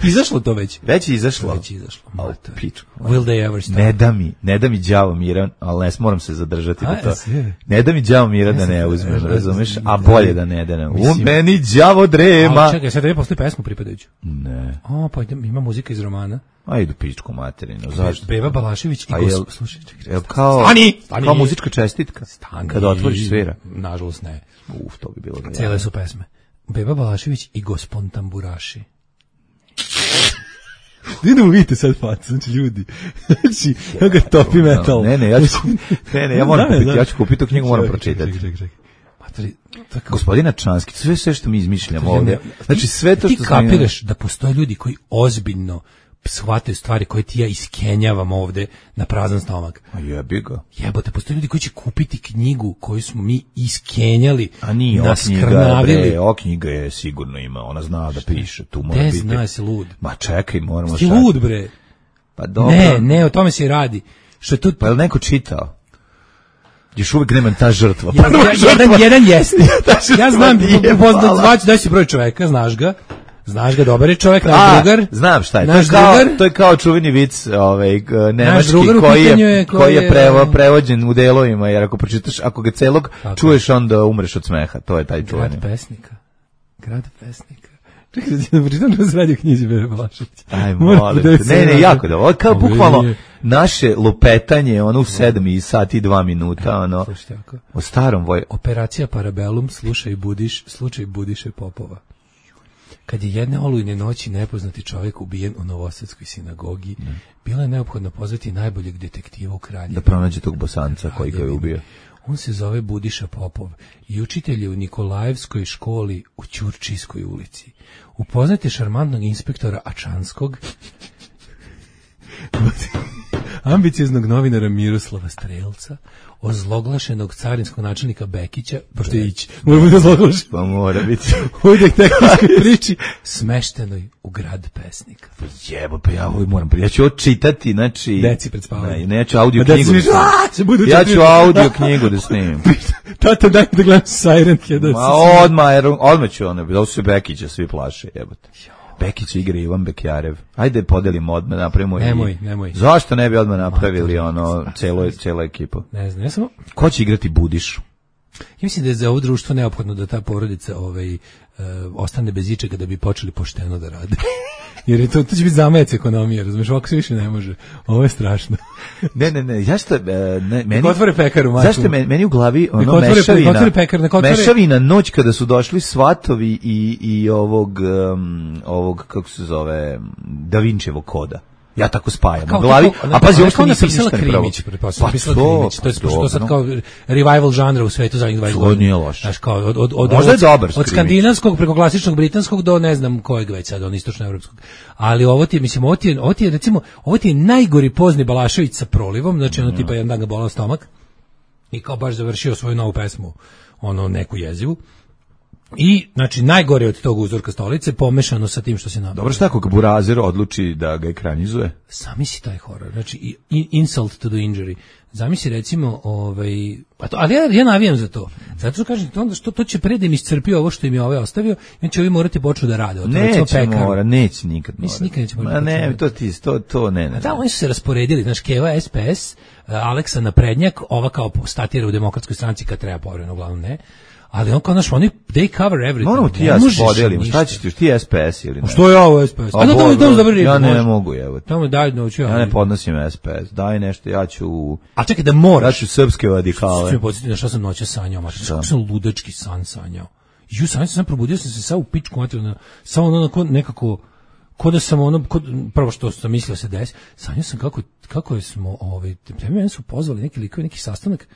ti izašlo to već? Već je izašlo. Već je izašlo. Au, pičku. Will they ever stop? Ne da mi, ne da mi đavo miran, al ne moram se zadržati na to. Ne da mi đavo miran da ne uzmem. Razumeš, a bolje da ne da. U meni đavo drema. A čekaj, sad da je posle pesmu pripadajuću. Ne. O, pa ima muzika iz romana. A idu pičku materinu, zašto? Beba Balašević i gos... Slušaj, čekaj. Jel kao, stani, stani. Kao muzička čestitka? Stani. Kada otvoriš svira? Nažalost ne. Uf, to bi bilo da. Cijele su pesme. Beba Balašević i Gospon Tamburaši. Idemo vidite sad facu, znači ljudi. Znači, ja ga topi metal. Ne, ne, ja ću, ne, ne, ja moram kupiti, ja ću kupiti tu knjigu, moram pročitati. Čekaj, čekaj, čekaj. Tako... Gospodina Čanski, sve sve što mi izmišljamo ovdje. Znači sve to što ti kapiraš da postoje ljudi koji ozbiljno shvataju stvari koje ti ja iskenjavam ovde na prazan stomak. A jebi ga. Jebote, postoje ljudi koji će kupiti knjigu koju smo mi iskenjali. A nije, o knjiga, bre, o knjiga je sigurno ima, ona zna da piše, tu mora biti. Ne zna, si lud. Ma čekaj, moramo si lud, bre. Pa dobro. Ne, ne, o tome se i radi. Što je tu... Pa je li neko čitao? Još uvijek nema ta žrtva. Ja, ja, jedan, jedan jeste. Ja znam, poznat zvaći, daj si broj čoveka, znaš ga. Znaš ga, dobar je čovjek, naš A, drugar. Znam šta je. Naš to, je kao, drugar, to je kao čuveni vic ovaj, nemački koji je, je, koji je prevo, prevođen u delovima, jer ako pročitaš, ako ga celog tako čuješ, onda umreš od smeha. To je taj čuveni. Grad pesnika. Grad pesnika. Čekaj, da ti ne pročitam da se radi o knjizi Bebe Balašević. Aj, molim te. Ne, ne, jako da. Ovo je kao bukvalno naše lupetanje, ono u sedam i sati dva minuta, ono, o starom voj... Operacija Parabellum, slušaj Budiš, slučaj Budiše Popova. Kad je jedne olujne noći nepoznati čovjek ubijen u Novosadskoj sinagogi, ne. bilo je neophodno pozvati najboljeg detektiva u Kraljevu. Da pronađe tog Bosanca koji ga je ubio. On se zove Budiša Popov i učitelj je u Nikolajevskoj školi u Ćurčijskoj ulici. Upoznate šarmantnog inspektora Ačanskog, ambicioznog novinara Miroslava Strelca, ozloglašenog carinskog načelnika Bekića, pošto je ići, mora biti ozloglašen. Pa mora biti. U detektivskoj priči, smeštenoj u grad pesnika. Jebo, pa ja ovo moram, ja ću ovo čitati, znači... Deci pred spavanjem. Ne, ne, ja ću audio knjigu da snimim. Ja ću audio knjigu da snimim. Tata, daj da gledam Siren Head. Ma odmah, odmah ću ono, da su Bekića svi plaše, jebote. Bekić igra Ivan Bekjarev. Ajde podelimo odmah, napravimo nemoj, i... Nemoj, Zašto ne bi odmah napravili ono, celo, cela ekipa? Ne znam, ja sam... Ko će igrati Budišu? Ja mislim da je za ovo društvo neophodno da ta porodica ovaj, uh, ostane bez ičega da bi počeli pošteno da rade. Jer je to, to će biti zamajac ekonomije, razumiješ, ovako se više ne može. Ovo je strašno. Ne, ne, ne, zašto, ne, meni... Nek otvore pekaru, mačku. Zašto meni, meni u glavi ono otvore, mešavina, otvore pekar, otvore... mešavina noć kada su došli svatovi i, i ovog, um, ovog, kako se zove, Da Vinčevog koda. Ja tako spajam u glavi, kako, a pazi, ovo što nisam ništa ne pravo. Pa pisala Krimić, to je to sad kao revival žanra u svetu zadnjih dvadeset godina. To nije loše. Znaš, kao od, od, od, možda je dobar od skandinavskog preko klasičnog britanskog do ne znam kojeg već sad, on istočnoevropskog. Ali ovo ti je, mislim, ovo ti je, ovo ti je recimo, ovo ti je najgori pozni Balašević sa prolivom, znači ono tipa jedan dan ga bolao stomak i kao baš završio svoju novu pesmu, ono neku jezivu. I, znači, najgore od tog uzorka stolice, pomešano sa tim što se nam... Dobro, šta ako Burazer odluči da ga ekranizuje? Zamisli taj horor, znači, insult to the injury. Zamisli, recimo, ovaj... A to, ali ja, ja navijam za to. Zato što kažem, to, onda što, to će predem iscrpio ovo što im je ovaj ostavio, i će ovi morati počnu da rade. Neće mora, neće nikad mora. Mislim, nikad neće morati. Ma ne, to ti, to, to ne, ne. A da, oni su se rasporedili, znaš, Keva, S P S, Aleksa naprednjak, ova kao statira u Demokratskoj stranci kad treba povremeno, uglavnom ne. Ali on kao naš, oni, they cover everything. Moramo ti ja se podelimo, šta ćeš ti, ti S P S ili ne? Što je ovo S P S? A da, da, da, da, ja ne mogu, evo. Tamo daj, noću ja. Ja ne podnosim S P S, daj nešto, ja ću... A čekaj, da moraš. Ja ću srpske radikale. Što mi podsjetiti na šta sam noća sanjao, mater, što sam ludački san sanjao. Ju, sanjao sam, probudio sam se sad u pičku, mater, samo ono nekako... Ko da sam ono, kod, prvo što sam mislio se desi, sanjao sam kako, kako smo, ovaj, mene su pozvali neki likovi, neki sastanak,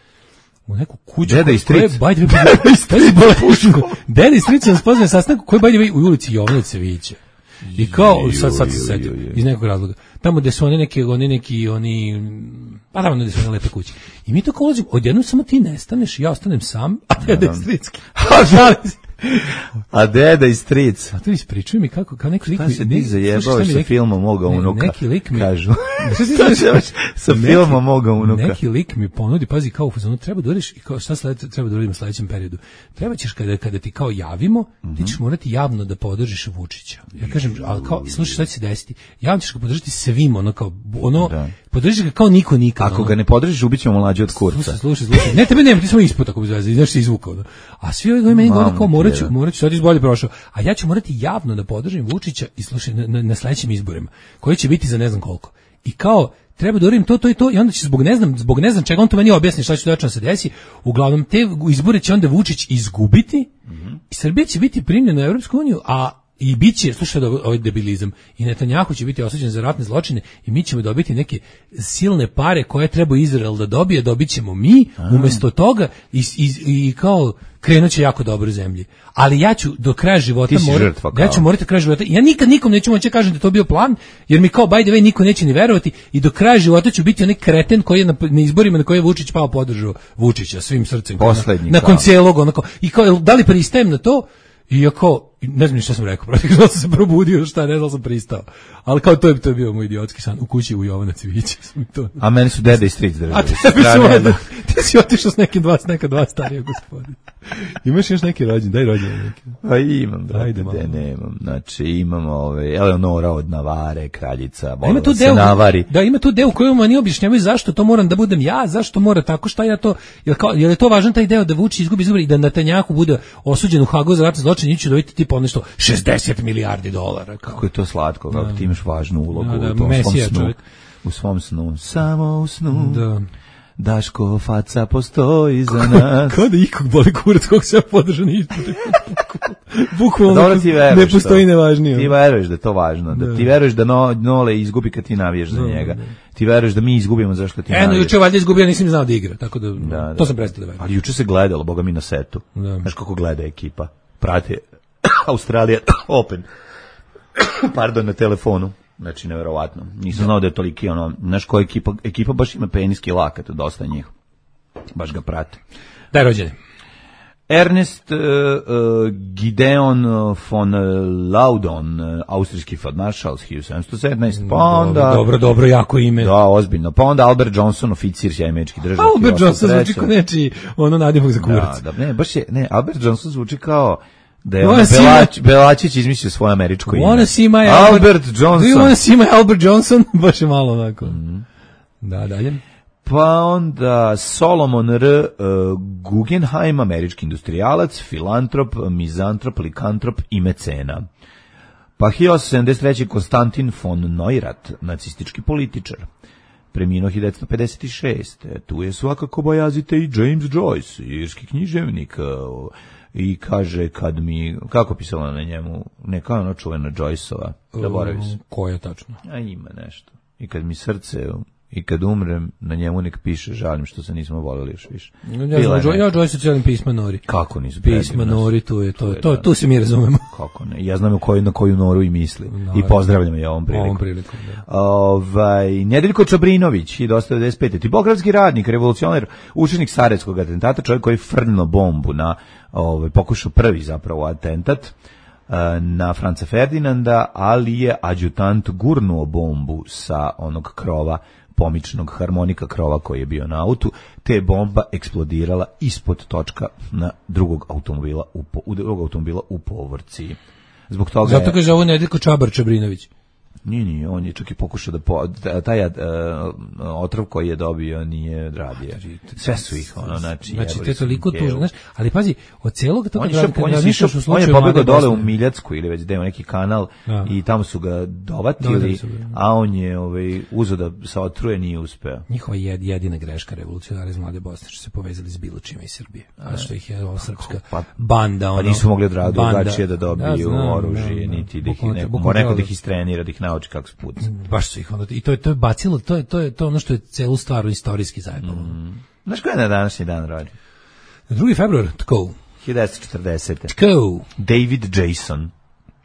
u neku kuću. Deda i stric. Bajde, Deda i stric nas pozvali na sastanak koji bajde u ulici Jovana Cevića. I kao, sad, sad se setio, iz nekog razloga. Tamo gde su oni neki, oni neki, oni, pa tamo gde su one lepe kuće. I mi tako ulazimo, odjednom samo ti nestaneš, ja ostanem sam, a Deda i stric. A Deda i stric. A to ispričuj mi kako, kao neki lik mi... Šta se ti zajebao sa filmom moga unuka? Neki lik mi... Kažu. Sa filmom moga unuka. Neki lik mi ponudi, pazi, kao u fazonu, treba da uriš, i kao šta sled, treba da uradimo u sledećem periodu. Treba ćeš, kada, kada ti kao javimo, mm-hmm. ti ćeš morati javno da podržiš Vučića. Ja kažem, ali kao, slušaj, šta će se desiti? Javno ćeš ga podržati svim, ono kao, ono, da. Podržiš ga kao niko nikad. Ako ono, ga ne podržiš, ubit ćemo mlađe od kurca. Slušaj, slušaj, slušaj. Ne, tebe nema, ti samo ispod ako bez veze, znaš se izvukao. Da. A svi ovi koji meni govore kao, morat ću, morat ću, sad izbolje prošao. A ja ću morati javno da podržim Vučića i slušaj, na, na, na sledećim izborima, koji će biti za ne znam koliko. I kao, treba da uradim to, to i to, i onda će zbog ne znam, zbog ne znam čega, on to meni objasni šta će tačno se desi. Uglavnom, te izbore će onda Vučić izgubiti mm-hmm. i Srbija će biti primljena u Evropsku uniju, a i bit će, slušaj da ovaj debilizam, i Netanjahu će biti osuđen za ratne zločine i mi ćemo dobiti neke silne pare koje treba Izrael da dobije, dobit ćemo mi, umesto toga i, i, i kao krenuće jako dobro u zemlji. Ali ja ću do kraja života morati, ja ću morati do kraja života, ja nikad nikom neću moći kažem da to bio plan, jer mi kao by the way niko neće ni verovati i do kraja života ću biti onaj kreten koji je na, na izborima na koje je Vučić pao podržao Vučića svim srcem. Poslednji, nakon cijelog onako, i kao, da li pristajem na to? I ja kao, ne znam ni šta sam rekao, protiv što sam se probudio, šta, ne znam sam pristao. Ali kao to je, to je bio moj idiotski san, u kući u Jovana Cevića. A meni su Deda i stric držali. A tebi su, Ti si otišao s nekim dva, s neka dva starija gospodina. Imaš još neki rođen, daj rođen neki. Pa imam, brate, Ajde, de nemam. Znači, imamo ove, Eleonora od Navare, kraljica, ima tu se deo, navari. Da, ima tu deo u kojem oni objašnjavaju zašto to moram da budem ja, zašto mora tako, šta ja to, jel, kao, jel je to važan taj deo da Vučić izgubi izbori i da Netanjahu bude osuđen u Hagu za ratni zločin i će dobiti tipa nešto šezdeset milijardi dolara. Kao. Kako je to slatko, kako da. Ti imaš važnu ulogu da, da, u tom Mesija, svom snu. čovjek. U svom snu, samo u snu. Da. Daško faca postoji za nas. Kao da ikog boli kurac kog se ja podržan izbori. Bukvalno ne postoji nevažnije. Ti veruješ da je to važno. Da, da. Ti veruješ da no, Nole izgubi kad ti navijaš za njega. Da. Ti veruješ da mi izgubimo zašto ti navijaš. Eno, juče valjda izgubio, nisam znao da igra. Tako da, da, da. to sam prestao da verujem. Ali juče se gledalo, boga mi na setu. Da. Znaš kako gleda ekipa. Prate Australija Open. Pardon, na telefonu. Znači, neverovatno. Nisam znao da je toliki, ono, znaš koja ekipa, ekipa baš ima peniski lakat, dosta njih. Baš ga prate. Daj rođene. Ernest uh, uh, Gideon von Laudon, uh, austrijski feldmaršal hiljadu sedamsto sedamnaeste. Pa onda, dobro, dobro, dobro, jako ime. Da, ozbiljno. Pa onda Albert Johnson, oficir američki državnik. Albert Johnson zvuči kao nečiji ono nadimak za kurac. Da, da, ne, baš je, ne, Albert Johnson zvuči kao da je Belać, Belačić izmislio svoje američko ime. My Albert, Albert Johnson. Do you want to see my Albert Johnson? Baš je malo onako. Mm. Da, dalje. Pa onda Solomon R. Uh, Guggenheim, američki industrijalac, filantrop, mizantrop, likantrop i mecena. Pa hiljadu osamsto sedamdeset treće. Konstantin von Neurath, nacistički političar. Preminuo hiljadu devetsto pedeset šeste. Tu je svakako bojazite i James Joyce, irski književnik. Uh, I kaže kad mi, kako pisala na njemu, neka ono čuvena Joyceova, zaboravim se. Ko je tačno? A ima nešto. I kad mi srce, i kad umrem, na njemu nek piše, žalim što se nismo voleli još više. Ja, ja, ja, ja Joyce cijelim pisma Nori. Kako nisu? Pisma Nori, tu je, to, to, to, tu se mi razumemo. Kako ne? Ja znam koju, na koju Noru i misli. No, i pozdravljam je ovom prilikom. Ovom prilikom, da. Ovaj, Nedeljko Čabrinović, hiljadu osamsto devedeset pete. Tipografski radnik, revolucionar, učenik Sarajevskog atentata, čovjek koji je frnuo bombu na, ovaj, pokušao prvi zapravo atentat na Franca Ferdinanda, ali je adjutant gurnuo bombu sa onog krova, pomičnog harmonika krova koji je bio na autu, te je bomba eksplodirala ispod točka na drugog automobila u, u drugog automobila u Povorci. Zbog toga Zato kaže ovo Nedeljko Čabar Čabrinović. Nije, nije, on je čak i pokušao da po, taj uh, otrov koji je dobio nije radio. Sve su ih, ono, znači... Znači, to je toliko tužno, znaš, ali pazi, od celog toga... On je, šep, on je, sišao, on je pobegao dole u Miljacku ili već da ima neki kanal da. I tamo su ga dovatili, su, a on je ovaj, uzeo da se otruje, nije uspeo. Njihova jed, jedina greška revolucionara iz Mlade Bosne, što se povezali s bilo čime iz Srbije. A što ih je ova srpska pa, banda, ono... Pa nisu mogli od drugačije da dobiju da, oružje, da, niti da ih neko, neko da ih istrenira, da ih nauči kako se puca. Baš su ih onda, i to je, to je bacilo, to je, to je to ono što je celu stvar istorijski zajebalo. Mm. Znaš ko je na današnji dan rođen? drugi februar, tko? hiljadu devetsto četrdesete. Tko? David Jason.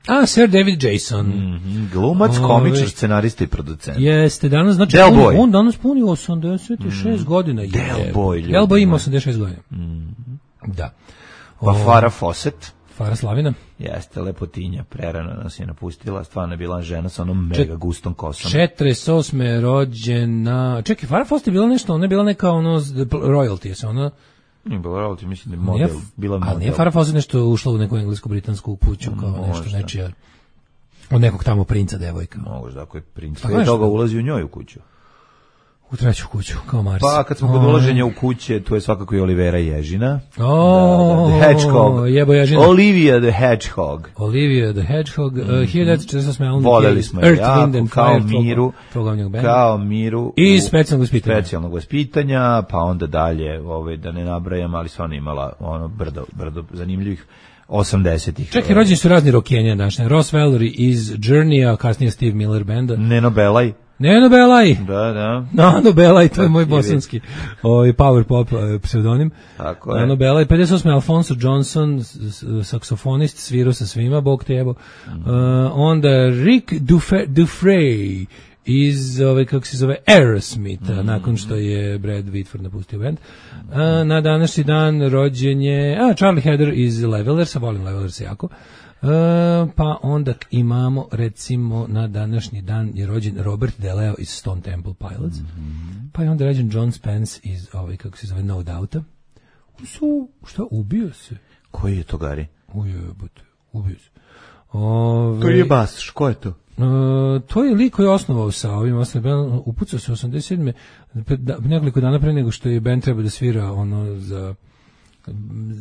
A, Sir David Jason. Mm-hmm. Glumac, komičar, scenarista i producent. Jeste, danas, znači, Del on, Boy. on danas puni osamdeset šest mm. godina. Del je, Boy. Del Boy ima osamdeset šest godina. Mm. Da. Pa Farah Fawcett. Farah Slavina. Jeste, lepotinja, prerano nas je napustila, stvarno je bila žena sa onom mega Čet, gustom kosom. četrdeset osme rođena, čekaj, Farah Fawcett je bila nešto, ona je bila neka ono, royalty, se ona... Nije bila royalty, mislim da je model, nije, bila model. Ali nije Farah Fawcett nešto ušla u neku englesku-britansku kuću, kao mm, nešto nečija, od nekog tamo princa devojka. Možda, ako je princ, prije toga ulazi u njoj u kuću. U treću kuću, kao Mars. Pa kad smo kod ulaženja u kuće, tu je svakako i Olivera Ježina. Oh, da, da, the Hedgehog. Jebo Ježina. Olivia the Hedgehog. Olivia the Hedgehog. Mm -hmm. uh, hiljadu devetsto četrdeset osme. Voleli smo je jako, kao Miru. Kao Miru. I specijalnog vaspitanja. Specijalnog vaspitanja, pa onda dalje, ove, da ne nabrajam, ali stvarno imala ono brdo, brdo zanimljivih osamdesetih. Čekaj, rođeni su razni rokenja današnje. Ross Valerie iz Journey, a kasnije Steve Miller Banda. Neno Belaj. Neno Belaj. Da, da. Nano Belaj, to je moj bosanski ovaj power pop pseudonim. Tako je. Nano Belaj, pedeset osme. Alfonso Johnson, saksofonist, svirao sa svima, bog te jebo. Mm. Uh, onda Rick Dufresne iz, ove, kako se zove, Aerosmith, mm. nakon što je Brad Whitford napustio band. Uh, na današnji dan rođen je, a, Charlie Heder iz Levelersa, volim Levelersa jako. Uh, pa onda imamo, recimo, na današnji dan je rođen Robert DeLeo iz Stone Temple Pilots. Mm -hmm. Pa je onda rađen John Spence iz, ovaj, kako se zove, No Doubta. Su, šta, ubio se? Koji je to, Gari? Ujebote, ubio se. Ove, To je Bas, ko je to? Uh, to je lik koji je osnovao sa ovim osnovim, upucao se osamdeset sedme Da, nekoliko dana pre nego što je band treba da svira ono za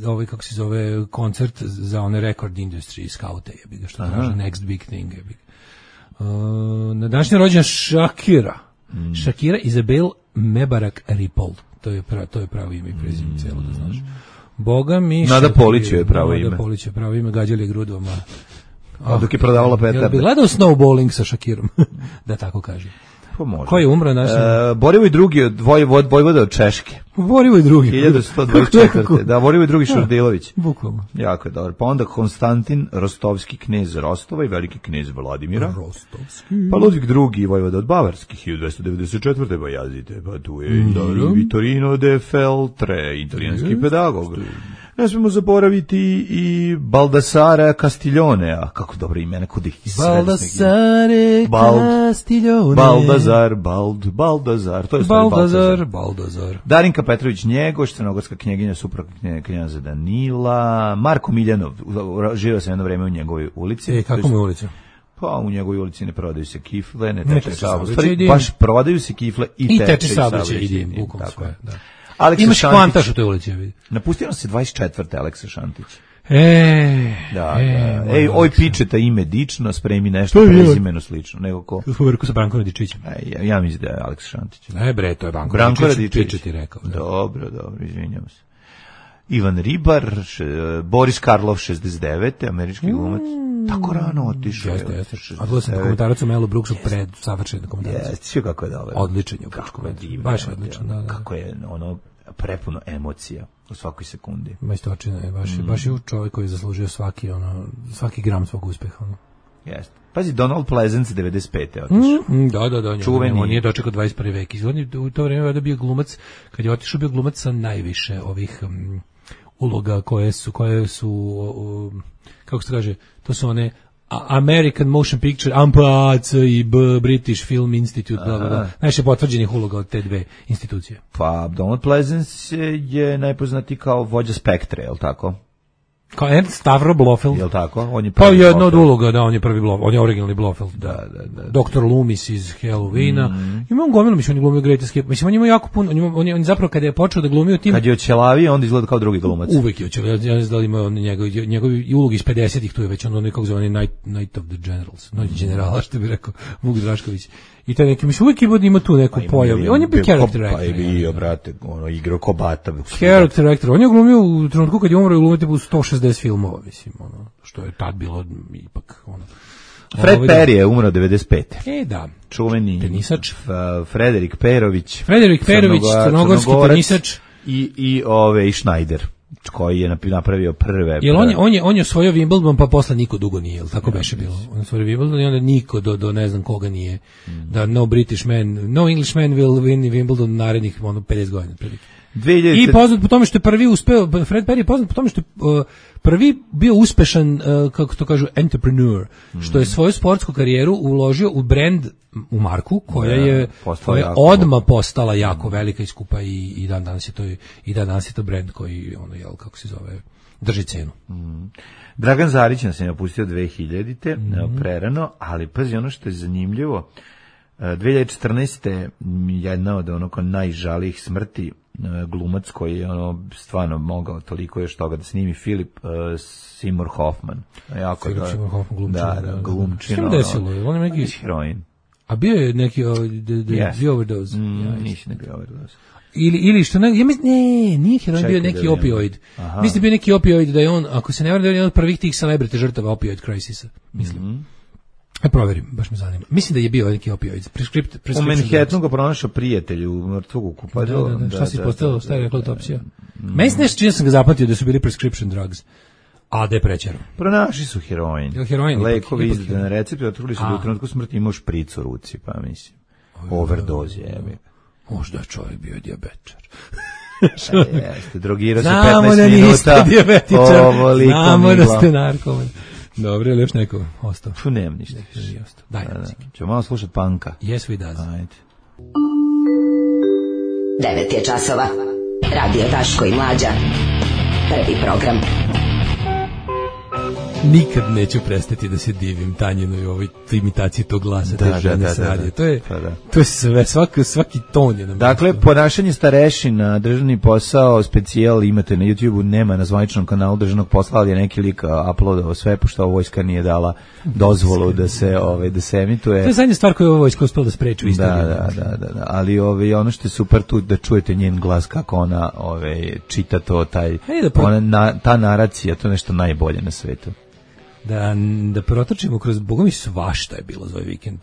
ovaj, kako se zove, koncert za one record industry skaute, jebi ga, što kaže next big thing, jebi ga. Uh, na današnji rođendan Shakira. Mm. Shakira Isabel Mebarak Ripoll. To je, pra, to je pravo ime i prezime, mm. celo da znaš. Boga mi... Nada Polić je pravo ime. Nada Polić je pravo ime, gađali grudom, a... A dok je prodavala petarde. Jel bi gledao snowballing sa Shakirom, da tako kažem. Pa može. Ko je umro naš? E, Borivoj drugi od Vojvod, Vojvoda od Češke. Borivoj drugi. hiljadu sto dvadeset četvrte Da, Borivoj drugi Šurdilović. Bukvalno. Jako je dobro. Pa onda Konstantin Rostovski knez Rostova i veliki knez Vladimira. Rostovski. Pa Ludvig drugi Vojvoda od Bavarskih hiljadu dvesta devedeset četvrte Pa jazite, pa tu je mm, i Vitorino de Feltre, italijanski yes. pedagog. Ne smemo zaboraviti i Baldassare Castiglionea, kako dobro ime, neko da ih Baldassare Castiglione. Baldazar, Bald, Baldazar, to je stvari Baldazar, Baldazar. Darinka Petrović Njegoš, crnogorska knjeginja, suprug knjaza Danila, Marko Miljanov, živio sam jedno vreme u njegovoj ulici. E, kako mu ulica? Pa u njegovoj ulici ne prodaju se kifle, ne teče saobraćaj, baš prodaju se kifle i, I teče saobraćaj. Idem, bukvalno sve, da. Aleksa Imaš Šantić. kvantaš u toj ulici, vidi. Napustio se dvadeset četvrte Aleksa Šantić. E, da, e, da. Ej, oj pičeta ime dično, spremi nešto prezimeno slično, nego ko. Uverku sa Brankom Radičićem. Ej, ja, ja mislim da je Aleksa Šantić. Ne bre, to je Branko, Branko Radičić. Radičić ti rekao. Da. Dobro, dobro, izvinjavam se. Ivan Ribar, š, Boris Karlov šezdeset devete američki glumac. Mm. Tako rano otišao. Jeste, jeste. A gledao sam komentarac o Melu Brooksu pred savršen komentarac. Jeste, sve kako je dobro. Odličan je. Kako je divno. Baš odličan, da, da. Kako je ono prepuno emocija u svakoj sekundi. Majstorčina je, baš, mm. baš je čovjek koji je zaslužio svaki, ono, svaki gram svog uspeha. Ono. Jeste. Pazi, Donald Pleasence devedeset pete otišao. Mm, da, da, da. Čuveni. On nije dočekao dvadeset prvi vek. On u to vrijeme je bio glumac, kad je otišao bio glumac sa najviše ovih um, uloga koje su, koje su um, kako se kaže, to su one American Motion Picture, A M P A C i B, British Film Institute, bla, bla, bla. Najviše potvrđenih uloga od te dve institucije. Pa, Donald Pleasence je najpoznati kao vođa Spektre, je li tako? Kao Ernst Stavro Blofeld. Je li tako? On je pa jedna od uloga, da, on je prvi Blofeld, on je originalni Blofeld. Da, da, da. da. doktor Loomis iz Halloweena. Mm. Ima on gomilu, mislim, on je glumio Great Escape. Mislim, on ima jako puno, on, ima, on, je, on zapravo kada je počeo da glumio tim... Kad je oćelavio, onda izgleda kao drugi glumac. Uvek je oćelavio, ja ne znam da ima on njegov, njegov ulogi iz pedesetih, tu je već on onaj, kako zove, Night, Night of the Generals, Noć generala, što bi rekao Vuk Drašković. I taj neki, mislim, uvijek ima tu neku pa pojavu. On je bio character actor. Pa je bio, brate, ono, igrao ko Bata. Character actor. On je glumio u trenutku kad je umro i glumio u sto šezdeset filmova, mislim, ono, što je tad bilo ipak, ono. Fred Perry je umro devedeset pete E, da. Čuveni tenisač. Frederik Perović. Frederik Perović, crnogorski tenisač. I, i, ove, i Schneider, koji je napravio prve... Jel on je, on je, on je osvojio Wimbledon, pa posle niko dugo nije, jel tako beše bilo? On je osvojio Wimbledon i onda niko do, do ne znam koga nije. Mm. Da no British man, no English man will win Wimbledon narednih ono, pedeset godina. dve hiljade I poznat po tome što je prvi uspeo, Fred Perry je poznat po tome što je uh, prvi bio uspešan, uh, kako to kažu, entrepreneur, mm. što je svoju sportsku karijeru uložio u brand, u marku, koja ja, je koja je odmah postala jako velika i skupa i, i dan danas je to i dan danas je to brand koji, ono, jel, kako se zove, drži cenu. Mm. Dragan Zarić nas je napustio dve hiljadite Mm. prerano, ali pazi, ono što je zanimljivo, dve hiljade četrnaeste jedna od onako najžalijih smrti, glumac koji je ono stvarno mogao toliko još toga da snimi, Philip uh, Seymour Hoffman. Jako Philip da, Seymour Hoffman glumčin. Da, da, glumčin. Što mu desilo? On je neki heroin. A bio je neki uh, the, the, yes. the overdose. Mm, ja, nisi ne bio overdose. Ili, ili što ne, ja mislim, ne, nije heroin, bio neki opioid. Aha. Mislim bio neki opioid da je on, ako se ne varam, da je jedan od prvih tih celebrity žrtava opioid crisisa, mislim. Mm-hmm. E, proverim, baš me zanima. Mislim da je bio neki opioid. Prescript, u Manhattanu ga pronašao prijatelj u mrtvog ukupaju. Da, da, da. Šta si postavio? Šta je rekla autopsija? Meni se nešto čini sam ga zapamtio da su bili prescription drugs. A da je prećero. Pronašli su heroin. Jel heroin? Lekovi izdane na recept, otvorili su da u trenutku smrti imao špric u ruci, pa mislim. Overdose je. Možda čovjek bio dijabetičar. Jeste, drogirao se petnaest minuta. Znamo da ste narkoman. Dobro, ili još neko ostao? Tu nemam ništa. Daj, da, da. Ćemo malo slušati punka. Yes, we does. Ajde. devet je časova. Radio Daško i Mlađa. Prvi program. Nikad neću prestati da se divim Tanjinoj ovoj imitaciji tog glasa da, te žene da, sa da, radija. da. To je, pa da. to je sve, svaki, svaki ton je nam. Dakle, nešto. ponašanje starešina, državni posao, specijal imate na YouTubeu, nema na zvaničnom kanalu državnog posla, ali je neki lik uploadao sve, pošto vojska nije dala dozvolu da se, ovaj, da se emituje. To je zadnja stvar koju je ova vojska uspela da spreči u istoriji. Da, da, da, da, da. Ali ovaj, ono što je super tu da čujete njen glas, kako ona ovaj, čita to, taj, da pro... ona, na, ta naracija, to je nešto najbolje na svetu. Da, da protrčimo kroz, boga mi svašta je bilo za ovaj vikend,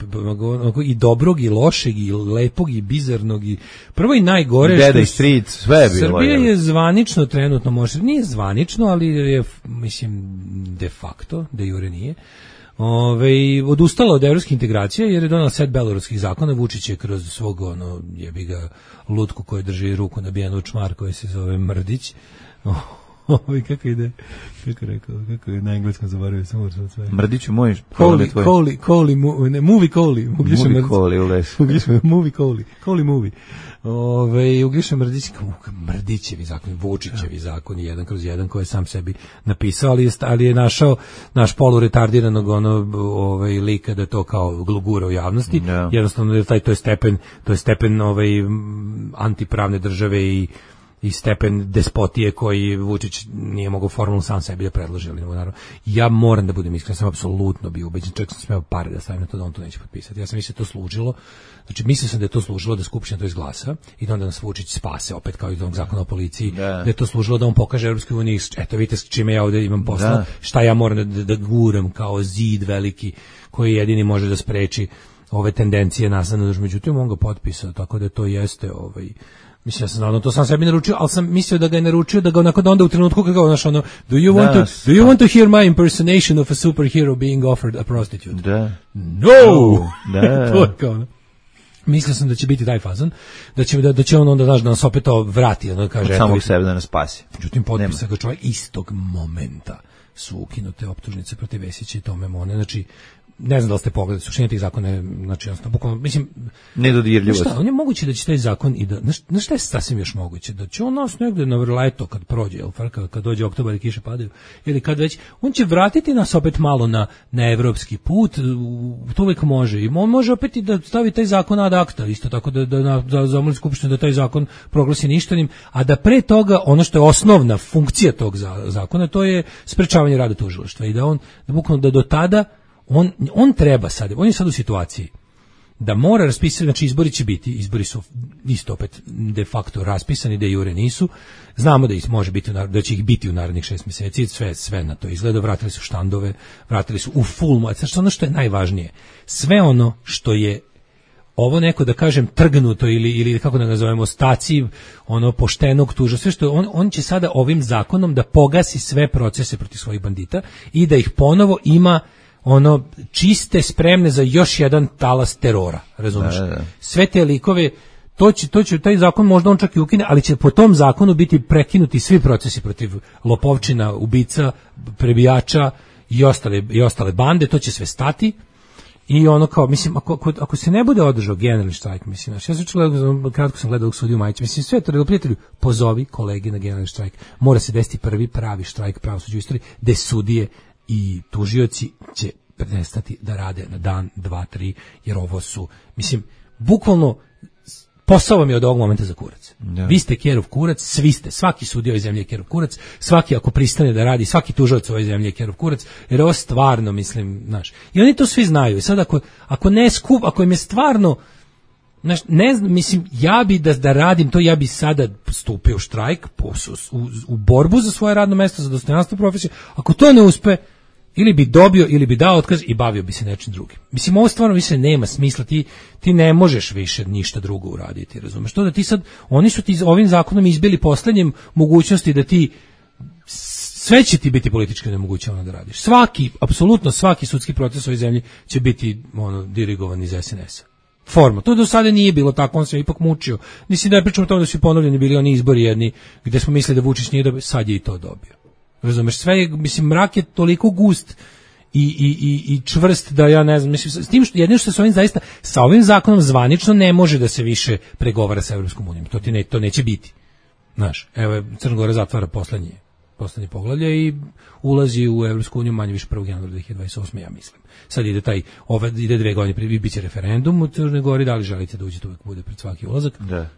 i dobrog i lošeg i lepog i bizarnog i prvo i najgore Deda i Street, sve je bilo. Srbija je zvanično trenutno, može, nije zvanično, ali je, mislim, de facto, de jure nije, Ove, odustala od evropskih integracija jer je donala set beloruskih zakona. Vučić je kroz svog, ono, jebi ga, lutku koji drži ruku nabijenu u čmar koji se zove Mrdić. Ovi, kako ide, kako rekao, kako je na engleskom zaboravio, sam uršao sve. Mrdiću moj, Koli, Koli, Koli, ne, movie Koli, ugliša Movie Koli, uleš. Ugliša, movie Koli, Koli movie. Ove, ugliša Mrdić, Mrdićevi zakoni, Vučićevi zakoni, jedan kroz jedan, koji je sam sebi napisao, ali je, ali je našao naš poluretardiranog ono, ovaj, lika da to kao glugura u javnosti, yeah. Jednostavno, taj, to je stepen, to je stepen ovaj, antipravne države i i stepen despotije koji Vučić nije mogao formalno sam sebi da predloži, ali naravno. Ja moram da budem iskren, sam apsolutno bio ubeđen, čak sam smeo pare da stavim na to da on to neće potpisati. Ja sam mislio to služilo, znači mislio sam da je to služilo da Skupština to izglasa i da onda nas Vučić spase, opet kao iz onog zakona o policiji, da, da je to služilo da on pokaže Evropskoj uniji, eto vidite s čime ja ovde imam posla, da. Šta ja moram da, da guram kao zid veliki koji jedini može da spreči ove tendencije nasledno, međutim on ga potpisao, tako da to jeste ovaj. Mislim, ja sam znao, to sam sebi naručio, ali sam mislio da ga je naručio, da ga onako da onda u trenutku kako ga znaš ono, do you want da, to, do you want to hear my impersonation of a superhero being offered a prostitute? Da. No! Da. To je kao ono. Mislio sam da će biti taj fazon, da će, da, da će on onda, znaš, da nas opet to vrati, ono kaže. Od samog sebe da nas spasi. Međutim, potpisa ga čovjek istog momenta su ukinute optužnice protiv Vesića i Tome Mone, znači, ne znam da li ste pogledali, suština tih zakona je, znači, jednostavno, bukvalno, mislim, nedodirljivost. Šta, on je moguće da će taj zakon i da, na šta je sasvim još moguće, da će on nas negde na vrleto kad prođe, jel, kad, kad dođe oktobar i kiše padaju, ili kad već, on će vratiti nas opet malo na, na evropski put, to uvijek može, i on može opet i da stavi taj zakon ad acta, isto tako da, da, da zamoli Skupštinu da taj zakon proglasi ništavnim, a da pre toga, ono što je osnovna funkcija tog zakona, to je sprečavanje rada tužilaštva i da on, da bukvalno da do tada On, on treba sad, on je sad u situaciji da mora raspisati, znači izbori će biti, izbori su isto opet de facto raspisani, de jure nisu, znamo da ih može biti, da će ih biti u narednih šest mjeseci, sve, sve na to izgleda, vratili su štandove, vratili su u full moć, znači ono što je najvažnije, sve ono što je ovo neko da kažem trgnuto ili, ili kako da nazovemo staciv, ono poštenog tuža, sve što on, on će sada ovim zakonom da pogasi sve procese protiv svojih bandita i da ih ponovo ima ono čiste, spremne za još jedan talas terora, razumiješ? Da, da. Sve te likove, to će, to će, taj zakon možda on čak i ukine, ali će po tom zakonu biti prekinuti svi procesi protiv lopovčina, ubica, prebijača i ostale, i ostale bande, to će sve stati i ono kao, mislim, ako, ako, ako se ne bude održao generalni štrajk, mislim, ja sam gledao, kratko sam gledao u sudiju Majić, mislim, sve to, prijatelju, pozovi kolege na generalni štrajk, mora se desiti prvi pravi štrajk pravosuđa u istoriji, gde sudije i tužioci će prestati da rade na dan, dva, tri, jer ovo su, mislim, bukvalno posao vam je od ovog momenta za kurac. Da. Vi ste kerov kurac, svi ste, svaki sudija ove zemlje je kerov kurac, svaki ako pristane da radi, svaki tužilac ove zemlje je kerov kurac, jer ovo stvarno, mislim, znaš, i oni to svi znaju. I sad ako, ako ne skup, ako im je stvarno, znaš, ne znam, mislim, ja bi da, da radim to, ja bi sada stupio u štrajk, u, u, u borbu za svoje radno mesto, za dostojanstvo profesije. Ako to ne uspe, ili bi dobio, ili bi dao otkaz i bavio bi se nečim drugim. Mislim, ovo stvarno više nema smisla, ti, ti ne možeš više ništa drugo uraditi, razumeš? To da ti sad, oni su ti ovim zakonom izbili poslednjem mogućnosti da ti, sve će ti biti politički nemogućavano da radiš. Svaki, apsolutno svaki sudski proces u ovoj zemlji će biti ono, dirigovan iz es en es-a. Forma. To do sada nije bilo tako, on se ipak mučio. Mislim da je pričamo o tome da su ponovljeni bili oni izbori jedni, gde smo mislili da Vučić nije dobio, sad je i to dobio. Razumeš, sve je, mislim, mrak je toliko gust i, i, i, i čvrst da ja ne znam, mislim, s tim što jedino što se ovim zaista, sa ovim zakonom zvanično ne može da se više pregovara sa Evropskom unijom, to, ti ne, to neće biti. Znaš, evo Crna Gora zatvara poslednje, poslednje poglavlje i ulazi u Evropsku uniju manje više prvog januara dve hiljade dvadeset osme ja mislim. Sad ide taj, ove, ide dve godine prije, biće referendum u Crnoj Gori, da li želite da uđete, uvek bude pred svaki ulazak. Da.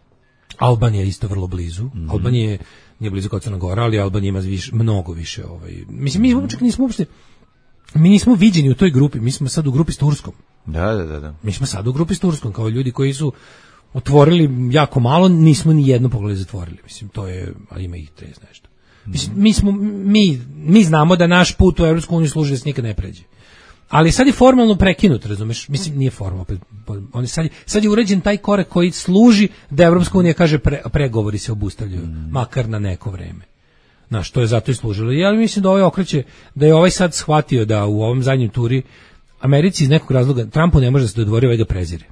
Albanija je isto vrlo blizu. Mm-hmm. Albanija je, nije blizu kao Crna Gora, ali Albanija ima više, mnogo više. Ovaj. Mislim, mi čak nismo uopšte, mi nismo viđeni u toj grupi, mi smo sad u grupi s Turskom. Da, da, da. da. Mi smo sad u grupi s Turskom, kao ljudi koji su otvorili jako malo, nismo ni jedno poglavlje zatvorili. Mislim, to je, ali ima ih trideset nešto. Mislim, mi, smo, mi, mi znamo da naš put u Evropsku uniju služi da se nikad ne pređe. Ali sad je formalno prekinut, razumeš? Mislim, nije formalno. On je sad, sad je uređen taj korak koji služi da Evropska unija kaže pre, pregovori se obustavljaju, mm. makar na neko vreme. Znaš, to je zato i služilo. Ja mislim da ovaj okreće, da je ovaj sad shvatio da u ovom zadnjem turi Americi iz nekog razloga, Trumpu ne može da se dodvori, ovaj ga prezire.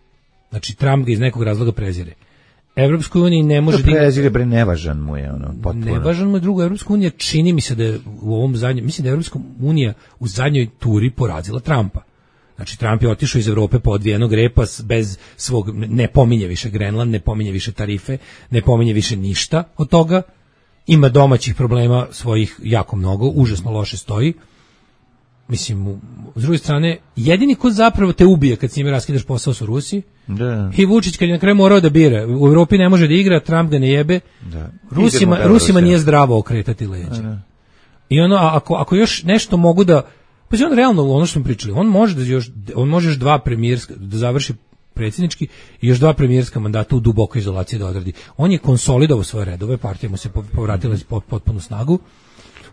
Znači, Trump ga iz nekog razloga prezire. Evropskoj uniji ne može da prezire, bre, nevažan mu je ono, potpuno. Nevažan mu je. Drugo, Evropska unija čini mi se da je u ovom zadnjem, mislim da je Evropska unija u zadnjoj turi porazila Trumpa. Znači, Trump je otišao iz Evrope po odvijenog repa bez svog, ne pominje više Grenland, ne pominje više tarife, ne pominje više ništa od toga. Ima domaćih problema svojih jako mnogo, užasno loše stoji. Mislim, s druge strane, jedini ko zapravo te ubije kad s njime raskidaš posao su Rusi. Da. I Vučić kad je na kraju morao da bira. U Evropi ne može da igra, Trump ga ne jebe. Da. Rusima, Rusima nije zdravo okretati leđa. Da. I ono, ako, ako još nešto mogu da... Pa on realno, ono što smo pričali, on može da još, on može još dva premijerska, da završi predsjednički i još dva premijerska mandata u dubokoj izolaciji da odradi. On je konsolidovao svoje redove, partija mu se povratila iz potpunu snagu.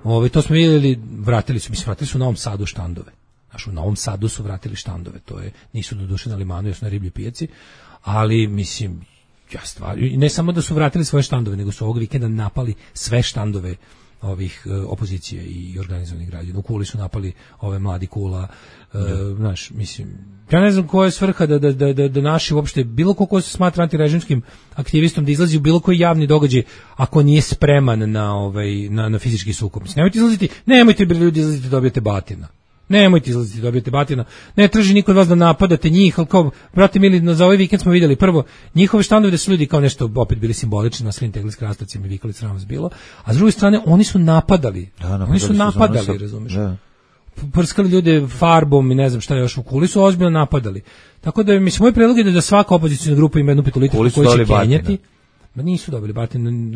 Ove, to smo vidjeli, vratili su, mislim, vratili su u Novom Sadu štandove. Znaš, u Novom Sadu su vratili štandove, to je, nisu doduše na limanu, još na riblji pijaci, ali, mislim, ja stvar, ne samo da su vratili svoje štandove, nego su ovog vikenda napali sve štandove ovih uh, opozicije i organizovanih građana. U Kuli su napali ove mladi Kula, uh, znaš, mislim, ja ne znam koja je svrha da, da, da, da naši uopšte, bilo ko ko se smatra antirežimskim aktivistom, da izlazi u bilo koji javni događaj ako nije spreman na, ovaj, na, na fizički sukob. Mislim, nemojte izlaziti, nemojte ljudi izlaziti da dobijete batina. Nemojte izlaziti da dobijete batina. Ne traži niko od vas da napadate njih, ali kao, brate mili, za ovaj vikend smo vidjeli prvo njihove štandove da su ljudi kao nešto opet bili simbolični, na svim tegli s krastavcima i vikali sram vas bilo, a s druge strane oni su napadali. Da, napadali oni su napadali, su razumiješ? Da. Prskali ljude farbom i ne znam šta još u Kuli su ozbiljno napadali. Tako da, mislim, moj predlog je da svaka opozicijna grupa ima jednu petolitru koju će kenjati. Ma nisu dobili batin,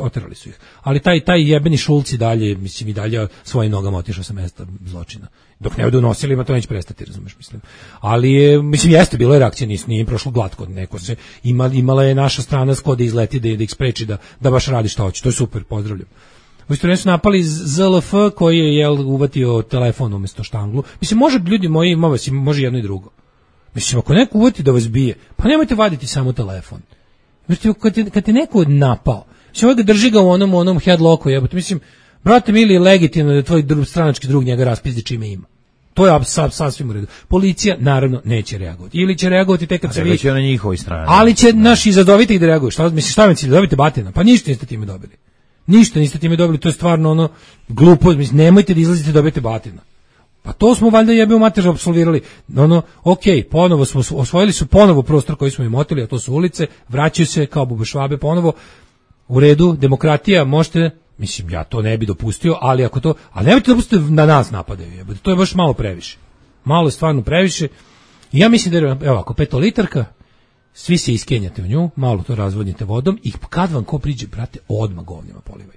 oterali su ih. Ali taj taj jebeni Šulci dalje, mislim, i dalje svojim nogama otišao sa mesta zločina. Dok ne budu nosili, ma to neće prestati, razumeš, mislim. Ali je, mislim, jeste, bilo je reakcija, nije, nije im prošlo glatko, neko se, ima, imala je naša strana skod da izleti, da, da ih spreči, da, da baš radi šta hoće, to je super, pozdravljam. U isto su napali Z L F koji je, jel, uvatio telefon umjesto štanglu. Mislim, može, ljudi moji, ima vas, može jedno i drugo. Mislim, ako neko uvati da vas bije, pa nemojte vaditi samo telefon. Znači, kad te, kad te neko napao, mislim, ovaj ga drži ga u onom, onom headlocku, jebote, mislim, brate mili, legitimno da tvoj drug, stranački drug njega raspizdi čime ima. To je sasvim u redu. Policija, naravno, neće reagovati. Ili će reagovati tek kad se vidi. Na njihovoj strani. Ali će naši izazoviti ih da reaguju. Šta, mislim, šta vam cilj, dobite batina? Pa ništa niste time dobili. Ništa niste time dobili, to je stvarno ono glupo, mislim, nemojte da izlazite da dobijete batina. Pa to smo valjda jebe u mater apsolvirali. Ono, okej, ponovo smo osvojili su ponovo prostor koji smo im oteli, a to su ulice, vraćaju se kao bube švabe ponovo. U redu, demokratija, možete, mislim, ja to ne bi dopustio, ali ako to, ali nemojte da dopustite na nas napadaju, jebe. To je baš malo previše. Malo je stvarno previše. I ja mislim da je, evo, ako petolitarka, svi se iskenjate u nju, malo to razvodnite vodom i kad vam ko priđe, brate, odmah govnjama polivaj.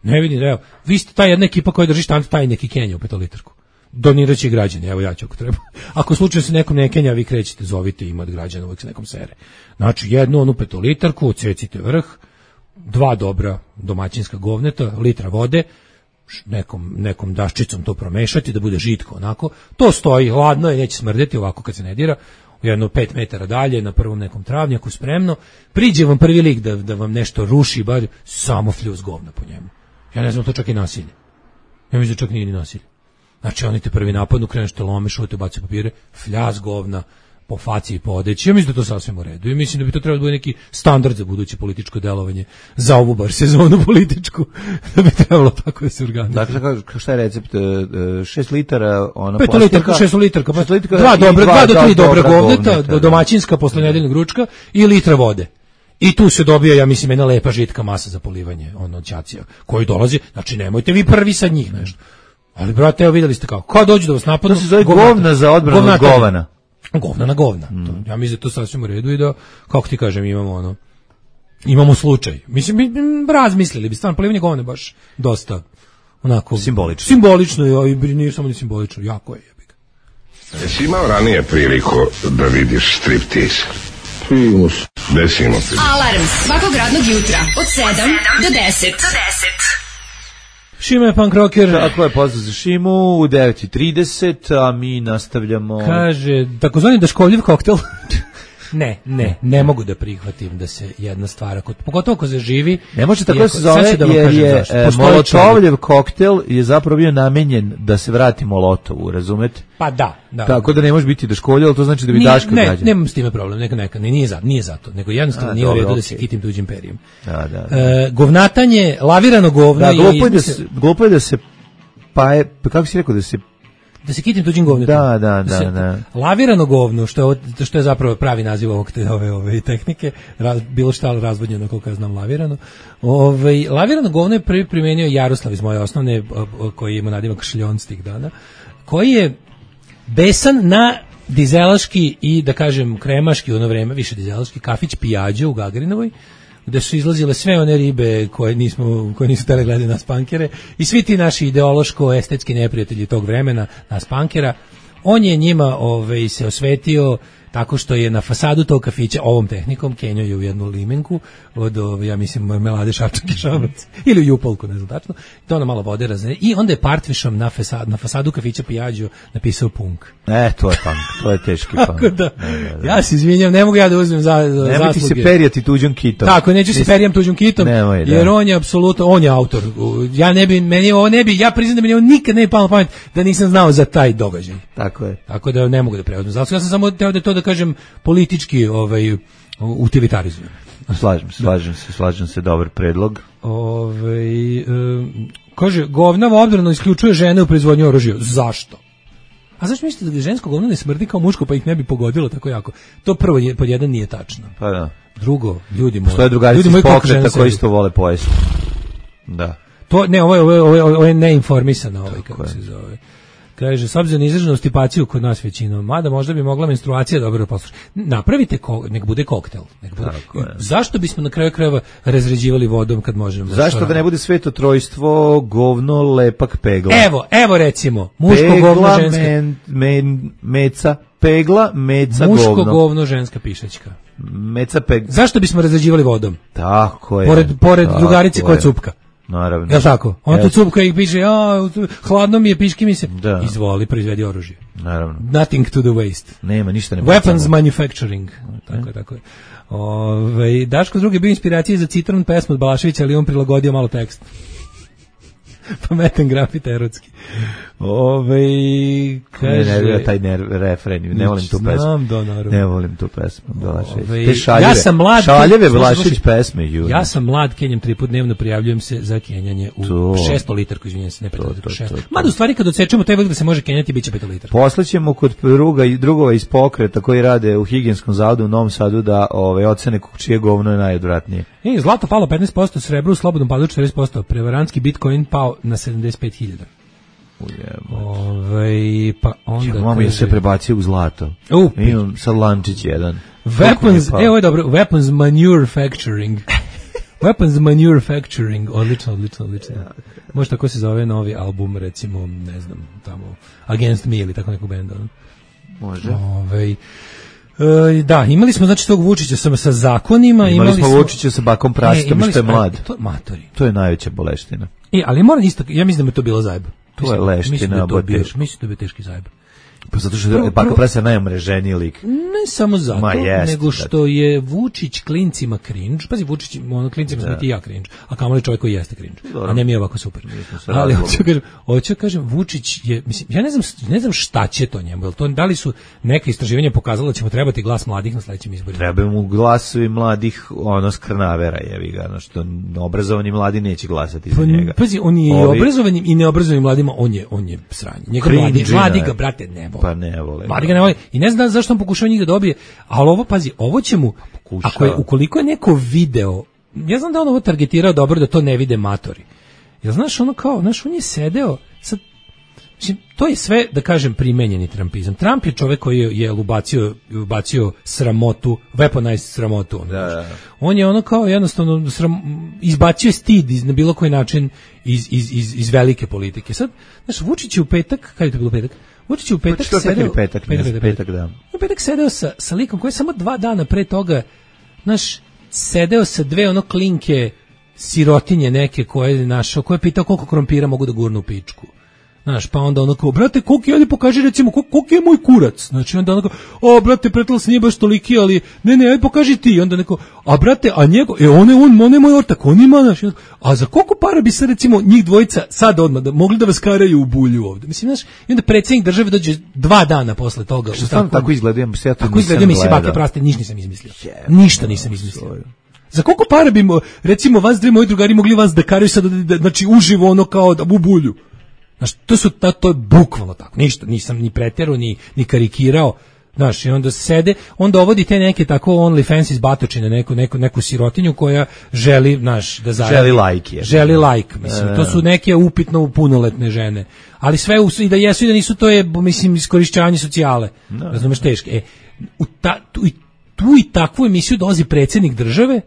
Ne vidim, evo, vi ste ta jedna ekipa koja drži štanc, taj neki Kenja u petolitarku. Doniraće građani, evo ja ću ako treba. Ako slučajno se nekom ne kenja, vi krećete, zovite, ima od građana, uvijek se nekom sere. Znači, jednu onu petolitarku, odsecite vrh, dva dobra domaćinska govneta, litra vode, nekom, nekom daščicom to promešati, da bude žitko onako. To stoji, hladno je, neće smrdeti ovako kad se ne dira. Jedno pet metara dalje, na prvom nekom travnjaku, spremno. Priđe vam prvi lik da, da vam nešto ruši, bar samo fljuz govna po njemu. Ja ne znam, to čak i nasilje. Ja mislim da čak nije ni nasilje. Znači, oni te prvi napadnu, kreneš te lome, šute, baci papire, fljaz govna, po faci i po odeći. Ja mislim da to sasvim u redu. I mislim da bi to trebalo da bude neki standard za buduće političko delovanje za ovu bar sezonu političku. Da bi trebalo tako da se organizuje. Dakle, šta je recept? šest litara, ona pet litarka, šest litarka, pa dva dobra, dva do tri dobra govneta, domaćinska posle nedeljnog ručka i litra vode. I tu se dobija, ja mislim, jedna lepa žitka masa za polivanje, ono, ćacija, koji dolazi, znači nemojte vi prvi sad njih nešto. Ali, brate, evo videli ste kako, kad dođu da vas napadnu... To se zove govna za odbranu od govana. Govna na govna. Mm. To, ja mislim da to sasvim u redu i da, kako ti kažem, imamo ono, imamo slučaj. Mislim, bi razmislili bi, stvarno, polivanje govne baš dosta, onako... Simbolično. Simbolično, i nije samo ni simbolično, jako je. Jesi imao ranije priliku da vidiš striptease? Primus. Desimo se. Alarm svakog radnog jutra od sedam do deset. Šima je punk rocker. Tako je, pozdrav za Šimu u devet i trideset, a mi nastavljamo... Kaže, takozvani daškovljiv koktel. Ne, ne, ne mogu da prihvatim da se jedna stvar, pogotovo ako se živi... Ne može tako da se zove, da jer je Molotovljev koktel je zapravo bio namenjen da se vrati Molotovu, razumete? Pa da, da. Tako da ne može biti daškovljev, ali to znači da bi Daška ne, građan. Ne, nemam s time problem, neka, neka, ne, nije, za, nije zato, nego jednostavno a, nije dobro, u redu okay. da se kitim tuđim perijem. Da, da, da. E, govnatanje, lavirano govno... Da, glupo je da se, glupo je da se pa je, kako si rekao, da se... Da se kitim tuđim govnetom. Da, da, da, da, se, da. Lavirano govno, što je, što je zapravo pravi naziv ovog te, ove, ove tehnike, raz, bilo šta razvodnjeno, koliko ja znam, lavirano. Ove, lavirano govno je prvi primenio Jaroslav iz moje osnovne, koji ima nadimak Šljon s tih dana, koji je besan na dizelaški i, da kažem, kremaški u ono vreme, više dizelaški, kafić Pijađo u Gagarinovoj, gde su izlazile sve one ribe koje nismo koje nisu tele gledali nas pankere i svi ti naši ideološko-estetski neprijatelji tog vremena nas pankera. On je njima ovaj, se osvetio tako što je na fasadu tog kafića ovom tehnikom kenjao je u jednu limenku od, ja mislim, Melade Šapčak i Šabrac ili u Jupolku, ne znam tačno, to ona malo vode razne i onda je partvišom na fasadu, na fasadu kafića Pijađo napisao punk. E, to je punk, to je teški punk. Da, da, da. Ja se izvinjam, ne mogu ja da uzmem za, za nemoj ti se perijati tuđom kitom. Tako, neću se perijam tuđom kitom, nemoj, da. Jer on je apsolutno, on je autor. Ja ne bi, meni ovo ne bi, ja priznam da mi ovo nikad ne bi palo na pamet da nisam znao za taj događaj. Tako je. Tako da ne mogu da preuzmem. Zato ja sam samo teo da to da kažem politički ovaj utilitarizujem. Slažem se, slažem se, slažem se, dobar predlog. Ovaj um, kaže govnava odbrana isključuje žene u proizvodnji oružja. Zašto? A zašto mislite da žensko govno ne smrdi kao muško pa ih ne bi pogodilo tako jako? To prvo je, pod jedan nije tačno. Pa da. Drugo, ljudi moji. Postoje drugarice iz pokreta koji isto vole pojesti. Da. To ne, ovo je, ovo je, ovo je, ovo je neinformisano, ovaj, kako je. se zove. Kaže, s obzirom na izraženu stipaciju kod nas većinom, mada možda bi mogla menstruacija dobro poslušati. Napravite, ko, nek bude koktel. Nek bude. Zašto bismo na kraju krajeva razređivali vodom kad možemo? Zašto da ne bude sveto trojstvo, govno, lepak, pegla? Evo, evo recimo, muško, pegla, govno, ženska. Men, men, meca, pegla, meca, muško, govno. Muško, govno, ženska pišačka. Meca, pegla. Zašto bismo razređivali vodom? Tako je. Pored, pored drugarice koja cupka. Naravno. Jel' tako? On tu cupka ih piše, a, hladno mi je, piški mi se. Da. Izvoli, proizvedi oružje. Naravno. Nothing to the waste. Nema, ništa ne Weapons pacamo. Manufacturing. Tako je, tako je. Ove, Daško drugi bio inspiracije za Citron pesmu od Balaševića, ali on prilagodio malo tekst. Pametan grafit erotski. Ove, kaže... Ne, ne, taj ne, refren, ne volim tu pesmu. Znam, da, naravno. Ne volim tu pesmu, Balašević. Te šaljeve, ja sam mlad, šaljeve Balašević pesme. Ju. Ja sam mlad, kenjam tri put dnevno, prijavljujem se za kenjanje u šesto litarku, izvinjam se, ne pet litarku, šest. Mada u stvari kad odsečemo taj vek da se može kenjati, bit će pet litar. Poslaćemo kod druga, drugova iz pokreta koji rade u higijenskom zavodu u Novom Sadu da ove, ocene čije govno je najodvratnije. E, zlato palo petnaest posto, srebro u slobodnom padu četrdeset posto, prevarantski Bitcoin pao na sedamdeset pet hiljada. Ove, pa onda ja, mama je se prebacio u zlato. Uh, imam sad lančić jedan. Weapons, evo je dobro, weapons manufacturing. Weapons manufacturing, odlično, odlično, odlično. Ja, okay. Može tako se zove novi album, recimo, ne znam, tamo Against Me ili tako nekog benda. Može. Ove, e, da, imali smo znači tog Vučića sa, sa zakonima. Imali, imali smo Vučića sa bakom prasitom e, što je mlad. To, matori. To je najveća boleština. E, ali moram isto, ja mislim da me to bilo zajeb. To je leština, mislim da je to bio, mislim da je bio teški zajeb. Pa zato što je Baka Prase najomreženiji lik. Ne samo zato, Ma jest, nego što je Vučić klincima cringe. Pazi, Vučić, ono klincima sam ti ja cringe, a kamoli čovjek koji jeste cringe. A ne mi je ovako super. Ali hoću kažem, hoću kažem, Vučić je, mislim, ja ne znam, ne znam šta će to njemu. Jel to, da li su neka istraživanja pokazala da će mu trebati glas mladih na sledećim izborima? Treba mu glasovi mladih, ono skrnavera, jevi ga, ono što obrazovani mladi neće glasati za njega. Pazi, on je Ovi... obrazovanim i neobrazovanim mladima, on je, on je sranje. Njega mladi, mladi ga, brate, ne vole. Pa ne vole. Mladi ga ne vole. I ne znam zašto on pokušava njih da dobije, ali ovo, pazi, ovo će mu, pokušava. Ako je, ukoliko je neko video, ja znam da on ovo targetirao dobro da to ne vide matori. Jel znaš, ono kao, znaš, on je sedeo, sad, mislim, to je sve, da kažem, primenjeni trumpizam. Trump je čovek koji je, je ubacio, ubacio sramotu, weaponized sramotu. On, da, da. on je ono kao jednostavno sram, izbacio stid iz, na bilo koji način iz, iz, iz, iz velike politike. Sad, znaš, Vučić je u petak, kada je to bilo petak? Vučić je u petak pa sedeo... Petak, petak, petak, petak, da. U petak sedeo sa, sa likom koji je samo dva dana pre toga, znaš, sedeo sa dve ono klinke sirotinje neke koje je našao, koje je pitao koliko krompira mogu da gurnu u pičku. Znaš, pa onda ono kao, brate, koliko je, ovdje pokaži recimo, koliko je moj kurac? Znači, onda ono kao, o, brate, pretlac nije baš toliki, ali, ne, ne, ajde pokaži ti. I onda neko, a brate, a njego, e, on je, on, on je moj ortak, on ima, znaš, a za koliko para bi se, recimo, njih dvojica, sad odmah, da, mogli da vas karaju u bulju ovde? Mislim, znaš, i onda predsjednik države dođe dva dana posle toga. Što stvarno tako izgledam, ja to tako izgledam, mislim, bake praste, ništa nisam izmislio. Ništa nisam izmislio. Za koliko para bi, recimo, vas dve moji drugari mogli vas da karaju sad, znači, uživo ono kao da, u bulju? Znaš, to su, to, to je bukvalno tako, ništa, nisam ni pretjerao, ni, ni karikirao, znaš, i onda sede, onda ovodi te neke tako OnlyFans iz batočine, neku, neku, neku sirotinju koja želi, znaš, da zaradi. Želi like. Je. Želi like, mislim, to su neke upitno punoletne žene, ali sve, u, i da jesu i da nisu, to je, mislim, iskorišćavanje socijale, no. Razumeš, teške. E, u ta, tu, tu i takvu emisiju dolazi predsjednik države.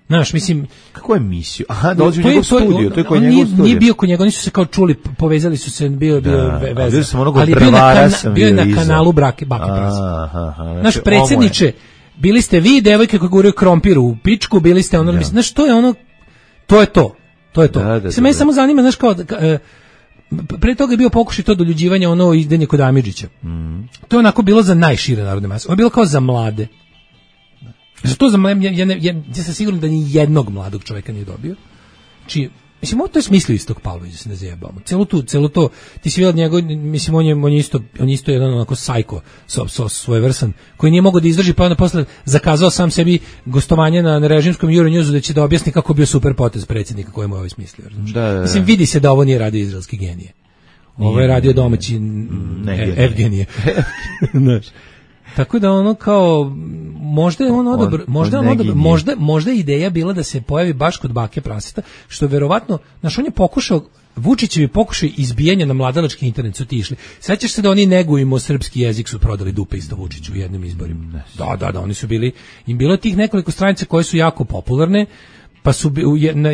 Znaš, mislim, kako je emisiju? Aha, dođe u njegov studio, to je kod njegov studio. Nije bio kod njega, oni su se kao čuli, povezali su se, bio bio da, veza. Ali bio na, kana, bio na kanalu Brake Bake Prase. Naš predsjedniče, bili ste vi devojke koje guraju krompir u pičku, bili ste ono, da. Mislim, znaš, to je ono, to je to, to je to. Da, da, se mene samo zanima, znaš, kao, e, pre toga je bio pokušaj to doljuđivanje, ono idenje kod Amidžića. Mm. To je onako bilo za najšire narodne mase, ono je bilo kao za mlade. Za to za ja, ja, ja, ja sam siguran da ni jednog mladog čovjeka nije dobio. Znači, mislim, ovo to je smislio istog Pavlović, da se ne zajebamo. Celo tu, celo to, ti si vidio njegov, mislim, on je, on je isto, on je isto jedan onako sajko, so, so, svojevrsan, koji nije mogao da izdrži, pa onda posle zakazao sam sebi gostovanje na, na režimskom Euronewsu da će da objasni kako bio super potez predsjednika koji mu je ovaj smislio. Da, da, da. Mislim, vidi se da ovo nije radio izraelski genije. Ovo je radio domaći ne, Evgenije. Znaš. Tako da ono kao možda je on odabr, možda on odabr, možda možda je ideja bila da se pojavi baš kod Bake Praseta, što verovatno, znaš, on je pokušao, Vučićevi pokušaj izbijanja na mladalački internet su ti išli. Sećaš se da oni negujemo srpski jezik su prodali dupe isto Vučiću u jednim izborima. Da, da, da, oni su bili, im bilo tih nekoliko stranica koje su jako popularne. Pa su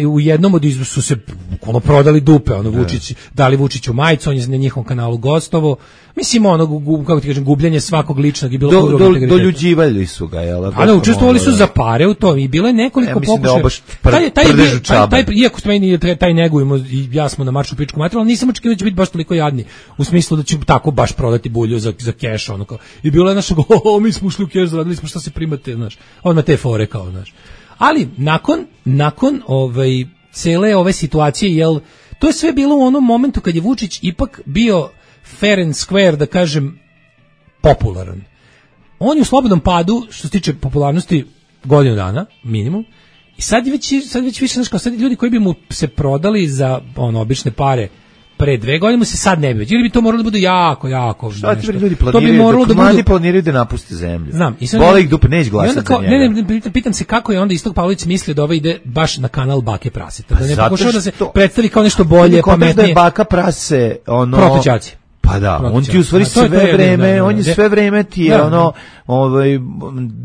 u jednom od izbora su se ono prodali dupe, ono Vučić, dali Vučiću majicu, on je na njihovom kanalu gostovo. Mislim, ono, kako ti kažem, gubljenje svakog ličnog i bilo do, do, doljuđivali su ga, jel? Ali učestvovali su za pare u tom i bilo je nekoliko pokušaja. Da taj, taj, taj, taj, iako smo meni taj, taj negujemo i ja smo na maršu pičku materiju, ali nisam očekivao da će biti baš toliko jadni, u smislu da će tako baš prodati bulju za, za keš, ono kao. I bilo je našo, o, mi smo ušli u keš, zaradili smo, šta se primate, znaš, odmah te fore kao, znaš. Ali nakon nakon ovaj cele ove situacije, jel, to je sve bilo u onom momentu kad je Vučić ipak bio fair and square, da kažem, popularan. On je u slobodnom padu što se tiče popularnosti godinu dana minimum. I sad je već sad već više, znaš, kao sad ljudi koji bi mu se prodali za ono obične pare pre dve godine mu se sad ne bi. Ili bi to moralo da bude jako, jako. Šta ti ljudi planiraju? To bi moralo da mladi planiraju da napuste zemlju. Znam. Boli ih dupe, neće glasati za njega. Ne, ne, pitam se kako je onda Istok Pavlović mislio da ovo ide baš na kanal Bake Praseta. Da ne pokušao da se predstavi kao nešto bolje, pametnije. Da je Baka Prase, ono... Protočaci. Pa da, on ti u stvari sve vreme, on je sve vreme ti je ono, ovaj,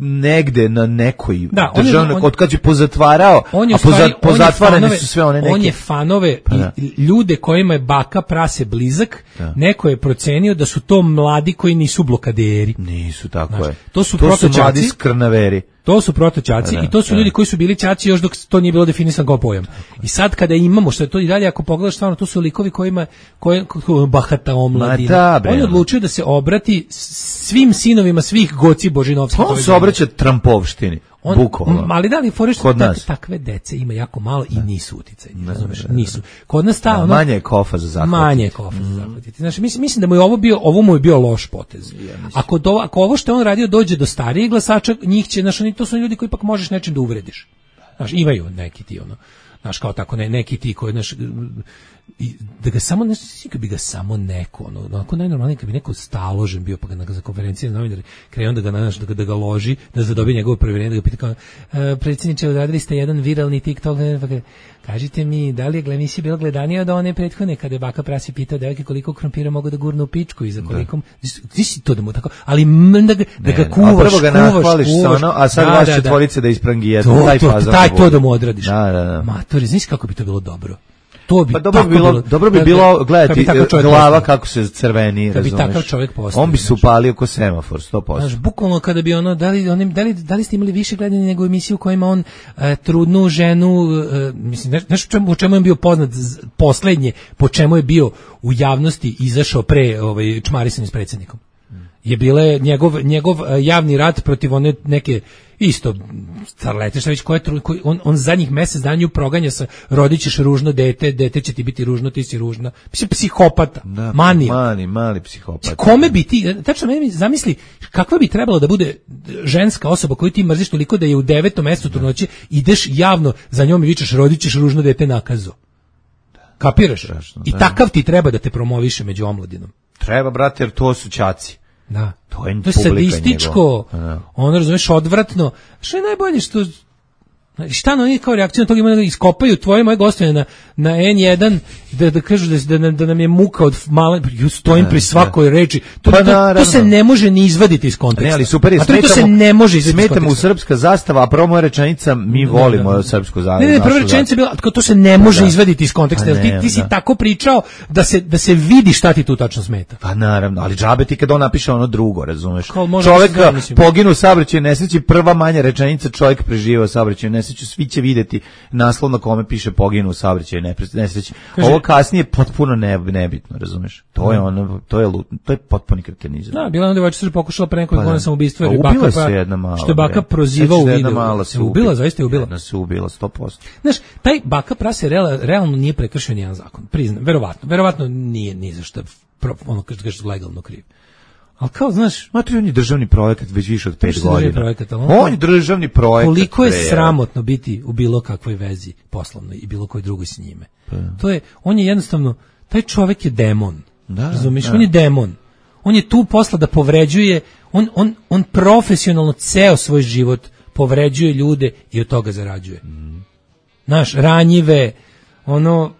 negde na nekoj državnoj, od kad je pozatvarao, a pozatvarane su sve one neke. On je fanove i ljude kojima je Baka Prase blizak, neko je procenio da su to mladi koji nisu blokaderi. Nisu, tako je. To su protočaci. To su mladi skrnaveri. To su protoćaci i to su ljudi koji su bili ćaci još dok to nije bilo definisano kao pojam. I sad kada imamo, što je to i dalje, ako pogledaš stvarno, to su likovi kojima, koje, bahata omladina. On je odlučio da se obrati svim sinovima svih Goci Božinovskih. On se obraća Trumpovštini. On, bukvalno. Ali da li foriš kod tak, nas takve dece ima jako malo i nisu uticajni, razumeš? Nisu. Kod nas ta da, ono, manje je kofa za zahvatiti. Manje je kofa za zahvatiti. Znači mislim mislim da mu je ovo bio ovo mu je bio loš potez. Ja, ako do, ako ovo što je on radio dođe do starijih glasača, njih će, znači to su ljudi koji ipak možeš nečim da uvrediš. Znaš, imaju neki ti ono, znaš kao tako ne, neki ti koji znaš i da ga samo nešto kad bi ga samo neko ono onako najnormalnije kad bi neko staložen bio pa ga na za konferenciji na novinari krene onda ga naš da ga, da ga loži da zadobije njegovo provjerenje da ga pita kao e, predsjedniče odradili ste jedan viralni TikTok pa ga, kažite mi da li je emisija bila gledanija od one prethodne kada je baka prasi pitao devojke koliko krompira mogu da gurnu u pičku i za koliko ti si to da mu tako ali da ga, da ga kuvaš prvo ga nahvališ sa ono a sad vas četvorice da isprangi jedno taj fazon taj to da mu odradiš da da da matori znaš kako bi to bilo dobro. To bi pa dobro bi bilo, bilo, dobro bi bilo gledati glava kako se crveni, razumeš. Kad bi takav čovjek postao. On bi se upalio ko semafor, sto posto. Znaš, bukvalno kada bi ono, da li, onim, da li, da li ste imali više gledanja nego emisiju u kojima on e, trudnu ženu, e, mislim, znaš čemu, u čemu je bio poznat poslednje, po čemu je bio u javnosti izašao pre ovaj, čmarisanje s predsjednikom. Je bile njegov, njegov javni rat protiv one neke isto starlete šta već koje koji on on zadnjih mjesec dana proganja sa rodićeš ružno dete, dete će ti biti ružno, ti si ružna. Mislim psihopata, da, mani, mali, mali psihopata. Kome bi ti, tačno meni zamisli kakva bi trebalo da bude ženska osoba koju ti mrziš toliko da je u devetom mjesecu trudnoće ideš javno za njom i vičeš rodićeš ružno dete nakazo. Kapiraš? Strašno, I takav ti treba da te promoviše među omladinom. Treba, brate, jer to su ćaci. Da. To je, to je sadističko, ono razumeš odvratno. Što je najbolje što šta na njih kao reakciju na toga ima da iskopaju tvoje moje gostovine na, na en jedan da, da kažu da, da, da nam je muka od male, ju stojim pri svakoj reči. To, pa, to, to se ne može ni izvaditi iz konteksta. Ne, ali super je, a to, to se ne može izvaditi iz konteksta. Smeta mu srpska zastava, a prvo moja rečenica, mi volimo da, da. srpsku zastavu. Ne, ne, prva rečenica je bila, to se ne može da. izvaditi iz konteksta, jer ti, ti si da. tako pričao da se, da se vidi šta ti tu tačno smeta. Pa naravno, ali džabe ti kad on napiše ono drugo, razumeš. Čovjek poginu u saobraćaju nesreći, prva manja rečenica, čovjek preživeo saobraćaju nesreću, svi će vidjeti naslov na kome piše poginu u saobraćaju nesreći. Ovo kasnije potpuno ne, nebitno, razumeš? To je ono, to je to je potpuni kretenizam. Da, bila ona devojčica pokušala pre nekoliko godina samoubistvo, jer baka se jedna mala. Što je baka prozivao u videu. Se ubila, zaista je ubila. Jedna se ubila sto posto. Znaš, taj baka prase real, realno nije prekršio nijedan zakon. Priznam, verovatno. Verovatno nije ni za šta ono kažeš legalno kriv. Ali kao, znaš, matri, on je državni projekat već više od pet godina. Projekat, on, on je državni projekat. Koliko je pre, sramotno biti u bilo kakvoj vezi poslovnoj i bilo kojoj drugoj s njime. Pa. To je, on je jednostavno, taj čovjek je demon. Da, razumiješ, on je demon. On je tu posla da povređuje, on, on, on profesionalno ceo svoj život povređuje ljude i od toga zarađuje. Mm. Znaš, ranjive, ono...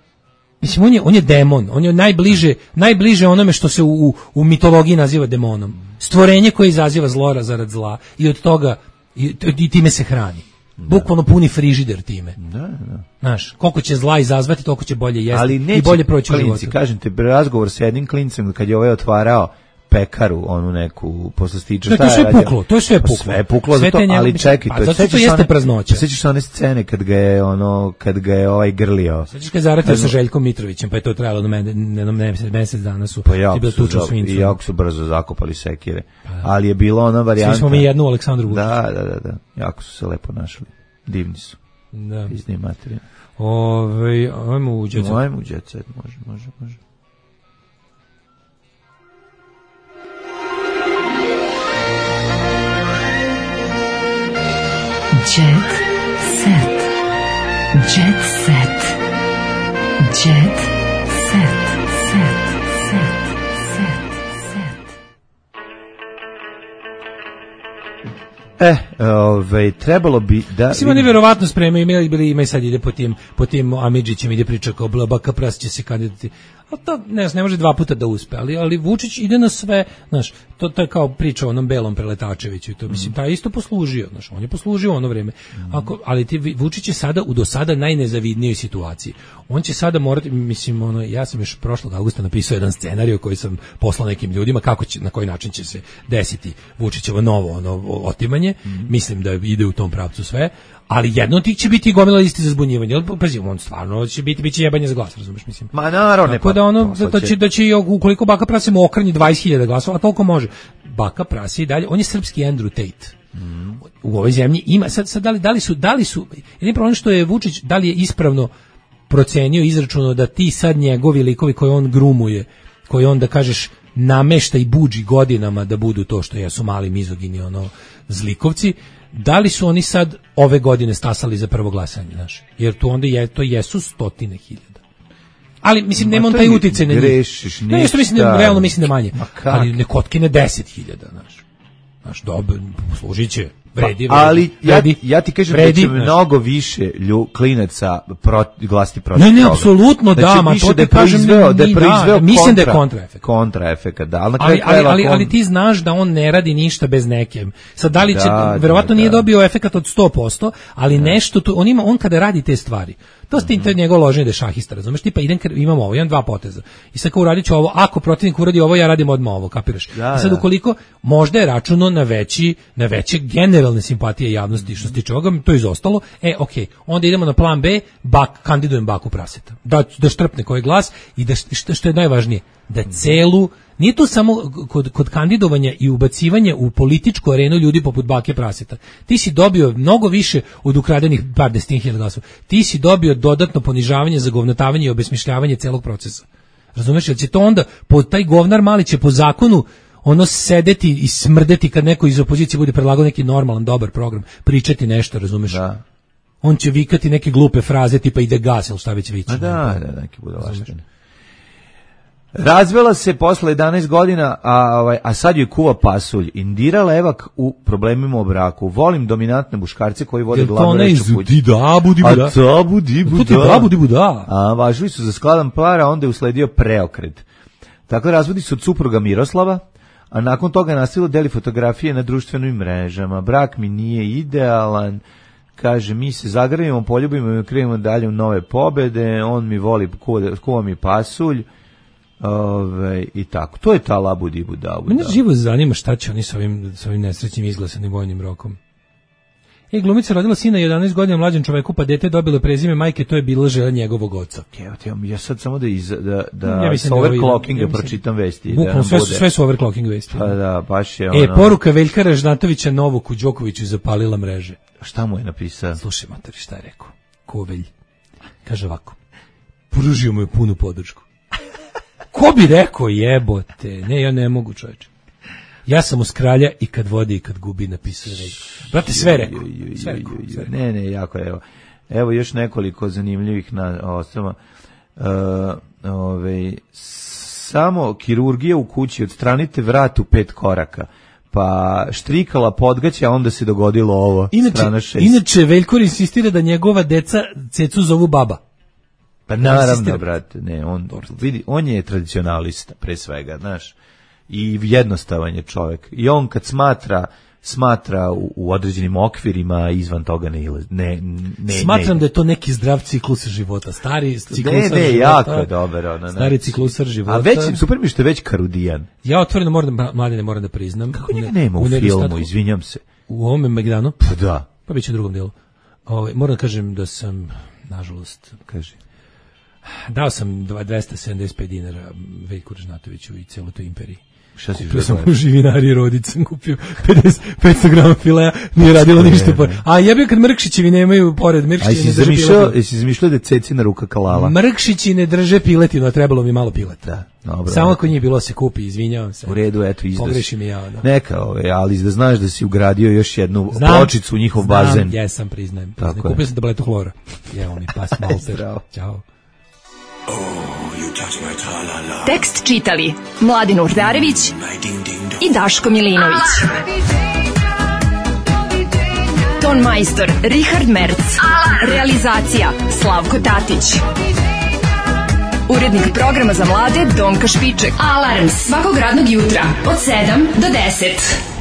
Mislim, on je, on je demon, on je najbliže, najbliže onome što se u, u, u mitologiji naziva demonom. Stvorenje koje izaziva zlora zarad zla i od toga, i, i time se hrani. Da. Bukvalno puni frižider time. Da, da. Znaš, koliko će zla izazvati, toliko će bolje jesti ali i bolje proći u životu. Kažem te, razgovor s jednim klincem kad je ovaj otvarao pekaru, onu neku poslastiču. To je sve puklo, to je sve puklo. Sve je puklo, zato, ali čekaj, pa, to, zato to jeste praznoća. Sećaš se one scene kad ga je ono, kad ga je ovaj grlio. Sećaš kad zaratio sa Željkom Mitrovićem, pa je to trajalo na mene, mesec dana su pa jako, su, i jako su brzo zakopali sekire. Pa, ali je bila ona varijanta. Svi smo mi jednu Aleksandru Vučić. Da, da, da, da. Jako su se lepo našli. Divni su. Da. Izni materija. Ovaj, ajmo u Jet Set. Ajmo u Jet Set, može, može, može. Jet Set. Jet Set. Jet Set. Set. Set. Set. Set. E, ove, trebalo bi da... Mislim, oni verovatno spremaju, imali bili, ima i sad ide po tim, po tim Amidžićem, ide priča kao Baka Pras će se kandidati. A to ne, ne može dva puta da uspe, ali, ali Vučić ide na sve, znaš, to, to je kao priča o onom belom Preletačeviću i to, mislim, taj isto poslužio, znaš, on je poslužio ono vreme. Ako, ali ti, Vučić je sada u do sada najnezavidnijoj situaciji. On će sada morati, mislim, ono, ja sam još prošlog avgusta napisao jedan scenarij koji sam poslao nekim ljudima, kako će, na koji način će se desiti Vučićevo novo ono, otimanje, mislim da ide u tom pravcu sve, ali jedno od tih će biti gomila listi za zbunjivanje. Pazi, on stvarno će biti biće jebanje za glas, razumeš, mislim. Ma naravno, tako da ono da će da će ukoliko Baka Prasi mu okrnji dvadeset hiljada glasova, a toliko može. Baka Prasi i dalje, on je srpski Andrew Tate. Mm. U ovoj zemlji ima sad, sad da li, da li su da li su jedini problem što je Vučić da li je ispravno procenio, izračunao da ti sad njegovi likovi koje on grumuje, koji on da kažeš namešta i budži godinama da budu to što jesu mali mizogini ono zlikovci, da li su oni sad ove godine stasali za prvo glasanje, znaš? Jer tu onda je to jesu stotine hiljada. Ali mislim nema on taj uticaj na njih. Grešiš, ništa. Ne, što mislim da realno mislim da manje. Ali ne kotkine deset hiljada, znaš. Znaš, dobro, služiće. Vredi, pa, ali vredi, ja, ja ti kažem vredi, da će mnogo više lju, klinaca proti, glasti protiv ne, ne, toga. apsolutno da, ma to ti kažem, da je proizveo da, mislim da je kontraefekt. Kontraefekt, da. Ali, ali, ali, ali, ali ti znaš da on ne radi ništa bez neke. Sad, da li će, da, verovatno da, nije da. dobio efekat od sto posto, ali da. nešto, tu, on, ima, on kada radi te stvari, to ste mm-hmm. njegov loženje da je šahista, razumeš, tipa idem, imamo ovo, imam dva poteza. I sad kao uradit ću ovo, ako protivnik uradi ovo, ja radim odmah ovo, kapiraš? Da, I sad ukoliko, možda je računo na veći, na veće generalne simpatije javnosti što se tiče ovoga, to je izostalo, e, okej, okay, onda idemo na plan B, bak, kandidujem Baku Praseta. Da, da štrpne koji glas i da, što, što je najvažnije, da celu, nije to samo kod, kod kandidovanja i ubacivanja u političku arenu ljudi poput Bake Praseta. Ti si dobio mnogo više od ukradenih par desetin hiljada glasova. Ti si dobio dodatno ponižavanje, zagovnotavanje i obesmišljavanje celog procesa. Razumeš, jer će to onda, po taj govnar mali će po zakonu ono sedeti i smrdeti kad neko iz opozicije bude predlagao neki normalan, dobar program, pričati nešto, razumeš? Da. On će vikati neke glupe fraze tipa ide gas ili šta već viće. A da, da, neki budalaštine. Razvela se posle jedanaest godina, a, ovaj, a sad joj kuva pasulj. Indira Levak u problemima o braku. Volim dominantne muškarce koji vode glavnu reč u kući. Da, budi buda. A to budi buda. To ti da, budi buda. A važili su za skladan par, a onda je usledio preokret. Tako razvodi su od supruga Miroslava, a nakon toga nastavilo deli fotografije na društvenim mrežama. Brak mi nije idealan, kaže, mi se zagrljamo, poljubimo i krenemo dalje u nove pobede, on mi voli, kuva, kuva mi pasulj, ove, i tako. To je ta labu dibu davu. Mene živo zanima šta će oni sa ovim, sa ovim nesrećnim izglasanim vojnim rokom. E, glumica rodila sina jedanaest godina mlađem čoveku, pa dete dobilo prezime majke, to je bila želja njegovog oca. Evo ti, ja sad samo da iz, da, da ja sa overclockinga ja pročitam vesti. Bukvalno, da sve, sve su overclocking vesti. Pa da, baš je ono... E, poruka Veljka Ražnatovića Novoku Đokoviću zapalila mreže. Šta mu je napisao? Slušaj, mater, šta je rekao? Kovelj. Kaže ovako, pružio mu je punu podršku. Ko bi rekao, jebote? Ne, ja ne mogu, čoveče. Ja sam uz kralja i kad vodi i kad gubi, napisao je rekao. Brate, sve rekao. Sve rekao. Ne, ne, jako je, evo. Evo još nekoliko zanimljivih na osnovama. Uh, ove, samo kirurgija u kući, odstranite vrat u pet koraka. Pa štrikala podgaća, onda se dogodilo ovo. Inače, inače Veljko insistira da njegova deca cecu zovu baba. Pa naravno, brate, ne, on, vidi, on je tradicionalista, pre svega, znaš. I jednostavan je čovjek. I on kad smatra smatra u, u određenim okvirima, izvan toga ne ne ne smatram ne. Da je to neki zdrav ciklus života, stari ciklus ne, ne, života. Jako je dobar, ona, stari ciklus života. A već super mi što je već karudijan. Ja otvoreno moram da mladine moram da priznam. Kako njega nema u, u filmu, izvinjam se. U ovome Megdanu? Pa da. Pa biće u drugom delu. Ovaj moram da kažem da sam nažalost, kaže, dao sam dvesta sedamdeset pet dinara Veljku Ražnatoviću i celoj toj imperiji. Šta si kupio sam u živinari rodic, sam kupio pedeset, petsto grama filea, nije radilo ništa. Po... A jebio kad Mrkšićevi nemaju pored Mrkšići ne drže piletinu. Jesi izmišljao da je cecina ruka kalala? Mrkšići ne drže piletinu, a trebalo mi malo pileta. Da, dobro. Samo ako nije bilo se kupi, izvinjavam se. U redu, eto, izdas. Pogrešim i ja. Da. Neka, ove, ali da znaš da si ugradio još jednu znam, pločicu u njihov znam, bazen. Jesam, priznajem. priznajem. Kupio sam tabletu hlora. Evo mi pas malter. Ćao. Oh, tekst čitali Mladin Urdarević i Daško Milinović. Ton majstor Richard Merc. Realizacija Slavko Tatić. Urednik programa za mlade Donka Špiček. Alarms svakog radnog jutra od sedam do deset.